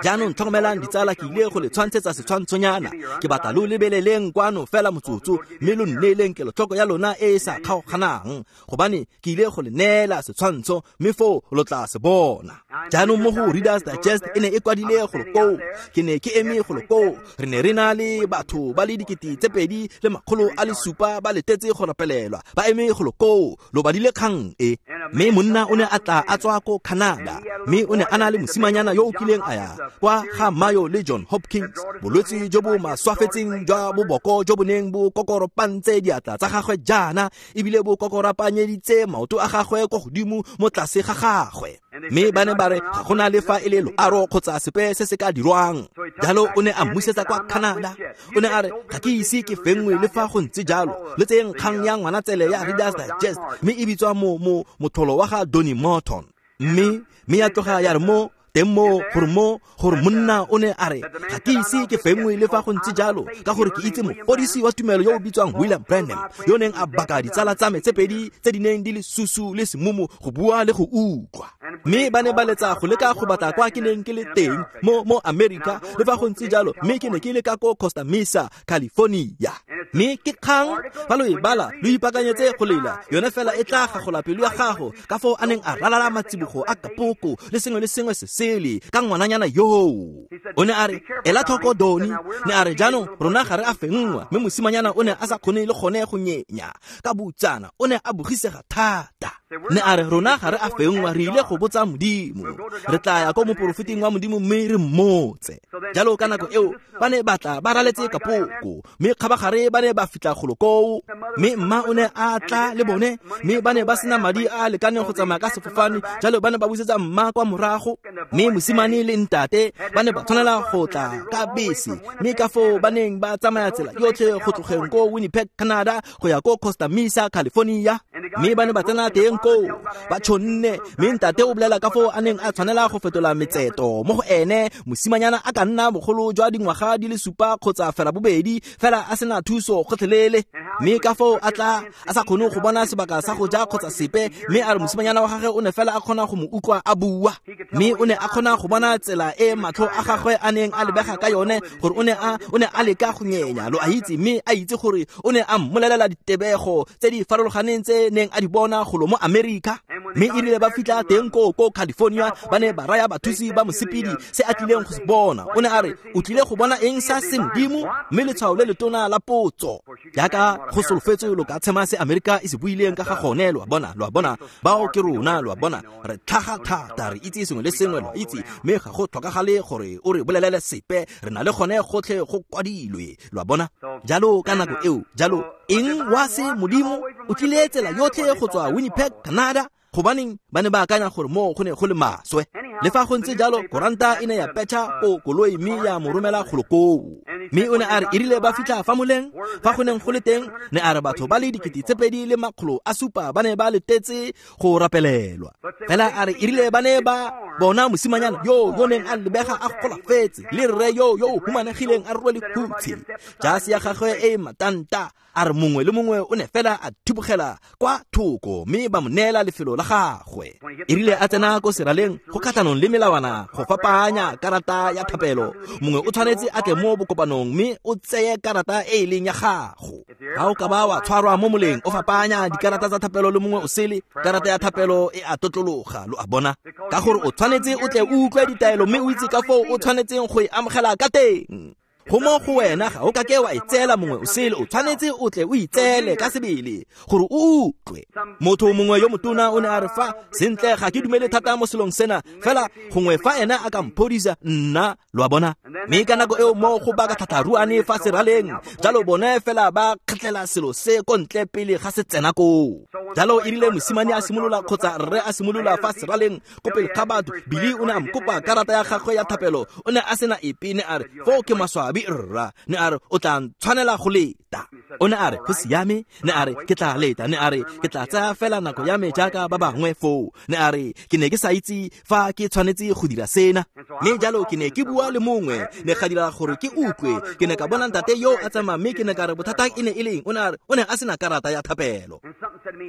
Jaanong tlhokomelang ditsala, ke ile go le tshwantshetsa setshwantshonyana. Ke batla lo lebeleleng kwano fela motsotso, mme lo nneeleng kelotlhoko ya lona e e sa kgaoganang, gobane ke ile go le neela setshwantsho, mme foo lo tla se bona. Jaanong mo go Reader's Digest e ne e kwadile golo koo. Ke ne ke eme golo koo. Re ne re na le batho ba le dikete tse pedi le makgolo a le supa ba letetse go rapelelwa, ba eme golo koo. Lo badile kgang e. Mme monna o ne a tla a tswa ko Canada, mme o ne a na le mosimanyana yo o kileng a ya kwa ga Mayo le John Hopkins, bolwetse jo bo maswafetseng jwa boboko jo bo neng bo kokoropantse diatla tsa gagwe jaana, ebile bo kokorapanyeditse maoto a gagwe kwa godimo mo tlase ga gagwe. Mme ba ne ba re ga gona le fa e le loaro kgotsa sepe se se ka dirwang. Jalo o ne a mmusetsa kwa Canada. O ne a re ga ke ise ke fenngwe le fa go ntse jalo, le tseyeng kgang ya ngwanatsele ya Reader's Digest, mme e bitswa mo mo motlholo wa ga Donnie Morton. Mme mme ya tloga ya re mo teng mo gore mo gore monna o ne a re ga ke ise ke fenngwe le fa go ntse jalo, ka gore ke itse mofodisi wa tumelo yo o bitswang William Branham, yo neng a baka ditsala tsa me tse pedi tse di neng di le susu le semumu go bua le go utlwa. Mme ba ne ba letsa go leka go batla kwa ke neng ke le teng mo mo America le fa go ntse jalo, mme ke ne ke le ka ko Costa Mesa, California. Mme ke kgang fa lo e bala lo ipaakanyetse go lela, yone fela e tla gagola pelo ya gago ka foo a neng a ralala matsibogo a kapoko le sengwe le sengwe se sele ka ngwananyana yoo. O ne a re ela tlhoko Doni, ne a re jaanong rona ga re a fenngwa, mme mosimanyana o ne a sa kgone le gone go nyenya ka boutsana, o ne a bogisega thata. Ne a re rona ga re a fenngwa, re ile go botsa Modimo, re tla ya ko moporofeting wa Modimo mme re mmotse. Jalo ka nako eo ba ne ba tla ba raletse kapoko, mme kgabagare ba ne ba fitlha golo koo, mme mma o ne a tla le bone, mme ba ne ba sena madi a a lekaneng go tsamaya ka sefofane, jalo ba ne ba busetsa mma kwa morago. Mme mosimane le ntate ba ne ba tshwanela go tla ka bese, mme ka foo ba neng ba tsamaya tsela yotlhe go tlogeng ko Winnipeg, Canada go ya ko Costa Mesa, California. Mme ba ne ba tsena teng koo ba tshonne, mme ntate o bolela ka foo a neng a tshwanela go fetola metseto mo go ene mosimanyana a ka nna bogolo jwa dingwaga di le supa kgotsa fela bobedi, fela a sena thuso gotlhelele. Mme ka foo a tla a sa kgone go bona sebaka sa go ja kgotsa sepe, mme a re mosimanyana wa gagwe o ne fela a kgona go mo utlwa a bua, mme o ne a kgona go bona tsela e matlho a gagwe a neng a lebega ka yone gore o ne a o ne a leka go nyenya, lo a itse, mme a itse gore o ne a mmolelela ditebego tse di farologaneng tse neng a di bona golo mo America. Mme e rile ba fitlha teng ko ko California, ba ne ba raya bathusi ba mosepedi se a tlileng go se bona. O ne a re o tlile go bona eng sa semodimo, mme letshwao le letona la potso, jaaka go solofetswe lo ka tshema se America e se buileng ka ga gone. Lo a bona, lo a bona, bao ke rona, lo a bona, re tlhaga thata, re itse sengwe le sengwe, lo a itse, mme ga go tlhokagale gore o re bolelele sepe, re na le gone gotlhe go kwadilwe, lo a bona. Jalo ka nako eo, jalo eng wa se modimo o tlile tsela yotlhe go tswa Winnipeg, Canada, gobaneng ba ne ba akanya gore mo go ne go le maswe. Le fa go ntse jalo, koranta e ne ya petšha ko koloi mme ya mo romela golo koo. Mme o ne a re e rile ba fitlha fa moleng fa go neng go le teng, ne a re batho ba le dikete tse pedi le makgolo a supa ba ne ba letetse go rapelelwa. Fela a re e rile ba ne ba bona mosimanyana yo yo neng a lebega a golafetse le rre yo yo o humanegileng a rwele hutshe, jase ya gagwe e matanta, a re mongwe le mongwe o ne fela a thibogela kwa thoko mme ba mo neela lefelo la gagwe. E rile a tsena ko seraleng go kgatlhanong le melawana go fapaanya karata ya thapelo, mongwe o tshwanetse a tle mo bokopanong mme o tseye karata e e leng ya gago. Ga o ka ba wa tshwarwa mo moleng o fapaanya dikarata tsa thapelo le mongwe o sele, karata ya thapelo e a totlologa, lo a bona, ka gore o tshwanetse o tle o utlwe ditaelo mme o itse ka foo o tshwanetseng go e amogela ka teng. Go mo go wena ga o ka ke wa e tseela mongwe o sele, o tshwanetse o tle o itseele ka sebele gore o utlwe. Motho mongwe yo motona o ne a re fa sentle ga ke dumele thata mo selong sena, fela gongwe fa ena a ka mphodisa nna, lo a bona. Mme ka nako eo mo go baka tlhatlharuane fa seraleng, jalo bone fela ba kgetlela selo se ko ntle pele ga se tsena koo. Jalo e rile mosimane a simolola kgotsa rre a simolola fa seraleng ko pele ga batho, Billy o ne a mkopa karata ya gagwe ya thapelo, o ne a sena epe, ne a re foo ke maswabi rra, ne a re o tla ntshwanela go leta. O ne a re go siame, ne a re ke tla leta, ne a re ke tla tsaya fela nako ya me jaaka ba bangwe foo, ne a re ke ne ke sa itse fa ke tshwanetse go dira sena. Mme jalo ke ne ke bua le mongwe, ne ga dira gore ke utlwe, ke ne ka bona ntate yo a tsamaya, mme ke ne ka re bothata e ne e leng, o ne a re o ne a sena karata ya thapelo.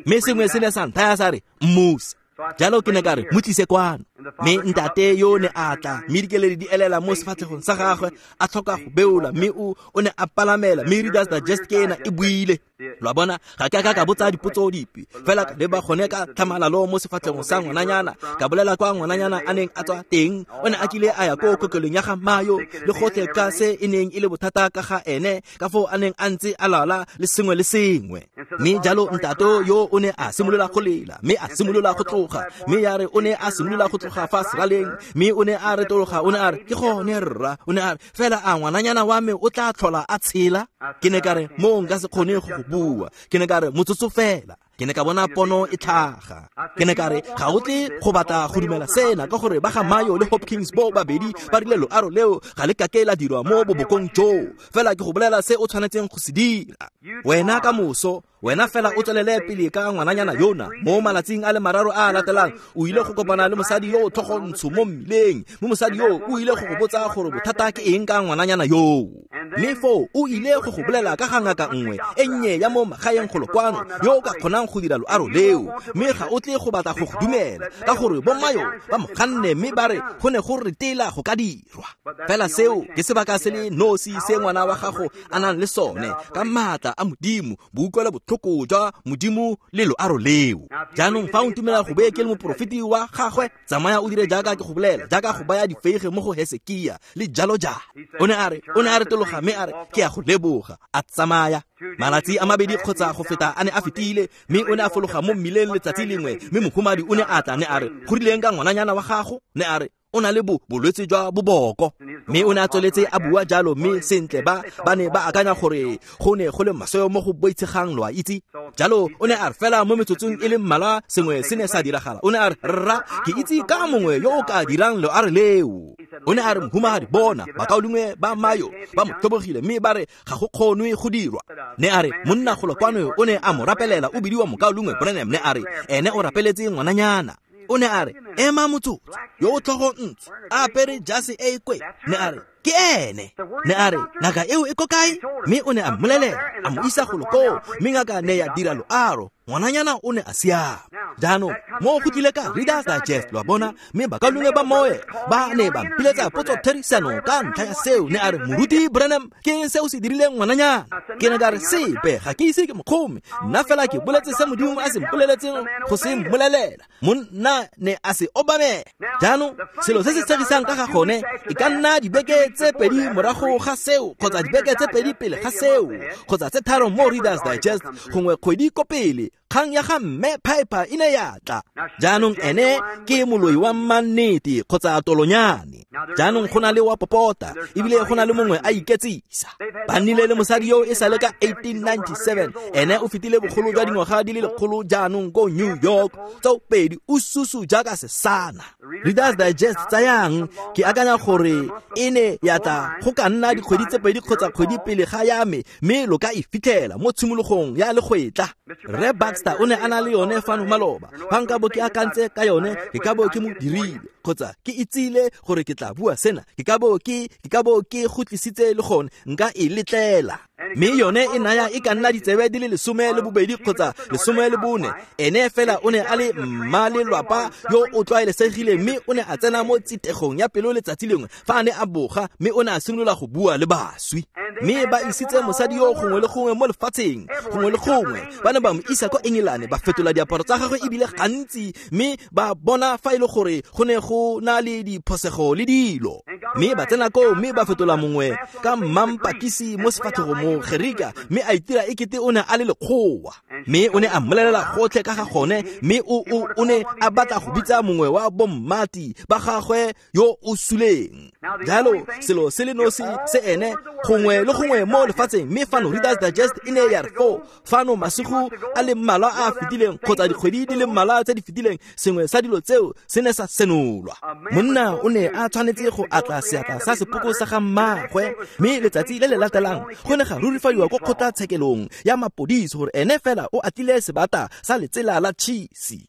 Mme sengwe se ne sa nthaya sa re mmuse. Jalo ke ne ka re mo tlise kwano. Mme ntate yo ne a tla, mme dikeledi di elela mo sefatlhegong sa gagwe, a tlhoka go beola, mme o o ne a palamela, mme Reader's Digest ke ena e buile. Lo a bona, ga ke a ka ka botsa dipotso dipe, fela ka leba gone ka tlhamalalo mo sefatlhegong sa ngwananyana, ka bolela kwa ngwananyana a neng a tswa teng. O ne a kile a ya ko kokelong ya ga Mayo le gotlhe ka se e neng e le bothata ka ga ene, ka foo a neng a ntse a lwala le sengwe le sengwe. Mme jalo ntato yo o ne a simolola go lela, mme a simolola go tloga, mme ya re o ne a simolola go tloga fa seraleng, mme o ne a retologa, o ne a re, ke gone rra, o ne a re, fela a ngwananyana wa me o tla tlhola a tshela? Ke ne ka re, mo nka se kgone go go bua. Ke ne ka re, motsotso fela. Ke ne ka bona pono e tlhaga. Ke ne ka re, ga o tle go batla go dumela sena, ka gore ba ga Mayo le Hopkins bo babedi ba rile loaro leo ga le kake la dirwa mo bobokong joo. Fela ke go bolela se o tshwanetseng go se dira. Wena ka moso, wena fela o tswelele pele ka ngwananyana yona. Mo malatsing a le mararo a a latelang, o ile go kopana le mosadi yo o tlhogontsho mo mmileng. Mme mosadi yo o ile go go botsa gore bothata ke eng ka ngwananyana yoo. Mme foo o ile go go bolela ka ga ngaka nngwe e nnye ya mo magaeng golo kwano yo o ka kgonang go dira loaro leo. Mme ga o tle go batla go go dumela, ka gore bommayo ba mo ganne mme ba re go ne go retela go ka dirwa. Fela seo ke sebaka se le nosi se ngwana wa gago a nang le sone, ka maatla a Modimo, boutlwela botlhoko jwa Modimo le loaro leo. Jaanong fa o ntumela go beye ke le moporofeti wa gagwe, tsamaya o dire jaaka ke go bolela, jaaka go baya difeige mo go Hesekia le jalo jalo. O ne a re, o ne a retologa mme a re, ke a go leboga, a tsamaya. Malatsi a mabedi kgotsa go feta a ne a fetile, mme o ne a fologa mo mmileng letsatsi lengwe, mme mohumadi o ne a tla, ne a re, go rileng ka ngwananyana wa gago? Ne a re, o na le bo bolwetse jwa boboko. Mme o ne a tsweletse a bua jalo, mme sentle ba ba ne ba akanya gore go ne go le maswe mo go boitshegang, lo a itse. Jalo o ne a re fela mo metsotsong e le mmalwa sengwe se ne sa diragala. O ne a re, rra, ke itse ka mongwe yo o ka dirang loaro leo. O ne a re, mohumagadi, bona bakaulengwe ba Mayo ba mo tlhobogile, mme ba re ga go kgonwe go dirwa. Ne a re, monna golo kwano o ne a mo rapelela, o bidiwa mokaulengwe Branham. Ne a re, ene o rapeletse ngwananyana. O ne a re, ema motsotso, yo o tlhogo ntsho, a apere jase e e kwe. Ne a re, ke ene. Ne a re, ngaka eo e ko kae? Mme o ne a mmolelela, a mo isa golo koo, mme ngaka ne ya dira loaro. Ngwananyana o ne a siama. Jaanong mo go tlile ka Reader's Digest, lo a bona, mme bakaulengwe ba Moye ba ne ba mpiletsa potso therisano ka ntlha ya seo. Ne a re, moruti Branham, ke eng se o se dirileng ngwananyana? Ke ne ka re, sepe, ga ke ise ke mokgome. Nna fela ke boletse se Modimo a se mpoleletseng go se mmolelela. Monna ne a se obamela. Jaanong selo se se tshegisang ka ga gone e ka nna dibeke tse pedi morago ga seo, kgotsa dibeke tse pedi pele ga seo, kgotsa tse tharo mo Reader's Digest, gongwe kgwedi ko pele, kgang ya ga mme Piper e ne ya tla. Jaanong ene ke moloi wa mmannete kgotsa tolonyane. Jaanong go na le wa popota, ebile go na le mongwe a iketsisa. Ba nnile le mosadi yo e sale ka eighteen ninety-seven, ene o fetile bogolo jwa dingwaga di le lekgolo jaanong ko New York, tseo pedi o susu jaaka sesana. Reader's Digest tsayang, ke akanya gore e ne ya tla go ka nna dikgwedi tse pedi kgotsa kgwedi pele ga ya me, mme lo ka e fitlhela mo tshimologong ya legwetla. Rre Baxter o ne a na le yone fano maloba. Fa nka bo ke akantse ka yone, ke ka bo ke mo dirile, kgotsa ke itsile gore ke tla bua sena, ke ka bo ke ke ka bo ke go tlisitse le gone, nka e letlela. Mme yone e naya e ka nna ditsebe di le lesome le bobedi kgotsa lesome le bone. Ene fela o ne a le mma lelwapa yo o tlwaelesegile, mme o ne a tsena mo tsitegong ya pelo letsatsi lengwe fa a ne a boga, mme o ne a simolola go bua le baswi. Mme ba isitse mosadi yo gongwe le gongwe mo lefatsheng, gongwe le gongwe. Ba ne ba mo isa kwa Engelane, ba fetola diaparo tsa gagwe ebile gantsi, mme ba bona fa e le gore go ne go na le diphosego le dilo. Mme ba tsena koo, mme ba fetola mongwe ka mmampakisi mo sefatlhegong mo Gerika, mme a itira ekete o ne a le lekgowa. Mme o ne a mmolelela gotlhe ka ga gone, mme o o o ne a batla go bitsa mongwe wa bommati ba gagwe yo o suleng. Jalo selo se le nosi se ene gongwe le gongwe mo lefatsheng. Mme fano Reader's Digest e ne ya re foo fano masigo a le mmalwa a a fetileng kgotsa dikgwedi di le mmalwa tse di fetileng, sengwe sa dilo tseo se ne sa senolwa. Monna o ne a tshwanetse go atla seatla sa sepoko sa ga mmagwe, mme letsatsi le le latelang go ne ga rurifadiwa ko kgotlatshekelong ya mapodisi gore ene fela o atlile sebata sa letsela la tšhisi.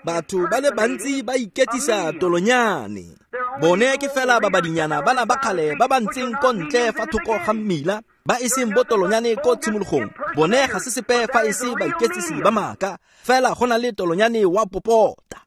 Batho ba le bantsi ba iketsisa tolonyane. Bone ke fela babadinyana bana ba kgale ba ba ntseng ko ntle fa thoko ga mmila, ba e seng botolonyane ko tshimologong. Bone ga se sepe fa e se baiketsisi ba maaka, fela go na le tolonyane wa popota.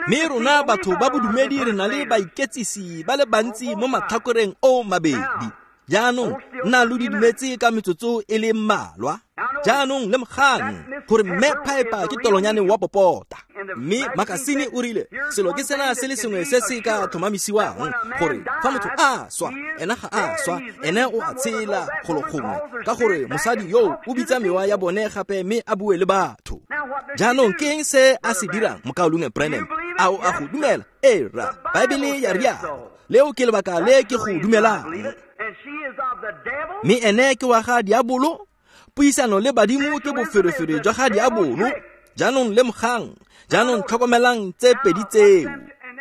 Mme rona batho ba bodumedi re na le baiketsisi ba le bantsi mo matlhakoreng o mabedi. Jaanong nna lo didimetse ka metsotso e le mmalwa. Jaanong lemogang gore Mme Piper ke tolonyane wa popota. Mme makasine o rile selo ke sena se le sengwe se se ka tlhomamisiwang gore fa motho a swa, ena ga a swa, ene o a tshela golo gongwe, ka gore mosadi yo o bitsa mewa ya bone gape mme a bue le batho. Jaanong ke eng se a se dirang, mokaulengwe Branham? A o a go dumela? Ee rra, Baebele ya rialo. Leo ke lebaka le ke go dumelang. Mme ene ke wa ga diabolo. Puisano le badimo ke boferefere jwa ga diabolo. Jaanong lemogang, jaanong tlhokomelang tse pedi tseo.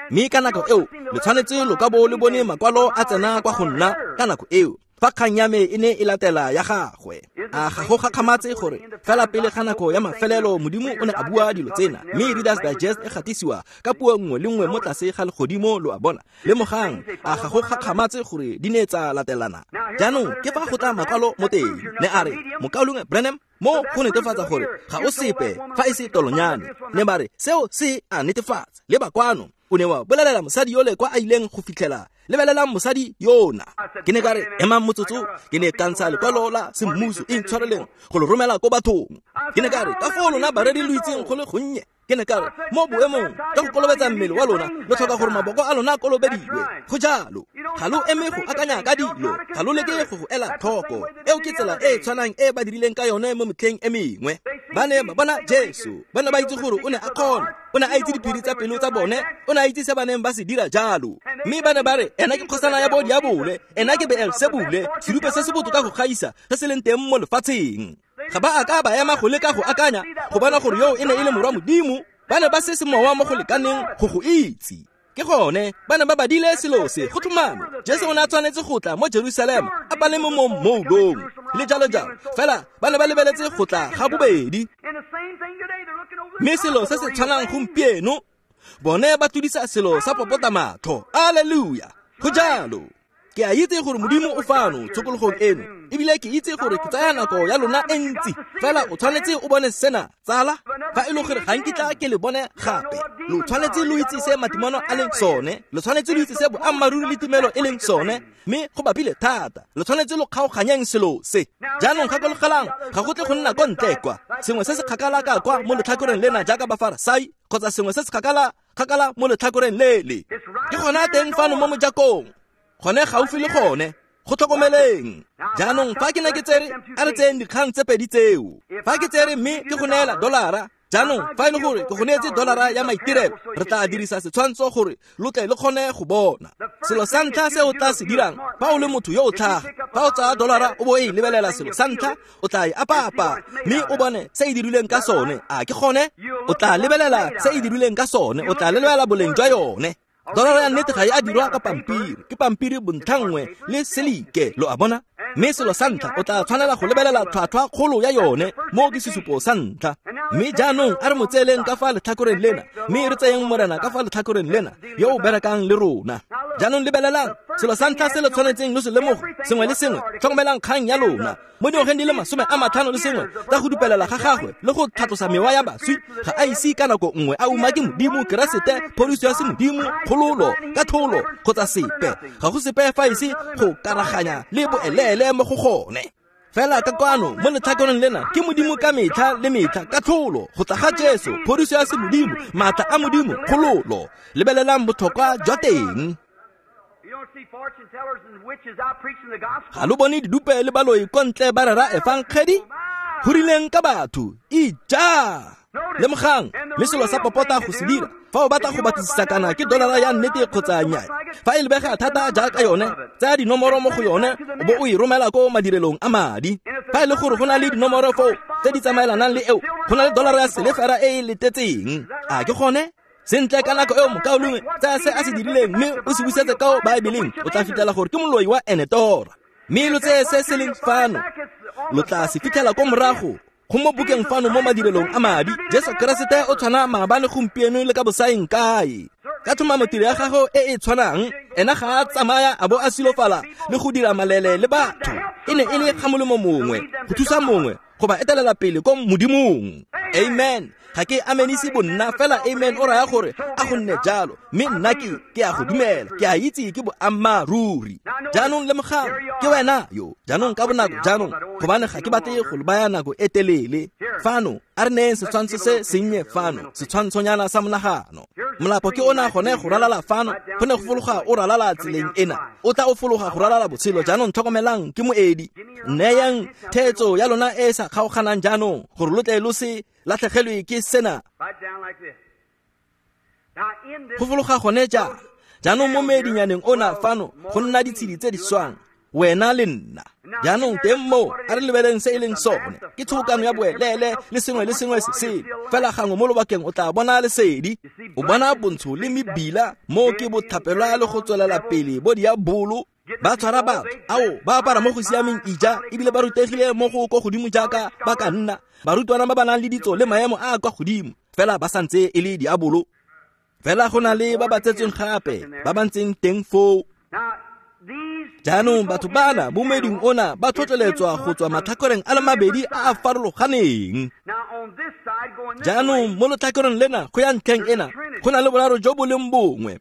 Mme ka nako eo le tshwanetse lo ka bo le bone makwalo a tsena kwa go nna ka nako eo, fa kgang ya me e ne e latela ya gagwe. A ga go gakgamatse gore fela pele ga nako ya mafelelo Modimo o ne a bua dilo tsena, mme Reader's Digest e gatisiwa ka puo nngwe le nngwe mo tlase ga legodimo, lo a bona. Lemogang, a ga go gakgamatse gore di ne tsa latelana. Jaanong ke fa go tla makwalo mo teng, ne a re, mokaulengwe Branham, mo go netefatsa gore ga o sepe fa e se tolonyane. Ne ba re seo se a netefatsa. Le ba kwano, o ne wa bolelela mosadi yole kwa a ileng go fitlhela. Lebelelang mosadi yona. Ke ne ka re, emang motsotso, ke ne ka ntsha lekwalo la semmuso e ntshwareleng go lo romela ko bathong. Ke ne ka re, ka foo lona bareri lo itseng go le gonnye. Ke ne ka re, mo boemong jwa go kolobetsa mmele wa lona, lo tlhoka gore maboko a lona a kolobediwe. Go jalo. Ga lo eme go akanya ka dilo, ga lo leke go go ela tlhoko. Eo ke tsela e e tshwanang e ba dirileng ka yone mo metlheng e mengwe. Ba ne ba bona Jesu, ba ne ba itse gore o ne a kgona, o ne a itse diphiri tsa pelo tsa bone, o ne a itse se ba neng ba se dira jalo. Mme ba ne ba re, ena ke kgosana ya bo diabole, ena ke Beelsebule, serupe se se botoka go gaisa se se leng teng mo lefatsheng. Ga ba a ka ba ema go leka go akanya go bona gore yo e ne e le morwa Modimo. Ba ne ba se semowa mo go lekaneng go go itse. Ke gone ba ne ba badile selo se go tlhomame. Jesu o ne a tshwanetse go tla mo Jerusalema a paleme mo mmoulong le jalo jalo, fela ba ne ba lebeletse go tla ga bobedi. Mme selo se se tshwanang gompieno, bone ba tlodisa selo sa popota matlho. Alleluia, go jalo. Ke a itse gore Modimo o fano tshokologong eno, ebile ke itse gore ke tsaya nako ya lona e ntsi, fela o tshwanetse o bone sena, tsala. Fa e le gore ga nkitla ke le bone gape, lo tshwanetse lo itse se matimono a leng sone, lo tshwanetse lo itse se boammaaruri le tumelo e leng sone, mme go bapile thata. Lo tshwanetse lo kgaoganyeng selo se. Jaanong gakologelang, ga go tle go nna ko ntle kwa, sengwe se se kgakala ka kwa mo letlhakoreng lena jaaka Bafarasai, kgotsa sengwe se se kgakala kgakala mo letlhakoreng lele. Ke gona teng fano mo mojakong, gone gaufi le gone, go tlhokomeleng. Jaanong fa ke ne ke tsere, a re tseyeng dikgang tse pedi tseo. Fa ke tsere mme ke go neela dolara, jaanong fa e le gore ke go neetse dolara ya maitirelo, re tla dirisa setshwantsho gore lo tle le kgone go bona. Selo sa ntlha se o tla se dirang fa o le motho yo o tlhaga, fa o tsaya dolara o bo e lebelela, selo sa ntlha o tla e apapa mme o bone se e dirilweng ka sone. A ke gone? O tla lebelela se e dirilweng ka sone, o tla lebelela boleng jwa yone. Dolara ya nnete ga e a dirwa ka pampiri, ke pampiri bontlhanngwe le selike, lo a bona. Mme selo sa ntlha o tla tshwanela go lebelela tlhwatlhwa kgolo ya yone, mo ke sesupo sa ntlha. Mme jaanong a re mo tseeleng ka fa letlhakoreng lena, mme re tseyeng Morena ka fa letlhakoreng lena yo o berekang le rona. Jaanong lebelelang, selo sa ntlha se le tshwanetseng lo se lemoge, sengwe le sengwe, tlhokomelang kgang ya lona. Mo dingwageng di le masome a matlhano le sengwe tsa go dupelela ga gagwe le go tlhatlosa mewa ya baswi, ga a ise ka nako nngwe a umake Modimo, Keresete, phodiso ya semodimo, kgololo, katlholo kgotsa sepe. Ga go sepe fa ise go karaganya le boeleele mo go gone. Fela ka kwano mo letlhakoreng lena ke Modimo ka metlha le metlha, katlholo, go tla ga Jesu, phodiso ya semodimo, maatla a Modimo, kgololo. Lebelelang botlhokwa jwa teng. Ga lo bone didupe le baloi ko ntle ba rera efankgedi? Go rileng ka batho? Ija! Lemogang, mme selo sa popota go se dira fa o batla go batlisisa kana ke dolara ya nnete kgotsa nnyaa, fa e lebega thata jaaka yone, tsaya dinomoro mo go yone o bo o e romela ko madirelong a madi. Fa e le gore go na le dinomoro foo tse di tsamaelanang le eo, go na le dolara ya selefera e e letetseng. A ke gone? Sentle, ka nako eo mokaulengwe, tsaya se a se dirileng mme o se busetse ka Baebeleng, o tla fitlhela gore ke moloi wa Enetora. Mme lo tseye se se leng fano, lo tla se fitlhela ko morago go mo bukeng fano mo madirelong a madi. Jesu Keresete o tshwana maabane, gompieno le ka bosaeng kae. Ka tlhomamo tiro ya gago e e tshwanang, ena ga a tsamaya a bo a silofala le go dira malele le batho. E ne e le ga molemo mongwe, go thusa mongwe, go ba etelela pele ko Modimong. Amen. Ga ke amenise bonna fela amen o raya gore a go nne jalo, mme nna ke ke a go dumela, ke a itse ke boammaaruri. Jaanong lemogang, ke wena yo. Jaanong ka bonako jaanong, gobane ga ke batle go baya nako e telele. Fano a re neyeng setshwantsho se sennye fano, setshwantshonyana sa monagano. Molapo ke ona gone go ralala fano, go ne go fologa o ralala tseleng ena, o tla o fologa go ralala botshelo. Jaanong tlhokomelang, ke moedi. Neyang theetso ya lona e sa kgaoganang jaanong, gore lo tle lo se latlhegelwe ke sena. Go fologa gone ja. Jaanong mo moedinyaneng ona fano go nna ditshedi tse di swang, wena le nna. Jaanong teng moo a re lebeleng se e leng sone, ke tshobokano ya boelele le sengwe le sengwe se sele. Fela gangwe mo lobakeng o tla bona lesedi, o bona bontsho le mebila, mo ke bothapelwa le go tswelela pele bo diabolo. Ba tshwara batho, ao ba apara mo go siameng ija, ebile ba rutegile mo go ko godimo jaaka ba ka nna, barutwana ba ba nang le ditso le maemo a a kwa godimo, fela ba santse e le diabolo. Fela go na le ba ba tsetsweng gape, ba ba ntseng teng foo. Jaanong batho bana mo moeding ona ba tlhotlheletswa go tswa matlhakoreng a le mabedi a a farologaneng. Jaanong mo letlhakoreng lena go ya ntlheng ena go na le boraro jo bo leng bongwe,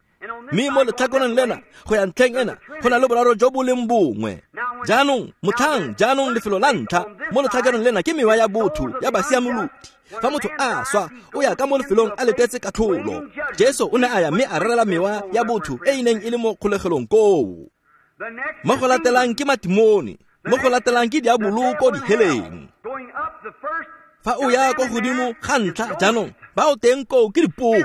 mme mo letlhakoreng lena go ya ntlheng ena go na le boraro jo bo leng bongwe. Jaanong motlhang jaanong lefelo la ntlha mo letlhakoreng lena ke mewa ya botho ya basiamolodi. Fa motho a swa o ya ka mo lefelong a letetse katlholo. Jesu o ne a ya mme a rerela mewa ya botho e e neng e le mo kgolegelong koo. Mo go latelang ke matimone, mo go latelang ke diabolo ko diheleng. Fa o ya ko godimo ga ntlha jaanong, ba o teng koo ke dipoko,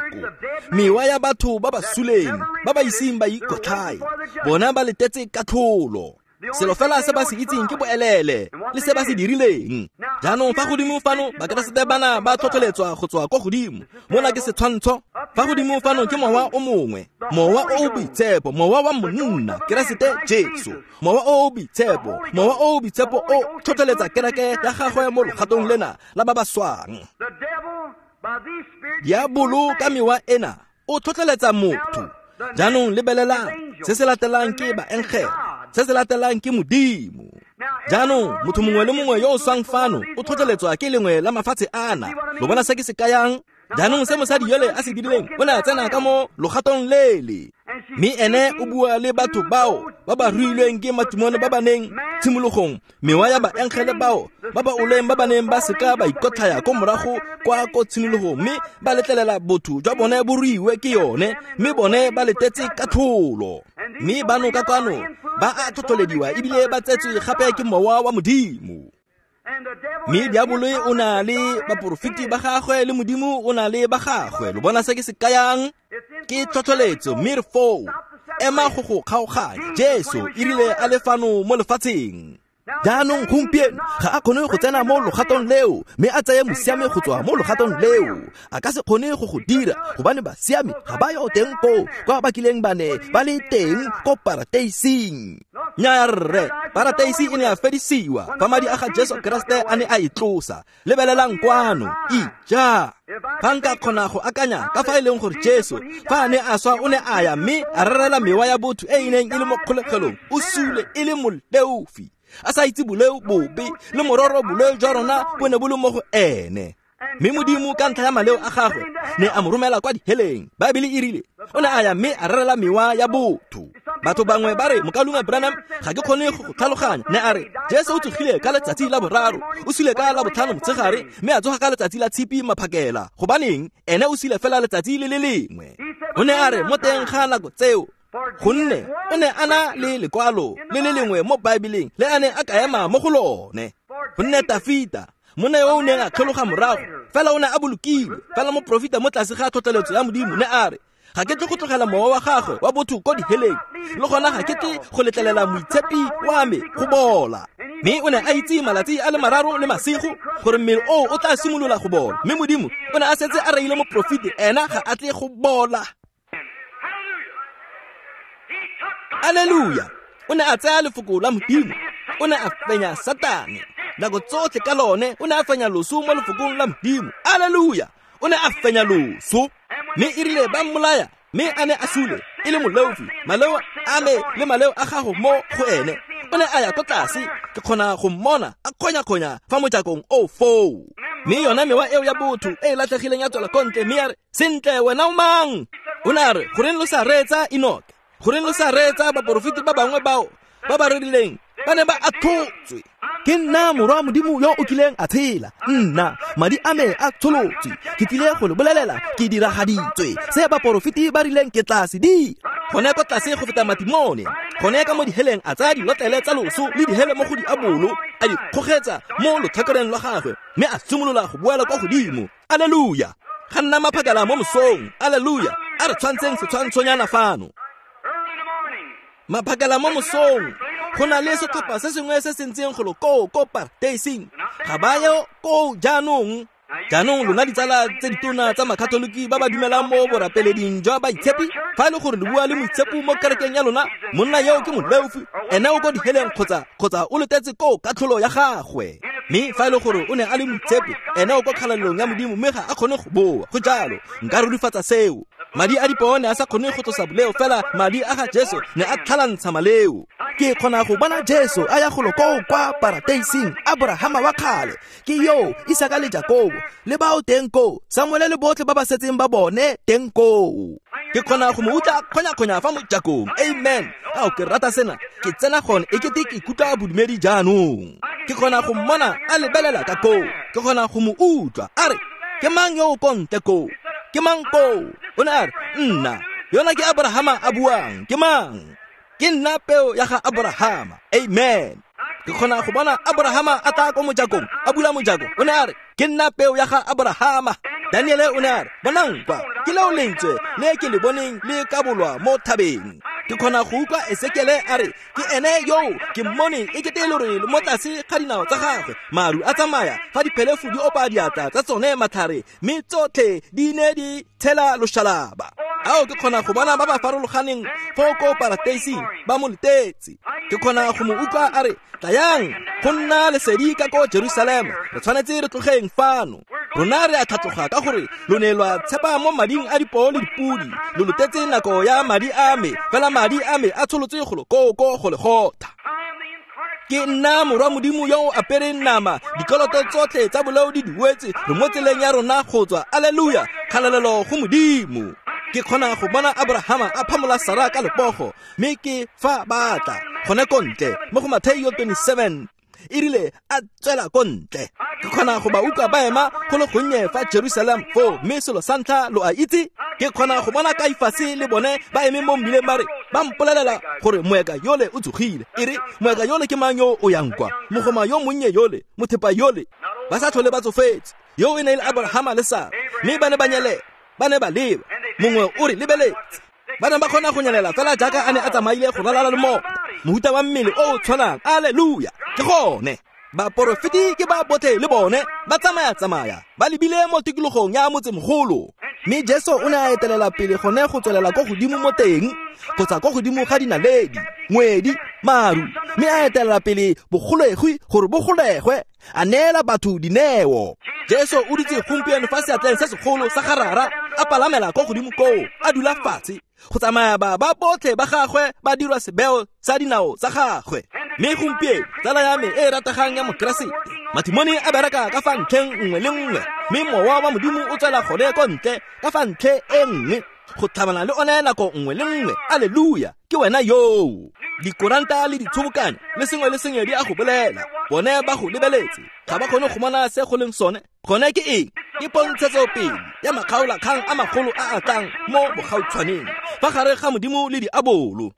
mewa ya batho ba ba suleng, ba ba iseng ba ikotlhae, bona ba letetse katlholo. Selo fela se ba se itseng ke boelele le se ba se dirileng. Jaanong fa godimo fano Bakeresete bana ba tlhotlheletswa go tswa ko godimo. Mona ke setshwantsho. Fa godimo fano ke mowa o mongwe, mowa o o boitshepo, mowa wa monna Keresete Jesu, mowa o o boitshepo, mowa o o boitshepo o tlhotlheletsa kereke ya gagwe mo logatong lena la ba ba swang. Diabolo ka mewa ena o tlhotlheletsa motho. Jaanong lebelelang, se se latelang ke baengele, se se latelang ke Modimo. Jaanong motho mongwe le mongwe yo o swang fano o tlhotlheletswa ke lengwe la mafatshe ana. Lo bona se ke se kayang? Jaanong se mosadi yole a se dirileng, o ne a tsena ka mo logatong lele, mme ene o bua le batho bao ba ba ruilweng ke matimone ba ba neng tshimologong, mewa ya baengele bao ba ba oleng ba ba neng ba seka ba ikotlhaya ko morago kwa ko tshimologong, mme ba letlelela botho jwa bone bo ruiwe ke yone, mme bone ba letetse katlholo. Mme bano ka kwano ba a tlhotlhelediwa ebile ba tsetswe gape ke mowa wa Modimo. Mme diabolo o na le baporofeti ba gagwe le Modimo o na le ba gagwe. Lo bona se ke se kayang? Ke tlhotlheletso, mme re foo. Ema go go kgaoganya. Jesu e rile a le fano mo lefatsheng. Jaanong gompieno ga a kgone go tsena mo logatong leo, mme a tseye mosiami go tswa mo logatong leo. A ka se kgone go go dira, gobane basiami ga ba yo teng koo kwa ba kileng ba ne ba le teng ko parateising. Nnyaya rre, parateisi e ne ya fedisiwa fa madi a ga Jesu Keresete a ne a e tlosa. Lebelelang kwano, ija. Fa nka kgona go akanya ka fa e leng gore Jesu fa a ne a swa o ne a ya mme a rerela mewa ya botho e e neng e le mo kgolegelong, o sule e le moleofi, a sa itse boleo bobe, le mororo boleo jwa rona bo ne bo le mo go ene. Mme Modimo ka ntlha ya maleo a gagwe ne a mo romela kwa diheleng. Baebele e rile o ne a ya mme a rerela mewa ya botho. Batho bangwe ba re, Mokaulengwe Branham, ga ke kgone go go tlhaloganya. Ne a re Jesu o tsogile ka letsatsi la boraro, o sule ka la botlhano motshegare, mme a tsoga ka letsatsi la tshipi maphakela. Gobaneng ene o sule fela letsatsi le le lengwe? O ne a re mo teng ga nako tseo, gonne o ne a na le lekwalo le le lengwe mo Baebeleng le a ne a ka ema mo go lone. Gonne Tafita, monna yo o neng a tlhologa morago, fela o ne a bolokilwe, fela moprofeta mo tlase ga tlhotlheletso ya Modimo ne a re, ga ke tle go tlogela mowa wa gagwe wa botho ko diheleng, le gona ga ke tle go letlelela moitshepi wa me go bola. Mme o ne a itse malatsi a le mararo le masigo gore mmele oo o tla simolola go bola, mme Modimo o ne a setse a reile moprofeta, ena ga a tle go bola. Alleluia! O ne a tsaya lefoko la Modimo, o ne a fenya Satane nako tsotlhe ka lone, o ne a fenya loso mo lefokong la Modimo. Alleluia! O ne a fenya loso, mme e rile ba mmolaya, mme a ne a sule e le moleofi, maleo a me le maleo a gago mo go ene. O ne a ya ko tlase Ke kgona go mmona a kgonya-kgonya fa mojakong o foo. Mme yona mewa eo ya botho e e latlhegileng ya tswela ko ntle mme ya re, sentle wena o mang? O ne a re, goreng lo sa reetsa Enoke? Goreng lo sa reetsa baporofeti ba bangwe bao ba ba rerileng? Ba ne ba atlhotswe. Ke nna morwa Modimo yo o kileng a tshela. Nna, madi a me a tsholotswe. Ke tlile go le bolelela, ke diragaditswe. Se baporofeti ba rileng ke tla se dira. Gone ko tlase go feta matimone. Gone ka mo diheleng a tsaya dilotlele tsa loso le dihele mo go diabolo, a di kgogetsa mo lotlhakoreng lwa gagwe, mme a simolola go boela kwa godimo. Alleluia! Ga nna maphakela mo mosong. Alleluia! A re tshwantseng setshwantshonyana fano. Maphakela mo mosong. Go na le setlhopha se sengwe se se ntseng golo koo ko parateising. Ga ba ye koo jaanong. Jaanong lona ditsala tse ditona tsa makatoliki ba ba dumelang mo borapeleding jwa baitshepi, fa e le gore le bua le moitshepi mo kerekeng ya lona, monna yo ke moleofi, ene o ko diheleng kgotsa kgotsa o letetse koo katlholo ya gagwe. Mme fa e le gore o ne a le moitshepi, ene o ko kgalalelong ya Modimo mme ga a kgone go boa. Go jalo, nka rurifatsa seo. Madi a dipoo ne a sa kgone go tlosa boleo, fela madi a ga Jesu ne a tlhalantsha maleo. Ke kgona go bona Jesu a ya golo koo kwa parateising, Abrahama wa kgale, ke yo Isaka le Jakobo, le bao teng koo, Samuele le botlhe ba ba setseng ba bone teng koo. Ke kgona go mo utlwa kgonya-kgonya fa mojakong. Amen. Ao, ke rata sena. Ke tsena gone e kete ke ikutlwa bodumedi jaanong. Ke kgona go mmona a lebelela ka koo. Ke kgona go mo utlwa a re, ke mang yo o ko ntle koo? Ke mang koo? O ne a re, nna. Yona ke Abrahama a buang. Ke mang? Ke nna peo ya ga Abrahama. Amen. Ke kgona go bona Abrahama a tla ko mojakong, a bula mojako. O ne a re, ke nna peo ya ga Abrahama. Daniele o ne a re, bonang kwa, ke leo lentswe le ke le boneng le kabolwa mo thabeng. Ke kgona go utlwa Ezekiele a re, ke ene yo ke mmone e kete lorole mo tlase ga dinao tsa gagwe. Maru a tsamaya fa diphelefu di opa diatla tsa tsone matlhare, mme tsotlhe di ne di tshela loshalaba. Ao, ke kgona go bona ba ba farologaneng foo ko parateising ba mo letetse. Ke kgona go mo utlwa a re, tlayang go nna lesedi ka ko Jerusalema, re tshwanetse re tlogeng fano. Rona re a tlhatloga ka gore lo ne lwa tshepa mo mading a dipoo le dipudi, lo lotetse nako ya madi a me, fela madi a me a tsholotse golo koo ko Golegotha. Ke nna morwa Modimo yo o apereng nama, dikoloto tsotlhe tsa boleo di duetse, re mo tseleng ya rona go tswa. Alleluia! Kgalalelo go Modimo. Ke kgona go bona Abrahama a phamola Sara ka lepogo, mme ke fa ba tla gone ko ntle mo go Matthew twenty-seven. E rile a tswela ko ntle. Ke kgona go ba utlwa ba ema go le gonnye fa Jerusalem foo, mme selo sa ntlha lo a itse, ke kgona go bona Kaifase le bone ba eme mo mmileng ba re, ba mpolelela gore moeka yole o tsogile. E re, moeka yole ke mang yo o yang kwa? Mogoma yo monnye yole, mothepa yole, ba sa tlhole ba tsofetse. Yo e ne e le Abrahama le Sara, mme ba ne ba nyelela, ba ne ba leba. Mongwe o re lebeletse. Ba ne ba kgona go nyelela fela jaaka a ne a tsamaile go ralala le mota, mohuta wa mmele o o tshwanang. Alleluia! Ke gone. Baporofeti ke ba botlhe le bone ba tsamaya-tsamaya ba lebile mo tikologong ya motsemogolo. Mme Jesu o ne a etelela pele gone go tswelela ko godimo mo teng, kgotsa ko godimo ga dinaledi, ngwedi, maru, mme a etelela pele bogolegwe gore bo golegwe, a neela batho dineo. Jesu o dutse gompieno fa seatleng se segolo sa ga Rara, a palamela ko godimo koo, a dula fatshe go tsamaya ba ba botlhe ba gagwe ba dirwa sebeo sa dinao tsa gagwe. Mme gompieno tsala ya me e e rategang ya Mokeresete, matimone a bereka ka fa ntlheng nngwe le nngwe, mme mowa wa Modimo o tswela gone ko ntle ka fa ntlhe e nngwe go tlhabana le one nako nngwe le nngwe. Alleluia! Ke wena yoo. Dikoranta le ditshobokanyo le sengwe le sengwe di a go bolela, bone ba go lebeletse, ga ba kgone go bona se go leng sone. Gone ke eng? Ke pontshetsopele ya makgaolakgang a magolo a a tlang mo bogautshwaneng fa gare ga Modimo le diabolo.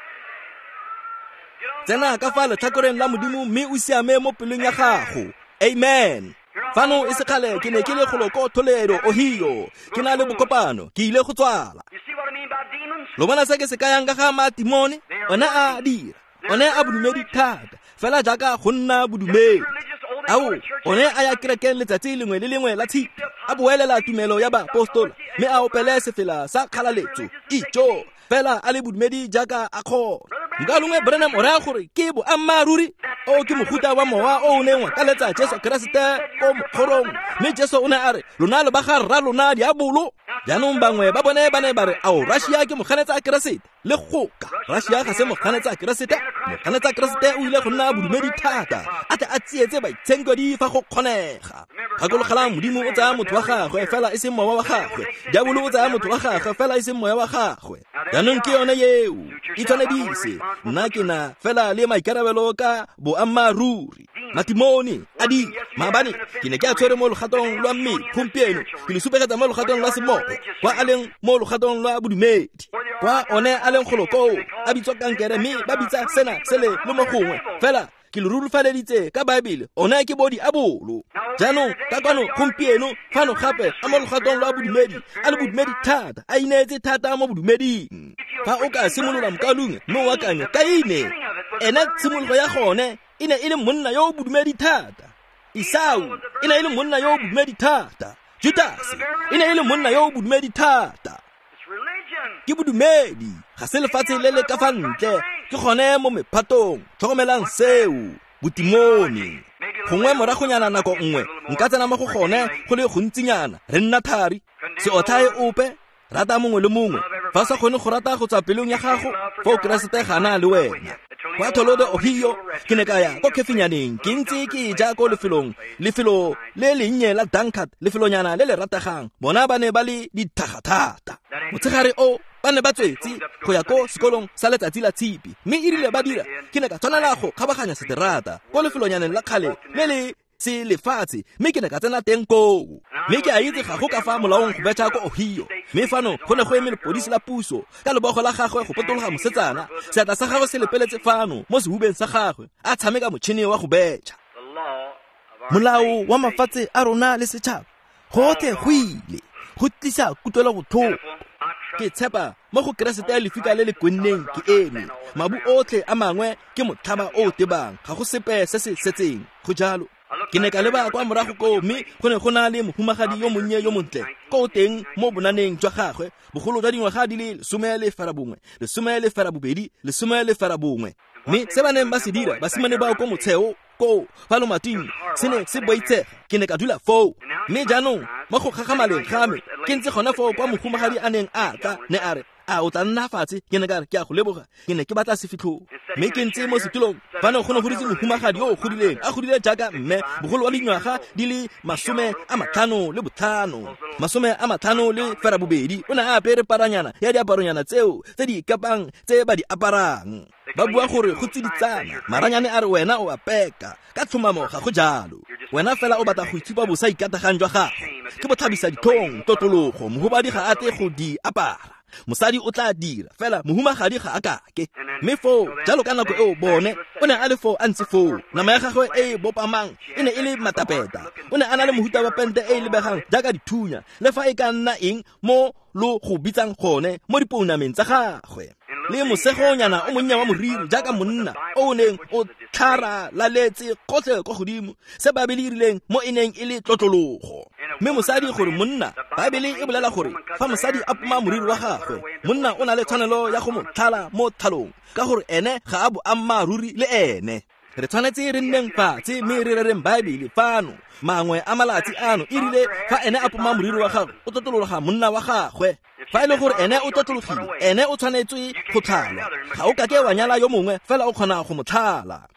Tsena ka fa letlhakoreng la Modimo mme o siame mo pelong ya gago. Amen. Fano e sekgale ke ne ke le golo ko Toledo, Ohio, ke na le bokopano, ke ile go tswala. Lo bona se ke se kayang ka ga matimone? One a dira, one a bodumedi thata, fela jaaka go nna bodumedi. Ao, one a ya kerekeng letsatsi lengwe le lengwe la tshipi, a boelela tumelo ya baapostola, mme a opele sefela sa kgalaletso, ijo, fela a le bodumedi jaaka a kgona. Nka longwe Branham o raya gore ke boammaaruri. O ke mohuta wa mowa o o neng wa kaletsa Jesu Keresete ko mokgorong, mme Jesu o ne a re lona lo ba ga rra lona diabolo. Jaanong bangwe ba bone ba ne ba re ao Russia ke moganetsa Keresete. Le goka Russia ga se moganetsa Keresete. Moganetsa Keresete o ile go nna bodumedi thata, a tle a tsietse baitshenkedi fa go kgonega. Gakologelang, Modimo o tsaya motho wa gagwe fela e seng mowa wa gagwe. Diabolo o tsaya motho wa gagwe fela e seng moya wa gagwe. Jaanong ke yone eo, itshwanedise. Nna ke na fela le maikarabelo ka boammaaruri. Matimoni a di maabane ke ne ke a tshwere mo logatong lwa mmele, gompieno ke le supegetsa mo logatong lwa semoya, kwa a leng mo logatong lwa bodumedi, kwa one a leng golo koo a bitswa kankere, mme ba bitsa sena sele le mo gongwe. Fela ke le rurifaleditse ka Baebele, one ke bodiabolo. Jaanong ka kwano gompieno fano gape a mo logatong lwa bodumedi, a le bodumedi thata, a ineetse thata mo bodumeding. Fa o ka simolola mokalung mme o akanya Kaine, ene tshimologo ya gone e ne e le monna yo o bodumedi thata. Esau e ne e le monna yo o bodumedi thata. Judase e ne e le monna yo o bodumedi thata. Ke bodumedi, ga se lefatshe le le ka fa ntle, ke gone mo mephatong. Tlhokomelang seo, botimone. Gongwe moragonyana nako nngwe nka tsena mo go gone go le gontsinyana, re nna thari. Se otlhae ope, rata mongwe le mongwe. Fa sa kgone go rata go tswa pelong ya gago, fa o Keresete ga na le wena. Kwa Toledo, Ohio, ke ne ka ya ko khefinyaneng, ke ntse ke ja ko lefelong, lefelo le lennye la Dunkard, lefelonyana le le rategang. Bona ba ne ba le dithaga thata. Motshegare o ba ne ba tswetse go ya ko sekolong sa letsatsi la tshipi, mme e rile ba dira, ke ne ka tshwanela go kgabaganya seterata ko lefelonyaneng la kgale le le se lefatshe, mme ke ne ka tsena teng koo. Mme ke a itse ga go ka fa molaong go betšha ko Ohio. Mme fano go ne go eme lepodisi la puso ka lebogo la gagwe go potologa mosetsana, seatla sa gagwe se lepeletse fano mo sehubeng sa gagwe, a tshameka motšhini wa go betšha. Molao wa mafatshe a rona le setšhaba gotlhe go ile go tlisa kutlwelobotlhoko. Ke tshepa mo go Keresete lefika le le kwenneng ke eme. Mabu otlhe a mangwe ke motlhaba o o tebang, ga go sepe se se setseng. Go jalo. Ke ne ka leba kwa morago koo, mme go ne go na le mohumagadi yo monnye yo montle ko teng mo bonaneng jwa gagwe, bogolo jwa dingwaga di le lesome le ferabongwe, lesome le ferabobedi, lesome le ferabongwe. Mme se ba neng ba se dira basimane bao ko motsheo koo fa lomating se ne se boitshega. Ke ne ka dula foo. Mme jaanong mo go gagamaleng ga me ke ntse gona foo kwa mohumagadi a neng a tla, ne a re, a o tla nna fatshe? Ke ne ka re, ke a go leboga, ke ne ke batla sefitlhong. Mme ke ntse mo setulong fano go ne go dutse mohumagadi yo o godileng, a godile jaaka mme, bogolo wa dingwaga di le masome a matlhano le botlhano, masome a matlhano le ferabobedi. O ne a apere paranyana ya diaparonyana tseo tse di ikapang tse ba di aparang. Ba bua gore go tsiditsana, maranyane a re wena o a peka. Ka tlhomamo ga go jalo. Wena fela o batla go itshupa bosa ikatagang jwa gago. Ke botlhabisa ditlhong, tlotlologo, mohubadi ga a tle go di apara. Mosadi o tla dira, fela mohumagadi ga a kake. Mme foo, jalo ka nako eo bone, o ne a le foo a ntse foo. Nama ya gagwe e e bopamang e ne e le matapeta. O ne a na le mohuta wa pente e e lebegang jaaka dithunya, le fa e ka nna eng mo lo go bitsang gone mo dipounameng tsa gagwe. Le mosegonyana o monnye wa moriri jaaka monna o o neng o tlharalaletse gotlhe kwa godimo, se Baebele e rileng mo e neng e le tlotlologo. Mme mosadi gore monna, Baebele e bolela gore fa mosadi a poma moriri wa gagwe, monna o na le tshwanelo ya go mo tlhala mo tlhalong, ka gore ene ga a boammaaruri le ene. Re tshwanetse re nneng fatshe mme re rereng Baebele fano. Mangwe a malatsi ano e rile fa ene a poma moriri wa gagwe, o tlotlologa monna wa gagwe. Fa e le gore ene o tlotlologile, ene o tshwanetswe go tlhalwa. Ga o kake wa nyala yo mongwe, fela o kgona go mo tlhala.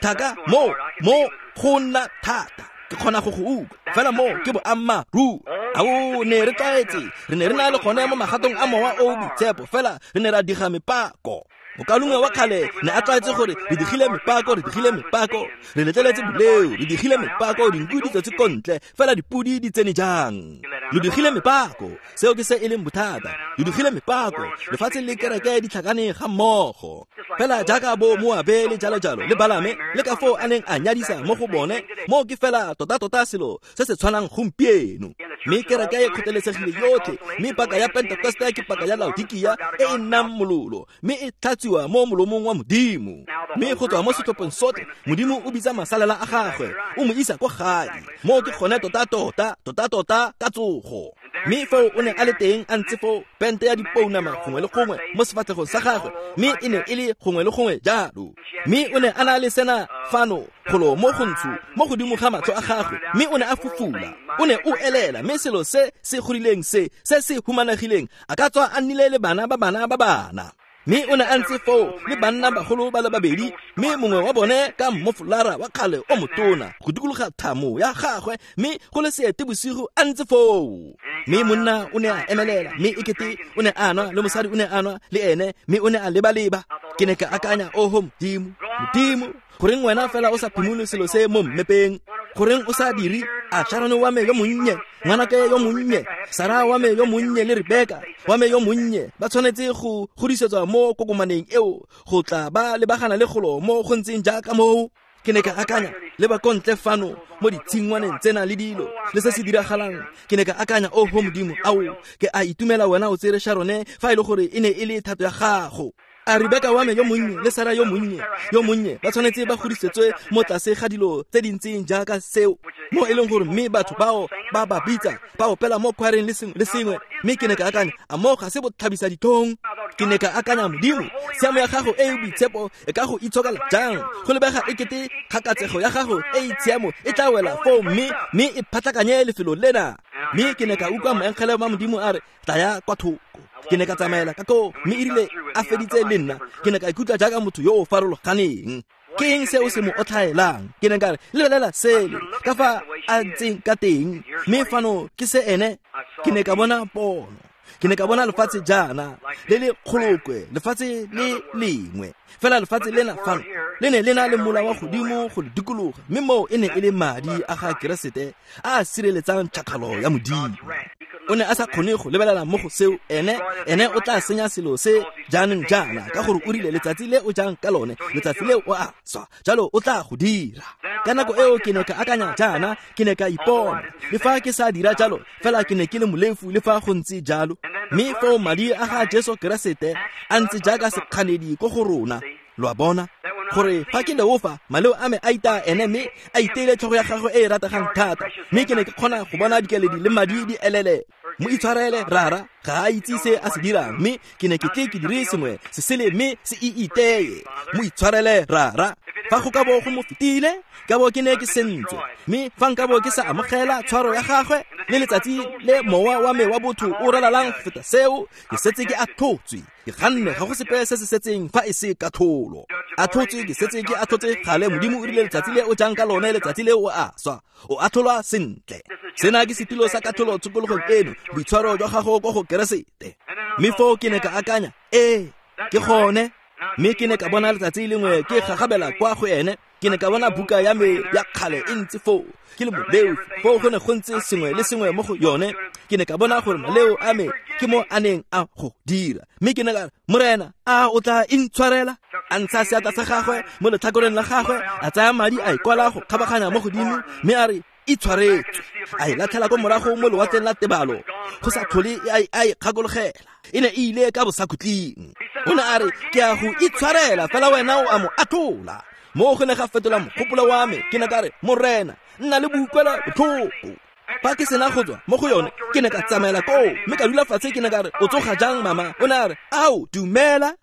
Thaka mo mo go nna thata, ke kgona go go utlwa, fela mo ke boammaaruri. Ao ne re tlwaetse, re ne re na le gone mo magatong a mowa o boitshepo, fela re ne ra diga mepako. Mokalungwe wa kgale ne a tlwaetse gore re digile mepako, re digile mepako, re letleletse boleo, re digile mepako, dinku di tswetse ko ntle, fela dipudi di tsene jang? Lo digile mepako, seo ke se e leng bothata. Lo digile mepako, lefatshe le kereke di tlhakane ga mmogo. Fela jaaka bo Moabe le jalo jalo le Balame le ka foo a neng a nyadisa mo go bone, mo ke fela tota-tota selo se se tshwanang gompieno. Mme kereke e kgotelesegile yotlhe, mme paka ya Pentekoste ke paka ya Laodikia e e nnang mololo, mme e tlhatsiwa mo molomong wa Modimo. Mme go tswa mo setlhopheng sotlhe, Modimo o bitsa masalela a gagwe, o mo isa kwa gae. Mo ke gone tota-tota, tota-tota ka tsogo. Mme foo o ne a le teng a ntse foo pente ya dipounama gongwe le gongwe mo sefatlhegong sa gagwe, mme e ne e le gongwe le gongwe jalo. Mme o ne a na le sena fano golo mo gontsho mo godimo ga matlho a gagwe, mme o ne a fufula, o ne o elela, mme selo se se godileng se se se humanegileng a ka tswa a nnile le bana ba bana ba bana. Mme o ne a ntse foo le banna bagolo ba le babedi, mme mongwe wa bone ka mmofolara wa kgale o motona go dikologa thamo ya gagwe, mme go le seete bosigo a ntse foo. Mme monna o ne a emelela, mme ekete o ne a nwa, le mosadi o ne a nwa le ene, mme o ne a leba-leba. Ke ne ka akanya, oho Modimo, Modimo, goreng wena fela o sa phimole selo se mo mmepeng? Goreng o sa dire a Sharon wa me yo monnye, ngwanake yo monnye, Sara wa me yo monnye le Rebeka wa me yo monnye ba tshwanetse go godisetswa mo kokomaneng eo go tla ba lebagana le golo mo go ntseng jaaka moo? Ke ne ka akanya, le ba kontle fano mo ditshingwaneng tsena le dilo le se se diragalang. Ke ne ka akanya, oho Modimo, ao ke a itumela wena o tsere Sharone fa e le gore e ne e le thato ya gago. A Rebeka wa me yo monnye le Sara yo monnye yo monnye ba tshwanetse ba godisetswe mo tlase ga dilo tse di ntseng jaaka seo, mo e leng gore mme batho bao ba ba bitsa ba opela mo khwareng le sengwe le sengwe. Mme ke ne ka akanya, a mo ga se botlhabisa ditlhong? Ke ne ka akanya, Modimo, tshiamo ya gago e e boitshepo e ka go itshokela jang? Go lebega ekete kgakatsego ya gago e e tshiamo e tla wela foo mme mme e phatlakanye lefelo lena. Mme ke ne ka utlwa moengele wa Modimo a re, tlaya kwa thoko. Ke ne ka tsamaela ka koo, mme erile a feditse le nna, ke ne ka ikutlwa jaaka motho yo o farologaneng. Ke eng se o se mo otlhaelang? Ke ne ka re, lebelela sele ka fa a ntseng ka teng, mme fano ke se ene. Ke ne ka bona pono, ke ne ka bona lefatshe jaana le le kgolokwe, lefatshe le lengwe fela. Lefatshe lena fano le ne le na le mola wa godimo go le dikologa, mme moo e ne e le madi a ga Keresete a a sireletsang tšhakgalo ya Modimo. O ne a sa kgone go lebelela mo go seo, ene ene o tla senya selo se jaanong jaana, ka gore o rile letsatsi le o jang ka lone, letsatsi le o a swa, jalo o tla go dira. Ka nako eo ke ne ka akanya jaana, ke ne ka ipona le fa ke sa dira jalo, fela ke ne ke le molefu le fa go ntse jalo. Mme foo madi a ga Jesu Keresete a ntse jaaka sekganedi ko go rona. Lo a bona gore fa ke leofa, maleo a me a itaya ene, mme a iteile tlhogo ya gagwe e e rategang thata. Mme ke ne ke kgona go bona dikeledi le madi di elele. Mo itshwarele rara, ga a itse se a se dirang, mme ke ne ke tle ke dire sengwe se sele mme se e iteye. Mo itshwarele rara, fa go ka bo go mo fetile, ka bo ke ne ke sentswe, mme fa nka bo ke sa amogela tshwaro ya gagwe le letsatsi le mowa wa me wa botho o ralalang go feta seo, ke setse ke atlhotswe, ke ganne, ga go sepe se se setseng fa e se katlholo. Atlhotswe, ke setse ke atlhotse gale. Modimo o rile letsatsi le o jang ka lone, letsatsi le o a swa, o atlholwa sentle. Sena ke setilo sa katlholo tshokologong eno, boitshwaro jwa gago ko go Keresete. Mme foo ke ne ka akanya, ee, ke gone. Mme ke ne ka bona letsatsi lengwe ke gagabela kwa go ene, ke ne ka bona buka ya me ya kgale e ntse foo, ke le moleofi, foo go ne go ntse sengwe le sengwe mo go yone. Ke ne ka bona gore maleo a me ke mo a neng a go dira, mme ke ne ka re, Morena, a o tla intshwarela? A ntsha seatla sa gagwe mo letlhakoreng la gagwe, a tsaya madi a ikwala go kgabaganya mo godimo, mme a re, itshwaretswe. A e latlhela ko morago mo lewatleng la tebalo, go sa tlhole a e kgakologela, e ne e ile ka bosakhutleng. O ne a re, ke a go itshwarela, fela wena o a mo atlola. Mo go ne ga fetola mogopolo wa me. Ke ne ka re, Morena, nna le boutlwela botlhoko. Fa ke sena go tswa mo go yone, ke ne ka tsamaela koo, mme ka dula fatshe. Ke ne ka re, o tsoga jang mama? O ne a re, ao, dumela.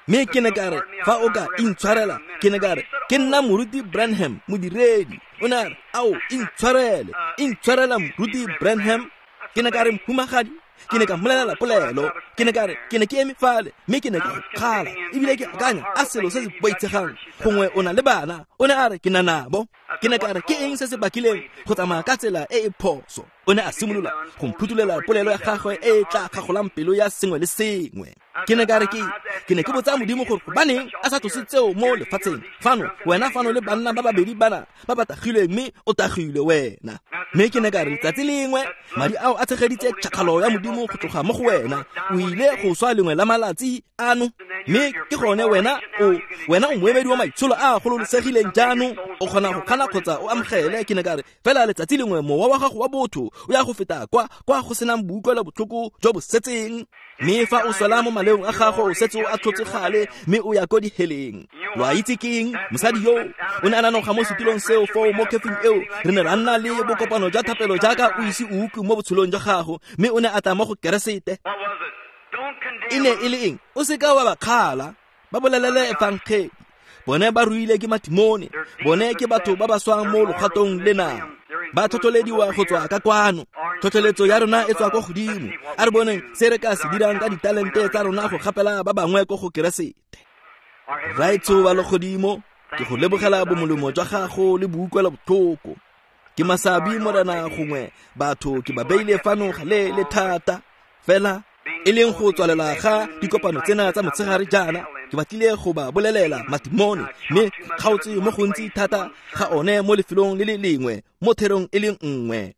Mme ke ne ka re, fa o ka intshwarela, ke ne ka re, ke nna Moruti Branham, modiredi. O ne a re, ao, intshwarele, intshwarela Moruti Branham. Ke ne ka re, mohumagadi, ke ne ka mmolelela polelo. Ke ne ka re, ke ne ke eme fale, mme ke ne ke go kgala, ebile ke akanya a selo se se boitshegang, gongwe o na le bana. O ne a re, ke na nabo. Ke ne ka re, ke eng se se bakileng go tsamaya ka tsela e e phoso? O ne a simolola go mphutulela polelo ya gagwe e e tla kgagolang pelo ya sengwe le sengwe. Ke ne ka re, ke ke ne ke botsa Modimo gore gobaneng a sa tlose tseo mo lefatsheng fano, wena fano le banna ba babedi bana ba ba tagilweng, mme o tagilwe wena. Mme ke ne ka re, letsatsi lengwe madi ao a tshegeditse tšhakgalo ya Modimo go tloga mo go wena, o ile go swa lengwe la malatsi ano. Mme ke gone wena o wena o moemedi wa maitsholo a a gololosegileng jaanong o kgona go kgana kgotsa o amogele. Ke ne ka re fela letsatsi lengwe mowa wa gago wa botho o ya go feta kwa kwa go senang boutlwelo botlhoko jo bo setseng. Mme fa o swela mo maleong a gago o setse o atlhotse gale mme o ya ko diheleng. Lo a itse ke eng? Mosadi yo o ne a nanoga mo setulong seo foo mo kefing eo. Re ne ra nna le bokopano jwa thapelo jaaka o ise o utlwe mo botshelong jwa gago, mme o ne a tla mo go Keresete. E ne e le eng? O seka wa ba kgala, ba bolelele efangeli. Bone ba ruile ke matimone, bone ke batho ba ba swang mo logatong lena. Ba tlhotlhelediwa go tswa ka kwano. Tlhotlheletso ya rona e tswa ko godimo. A re boneng se re ka se dirang ka ditalente tsa rona go gapela ba bangwe ko go Keresete. Raetsho wa legodimo, ke go lebogela bomolemo jwa gago le boutlwelo botlhoko. Ke masabi Morena gongwe batho ke ba beile fano gale le thata. Fela e leng go tswalela ga dikopano tsena tsa motshegare jaana, ke batlile go ba bolelela matimone, mme kgaotse mo gontsi thata ga one mo lefelong le le lengwe mo therong e le nngwe.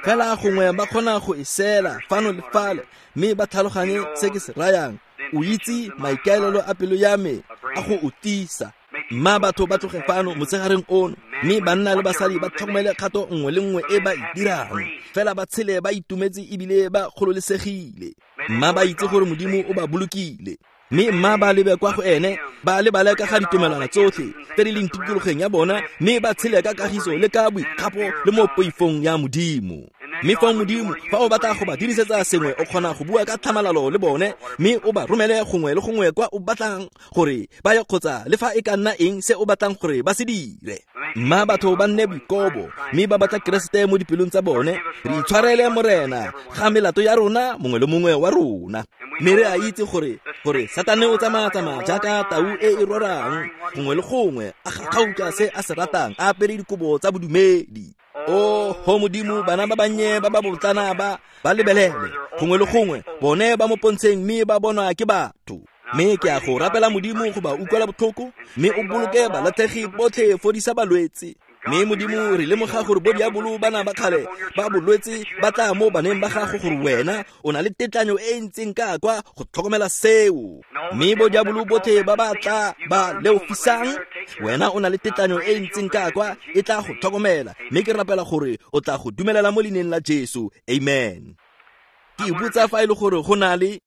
Fela gongwe ba kgona go e sela fano le fale, mme ba tlhaloganye se ke se rayang. O itse maikaelelo a pelo ya me a go o tiisa. Mma batho ba tloge fano motshegareng ono, mme banna le basadi ba tlhokomele kgato nngwe le nngwe e ba e dirang, fela ba tshele ba itumetse ebile ba gololesegile. Mma ba itse gore Modimo o ba bolokile, mme mma ba lebe kwa go ene, ba lebale ka ga ditumelwana tsotlhe tse di leng tikologeng ya bona, mme ba tshele ka kagiso le ka boikgapo le mo poifong ya Modimo. Mme fa Modimo fa o batla go ba dirisetsa sengwe, o kgona go bua ka tlhamalalo le bone, mme o ba romele gongwe le gongwe kwa o batlang gore ba ye, kgotsa le fa e ka nna eng se o batlang gore ba se dire. Mma batho ba nne boikobo, mme ba batla Keresete mo dipelong tsa bone. Re itshwarele Morena ga melato ya rona mongwe le mongwe wa rona. Mme re a itse gore gore Satane o tsamaya-tsamaya jaaka tau e e rorang gongwe le gongwe, a gakgauka se a se ratang, a apere dikobo tsa bodumedi. O ho Modimo, bana ba bannye ba ba botlana ba ba lebelele gongwe le gongwe, bone ba mo pontsheng mme ba bonwa ke batho. Mme ke a go rapela Modimo go ba utlwela botlhoko, mme o boloke balatlhegi botlhe, fodisa balwetse. Mme Modimo, re lemoga gore bo diabolo bana ba kgale ba bolwetse ba tla mo baneng ba gago, gore wena o na le tetlanyo e ntseng ka kwa go tlhokomela seo. Mme bo diabolo botlhe ba ba tla ba leofisang, wena o na le tetlanyo e ntseng ka kwa e tla go tlhokomela. Mme ke rapela gore o tla go dumelela mo leineng la Jesu. Amen. Ke ipotsa fa e le gore go na le